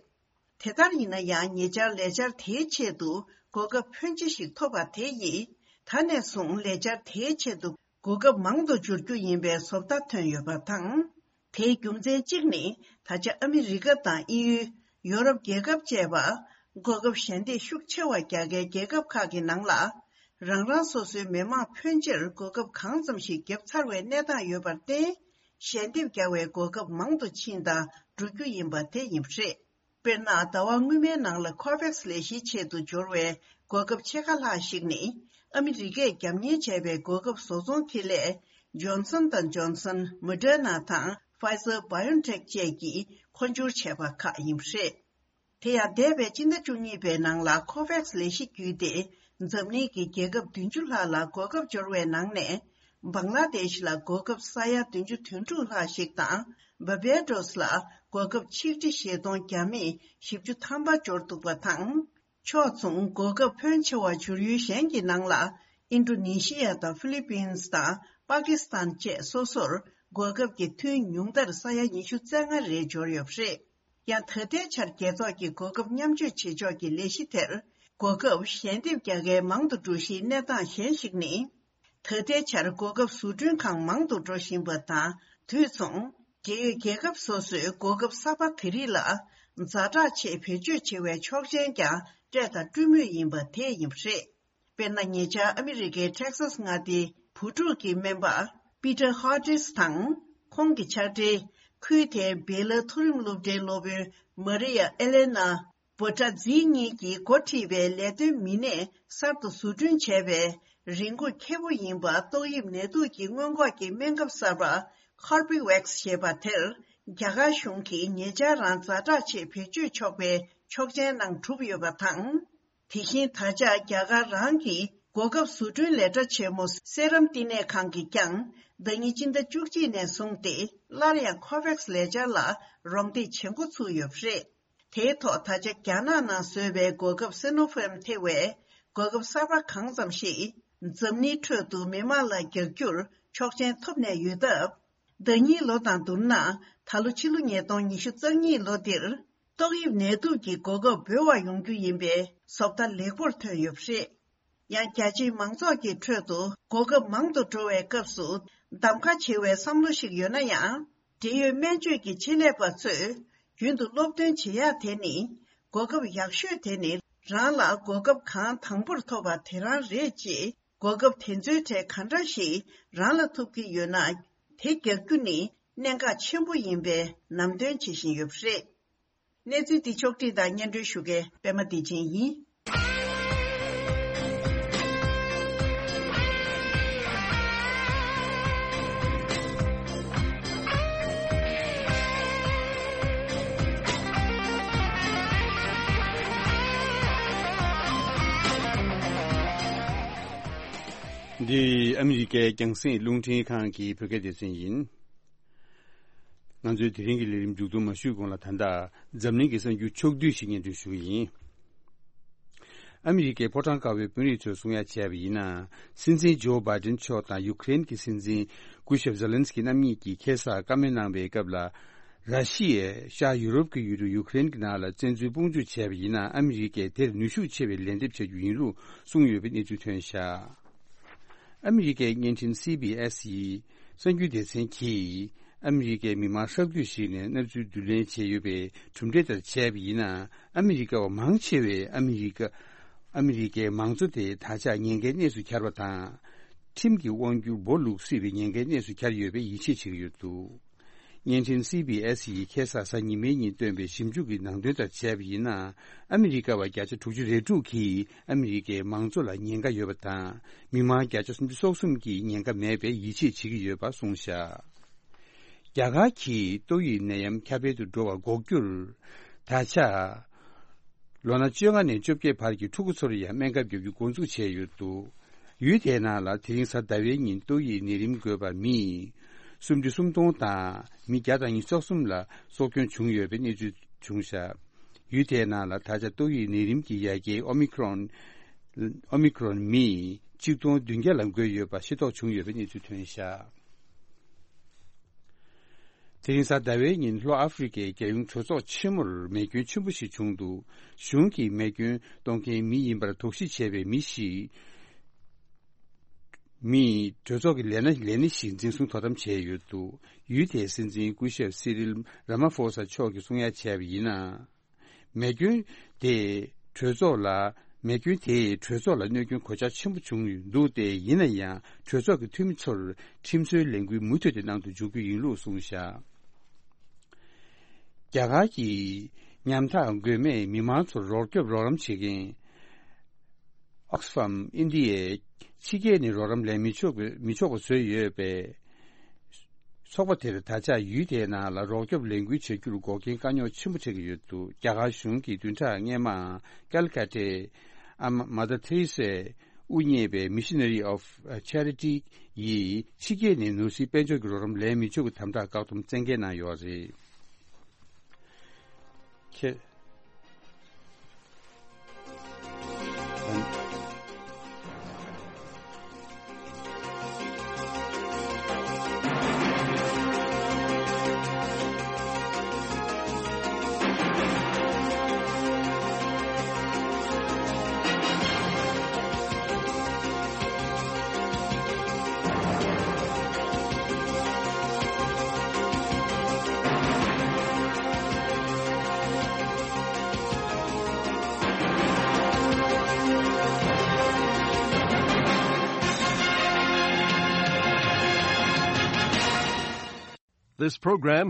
དེ་ལྟར་ཡིན་ན་ཡང་། ཉེ་ཆར་ལས་འཆར་དེའི་ཆེད་དུ་གོ་སྐབས་ཕོན་ཆེ་ཞིག་ཐོབ་པ་དེ་ཡིས། ད་ནས་བཟུང་ལས་འཆར་དེའི་ཆེད་དུ་གོ་སྐབས་མང་དུ་འབྱོར་རྒྱུ་ཡིན་པའི་བཟོ་ལྟ་ཐོན་ཡོད་པ་དང་། དེའི་རྒྱུ་མཚན་གཅིག་ནི། ད་ཆ་ཨ་མི་རི་ཀ་དང་དབྱིན་ཡུལ། ཡོ་རོབ་རྒྱལ་ཁབ་བཅས་པ། གོ་སྐབས་ཞལ་འདེབས་ཤུགས་ཆེ་བ་རྒྱག་མཁན་རྒྱལ་ཁབ་ཁག་གི་ནང་ལ། རང་རང་སོ་སོའི་མི་མང་ཕོན་ཆེར་གོ་སྐབས་གང་ཙམ་ཞིག་བརྒྱབ་ཚར་བའི་གནས་སྟངས་ཡོད་པར་བརྟེན། ཞལ་འདེབས་རྒྱག་པའི་གོ་སྐབས་མང་དུ་ཕྱིན་དང་འགྲོ་རྒྱུ་ཡིན་པ་དེ་ཡིན་པ་རེད། དཔེར་ན། ཟླ་བ་སྔོན་མའི་ནང་ལ། ཁོ་ཝེག་སི་ལས་གཞིའི་ཆེད་དུ་འབྱོར་བའི་གོ་སྐབས་ཕྱེད་ཀ་ལྷག་ཞིག་ནི། ཨ་མི་རི་ཀས་རྒྱབ་གཉེར་བྱས་པའི་གོ་སྐབས་བཟོ་ཚོང་ཁེ་ལས། ཇོན་སན་དང་ཇོན་སན། མོ་ཌར་ན་དང་། ཕའི་ཛར་བྷའི་ཨོན་ཊེག་བཅས་ཀྱིས་མཁོ་སྦྱོར་བྱས་པ་ཁག་ཡིན་པ་རེད། དེ་ཡང་། འདས་པའི་སྤྱི་ཟླ་བཅུ་གཉིས་པའི་ནང་ལ། ཁོ་ཝེག་སི་ལས་གཞི་བརྒྱུད་དེ། འཛམ་གླིང་གི་རྒྱལ་ཁབ་བདུན་ཅུ་ལྷག་ལ་གོ་སྐབས་འབྱོར་བའི་ནང་ནས། བང་ལ་དེཤ་ལ་གོ་སྐབས་ས་ཡ་བདུན་ཅུ་དོན་དྲུག་ལྷག་ཞིག་དང་། བར་བེ་ཌོ་སི་ལ་གོ་སྐབས་ཆིག་ཁྲི་བཞི་སྟོང་བརྒྱ་མེད་བཞི་བཅུ་ཐམ་པ་འབྱོར་འདུག་པ་དང་། ཕྱོགས་མཚུངས། གོ་སྐབས་ཕོན་ཆེ་བ་འབྱོར་ཡུལ་གཞན་གྱི་ནང་ལ། ཨིན་ཌོ་ནེ་ཤི་ཡ་དང་ཕི་ལི་པིན་སི་དང་ པ་ཀི་སི་ཐན་བཅས་སོ་སོར་གོ་སྐབས་ཀྱི་ཐུན་ཉུང་མཐར་ས་ཡ་ཉི་ཤུ་རྩ་ལྔ་རེ་འབྱོར་ཡོད་པ་རེད། ཡང་ད་ལྟའི་ཆར་རྒྱལ་ཚོགས་ཀྱི་གོ་སྐབས་མཉམ་སྤྱོད་བྱེད་ཕྱོགས་ཀྱི་ལས་གཞི་དེར་གོ་སྐབས་ཞལ་འདེབས་རྒྱག་མཁན་མང་དུ་འགྲོ་གཞིའི་གནས་སྟངས་གཞན་ཞིག་ནི། ད་ལྟའི་ཆར་གོ་སྐབས་བཟོ་སྐྲུན་ཁང་མང་དུ་འགྲོ་བཞིན་པ་དང་དུས་མཚུངས། འབྲེལ་ཡོད་རྒྱལ་ཁབ་སོ་སོས་གོ་སྐབས་གསར་པ་དེ་རིགས་ལ་ཛ་དྲག་ཆེད་བེད་སྤྱོད་བྱེད་པའི་ཆོག་མཆན་ཀྱང་སྤྲད་དང་སྤྲོད་མུས་ཡིན་པ་དེ་ཡིན་པ་རེད། དཔེར་ན། ཉེ་ཆར་ཨ་མི་རི་ཀའི་ཊེག་སཱས་མངའ་སྡེའི་བུ་ཕྲུག་གི་སྨན་པ་པི་ཏར་ཧོ་ཏིས་དང་། ཁོང་གི་ཕྱག་སྦྲེལ། ཁུལ་དེའི་བེ་ལ་མཐོ་རིམ་སློབ་གྲྭའི་སློབ་དཔོན་མ་རི་ཡ་ཨེ་ལེ་ན་བྷོ་ཊ་ཛི་གཉིས་ཀྱིས་འགོ་ཁྲིད་པའི་ལས་དོན་མི་སྣས་གསར་དུ་བཟོ་སྐྲུན་བྱས་པའི་རིན་གོང་ཁེ་པོ་ཡིན་པ་ཏོག་དབྱིབས་ནད་དུག་གི་སྔོན་འགོག་གི་སྨན་ཁབ་གསར་པ་ཁོར་བེ་ཝེག་སི་ཞེས་པ་དེར། རྒྱ་གར་གཞུང་གིས་ཉེ་ཆར་རང་ཛ་དྲག་ཆེད་བེད་སྤྱོད་ཆོག་པའི་ཆོག་མཆན་གནང་གྲུབ་ཡོད་པ་དང་། དེ་བཞིན་ད་ཆ་རྒྱ་གར་རང་གི་གོ་སྐབས་བཟོ་སྐྲུན་ལས་གྲྭ་ཆེན་མོ་སེ་རམ་བསྟི་གནས་ཁང་གིས་ཀྱང་ཟླ་ཉིན་སྤྱི་ཟླ་བཅུ་གཅིག་ནས་བཟུང་སྟེ་སླར་ཡང་ཁོ་ཝེག་སི་ལས་འཆར་ལ་རོགས་འདེགས་བྱེད་འགོ་ཚུགས་ཡོད་པ་རེད། དེའི་ཐོག་ད་ཆ་རྒྱ་ནག་ནང་བཟོས་པའི་གོ་སྐབས་སི་ནོ་ཕཱརམ་ཐེ་བའི་གོ་སྐབས་གསར་པ་གང་ཙམ་ཞིག་འཛམ་གླིང་ཁྲོད་དུ་མི་མང་ལ་རྒྱག་རྒྱུར་ཆོག་མཆན་ཐོབ་ནས་ཡོད་སྟབས། ཟླ་ཉིན་ལོ་དང་བསྡུར་ན་ད་ལོ་ཕྱི་ལོ་ཉིས་སྟོང་ཉི་ཤུ་རྩ་གཉིས་ལོ་འདིར་ཏོག་དབྱིབས་ནད་དུག་གི་གོ་སྐབས་འབོར་བ་ཡོང་རྒྱུ་ཡིན་པའི་བཟོ་ལྟ་ལེགས་པོར་ཐོན་ཡོད་པ་རེད། ཡང་རྒྱ་ཆེའི་མང་ཚོགས་ཀྱི་ཁྲོད་དུ་གོ་སྐབས་མང་དུ་འགྲོ་བའི་སྐབས་སུ་གདམ་ཁ་བྱེད་པའི་བསམ་བློ་ཞིག་ཡོད་ན་ཡང་། འབྲེལ་ཡོད་སྨན་བཅོས་ཀྱི་ཆེད་ལས་པ་ཚོས་རྒྱུན་དུ་སློབ་སྟོན་བྱེད་ཡག་དེ་ནི། གོ་སྐབས་ཡག་ཤོས་དེ་ནི་རང་ལ་གོ་སྐབས་གང་དང་པོར་ཐོབ་པ་དེ་རང་རེད་ཅེས། གོ་སྐབས་དེ་ཚོའི་གྲས་ག་འདྲ་ཞིག་རང་ལ་ཐོབ་ཀྱི་ཡོད་ན། དེ་རྒྱག་རྒྱུ་ནི་གནད་འགག་ཆེན་པོ་ཡིན་པའི་ལམ་སྟོན་བྱེད་བཞིན་ཡོད་པ་རེད། གནས་ཚུལ་འདི་ཕྱོགས་བསྒྲིགས་དང་སྙན་སྒྲོན་ཞུ་མཁན་པད་མ་བདེ་ཆེན་ཡིན། འདི་ཨ་མི་རི་ཀའི་རྒྱང་སྲིང་རླུང་འཕྲིན་ཁང་གི་བོད་སྐད་སྡེ་ཚན་ཡིན། ང་ཚོའི་དེ་རིང་གི་ལས་རིམ་མཇུག་བསྡོམས་མ་ཞུས་གོང་ལ། ད་ལྟ་འཛམ་གླིང་གི་གསར་འགྱུར་ཕྱོགས་བསྡུས་ཤིག་སྙན་སྒྲོན་ཞུ་གི་ཡིན། ཨ་མི་རི་ཀའི་ཕོ་བྲང་དཀར་པོའི་དཔོན་རིགས་ཚོས་གསུང་ཡ་བྱས་པ་ཡིན་ན། སྲིད་འཛིན་ཇོ་བྷའི་ཌེན་མཆོག་དང་ཡུ་ཀེ་རེན་གྱི་སྲིད་འཛིན་སྐུ་ཞབས་ཛེ་ལན་སི་ཀི་རྣམ་གཉིས་ཀྱིས་ཁ་སང་བཀའ་མོལ་གནང་བའི་སྐབས་ལ། ར་ཤི་ཡས་ཤར་ཡུ་རོབ་ཀྱི་ཡུལ་གྲུ་ཡུ་ཀེ་རེན་གྱི་ནང་ལ་བཙན་འཛུལ་དཔུང་འཇུག་བྱས་པ་ཡིན་ན། ཨ་མི་རི་ཀས་དེར་ནུས་ཤུགས་ཆེ་བའི་ལན་འདེབས་བྱ་རྒྱུ་ཡིན་ལུགས་གསུངས་ཡོད་པའི་གནས་ཚུལ་ཐོན་བཞག་ཨ་མི་རི་ཀའི་བརྙན་འཕྲིན་སི་བི་ཨེས་ཡི་གསར་འགྱུར་སྡེ་ཚན་གྱིས། ཨ་མི་རི་ཀའི་མི་མང་ཧྲག་བསྡུས་ཤིག་ནས་གནས་ཚུལ་བསྡུ་ལེན་བྱས་ཡོད་པའི་གྲུབ་འབྲས་ལྟར་བྱས་པ་ཡིན་ན། ཨ་མི་རི་ཀ་བ་མང་ཆེ་བས་ཨ་མི་རི་ཀ་ཨ་མི་རི་ཀའི་མང་གཙོ་དེ་ད་ཆ་ཉེན་ཁའི་གནས་སུ་གྱར་བ་དང་། ཁྲིམས་ཀྱི་དབང་སྒྱུར་སྦོ་ལུག་སྲིད་པའི་ཉེན་ཁའི་གནས་སུ་གྱར་ཡོད་པའི་ཡིད་ཆེས་བྱེད་ཀྱི་ཡོད་འདུག་བརྙན་འཕྲིན་སི་བི་ཨེས་ཡིས་ཁ་སང་གཟའ་ཉི་མའི་ཉིན་བཏོན་པའི་ཞིབ་འཇུག་གི་ནང་དོན་ལྟར་བྱས་པ་ཡིན་ན། ཨ་མི་རི་ཀ་བ་བརྒྱ་ཆ་དྲུག་ཅུ་རེ་དྲུག་ག婦་ཨ་མི་རི་ཀའི་མང་གཙོ་ལ་ཉེན་ཁ་ཡོད་པ་དང་། མི་མང་བརྒྱ་ཆ་སུམ་ཅུ་སོ་གསུམ་གྱིས་ཉེན་ཁ་མེད་པའི་ཡིད་ཆེས་བྱེད་ཀྱི་ཡོད་པ་གསུངས་བཞག་རྒྱ་གར་གྱིས་ཏོག་དབྱིབས་ནད་ཡམས་ཁྱབ་སྤེལ་དུ་འགྲོ་བ་འགོག་རྒྱུར། ད་ཆ། ལོ་ན་བཅོ་ལྔ་ནས་བཅོ་བརྒྱད་བར་གྱི་ཕྲུ་གུ་ཚོར་ཡང་སྨན་ཁབ་བརྒྱབ་རྒྱུ་འགོ་འཛུགས་བྱས་ཡོད་འདུག་ཡུལ་དེའི་ནང་ལ་དེ་རིང་གཟའ་ཟླ་བའི་ཉིན་ཏོག་དབྱིབས་ནད་རིམས་འགོས་པ་མི་སུམ་ཅུ་སུམ་སྟོང་དང་མི་བརྒྱ་དང་ཉི་ཤུ་རྩ་གསུམ་ལ་སྲོག་སྐྱོན་བྱུང་ཡོད་པའི་གནས་ཚུལ་བྱུང་བཞག་ཡུལ་དེའི་ནང་ལ་ད་ཆ་ཏོག་དབྱིབས་ནད་རིམས་ཀྱི་ཡ་གྱལ་ཨོ་མི་ཁྲོན། ཨོ་མི་ཁྲོན་མི་གཅིག་སྟོང་བདུན་བརྒྱ་ལ་འགོས་ཡོད་པ་ཤེས་རྟོགས་བྱུང་ཡོད་པའི་གནས་ཚུལ་ཐོན་བཞག་དེ་རིང་གཟའ་ཟླ་བའི་ཉིན་ལྷོ་ཨ་ཧྥེ་རི་ཀའི་རྒྱལ་ཡོངས་གྲོས་ཚོགས་ཆེན་མོར་མེ་སྐྱོན་ཆེན་པོ་ཞིག་བྱུང་འདུག་གཞུང་གིས་མེ་སྐྱོན་གཏོང་མཁན་མི་ཡིན་པར་དོགས་གཞི་བྱས་པའི་མི་ཞིག་མིས་གྲོས་ཚོགས་ཀྱི་ལས་སྣེ་ལས་སྣེ་ཞིག་འཛིན་བཟུང་དོ་དམ་བྱས་ཡོད་འདུག་ཡུལ་དེའི་སྲིད་འཛིན་སྐུ་ཞབས་སི་རིལ་ར་མ་ཧྥོ་ས་མཆོག་གིས་གསུང་ཡ་བྱས་པ་ཡིན་ན། མེ་སྐྱོན་དེ་གྲོས་ཚོགས་ལ་མེ་སྐྱོན་དེས་གྲོས་ཚོགས་ལ་གནོད་སྐྱོན་གོད་ཆག་ཆེན་པོ་བྱུང་འདུག་སྟེ། ཡིན་ན་ཡང་གྲོས་ཚོགས་ཀྱི་འཐུས་མི་ཚོར་ཁྲིམས་བཟོའི་ལས་འགུལ་མུ་མཐུད་དེ་གནང་དུ་འཇུག་རྒྱུ་ཡིན་ལུགས་གསུངས་བཞག་རྒྱ་གར་གྱིས་ཉམ་ཐག་མགོན་མེད་མི་མང་ཚོར་རོགས་སྐྱོབ་རོགས་རམ་བྱེད་མཁན་Oxfam India ཕྱི་རྒྱལ་ནས་རོགས་རམ་ལེན་མི་ཆོག་པའི་མི་ཆོག་པ་བཟོས་ཡོད་པས། ཚོགས་པ་དེར་ད་ཆ་ཡུལ་དེའི་ནང་ལ་རོགས་སྐྱོབ་ལས་འགུལ་བྱ་རྒྱུར་འགོག་རྐྱེན་དཀའ་རྙོག་ཆེན་པོ་འཕྲད་ཀྱི་ཡོད་འདུག་རྒྱ་གར་གཞུང་གིས་བདུན་ཕྲག་སྔོན་མ་ཀལ་ཀ་ཏའི་ཨ་མ་མ་དར་ཐེ་རེ་སའི་དབུ་བརྙེས་པའི་Missionary of Charity ཡིས་ཕྱི་རྒྱལ་ནས་ནོར་སྲིད་དཔལ་འབྱོར་གྱི་རོགས་རམ་ལེན་མི་ཆོག་གི་དམ་དྲག་བཀག་སྡོམ་བཙན་འགེལ་གནང་ཡོད་རེད། ཁྱེད། This program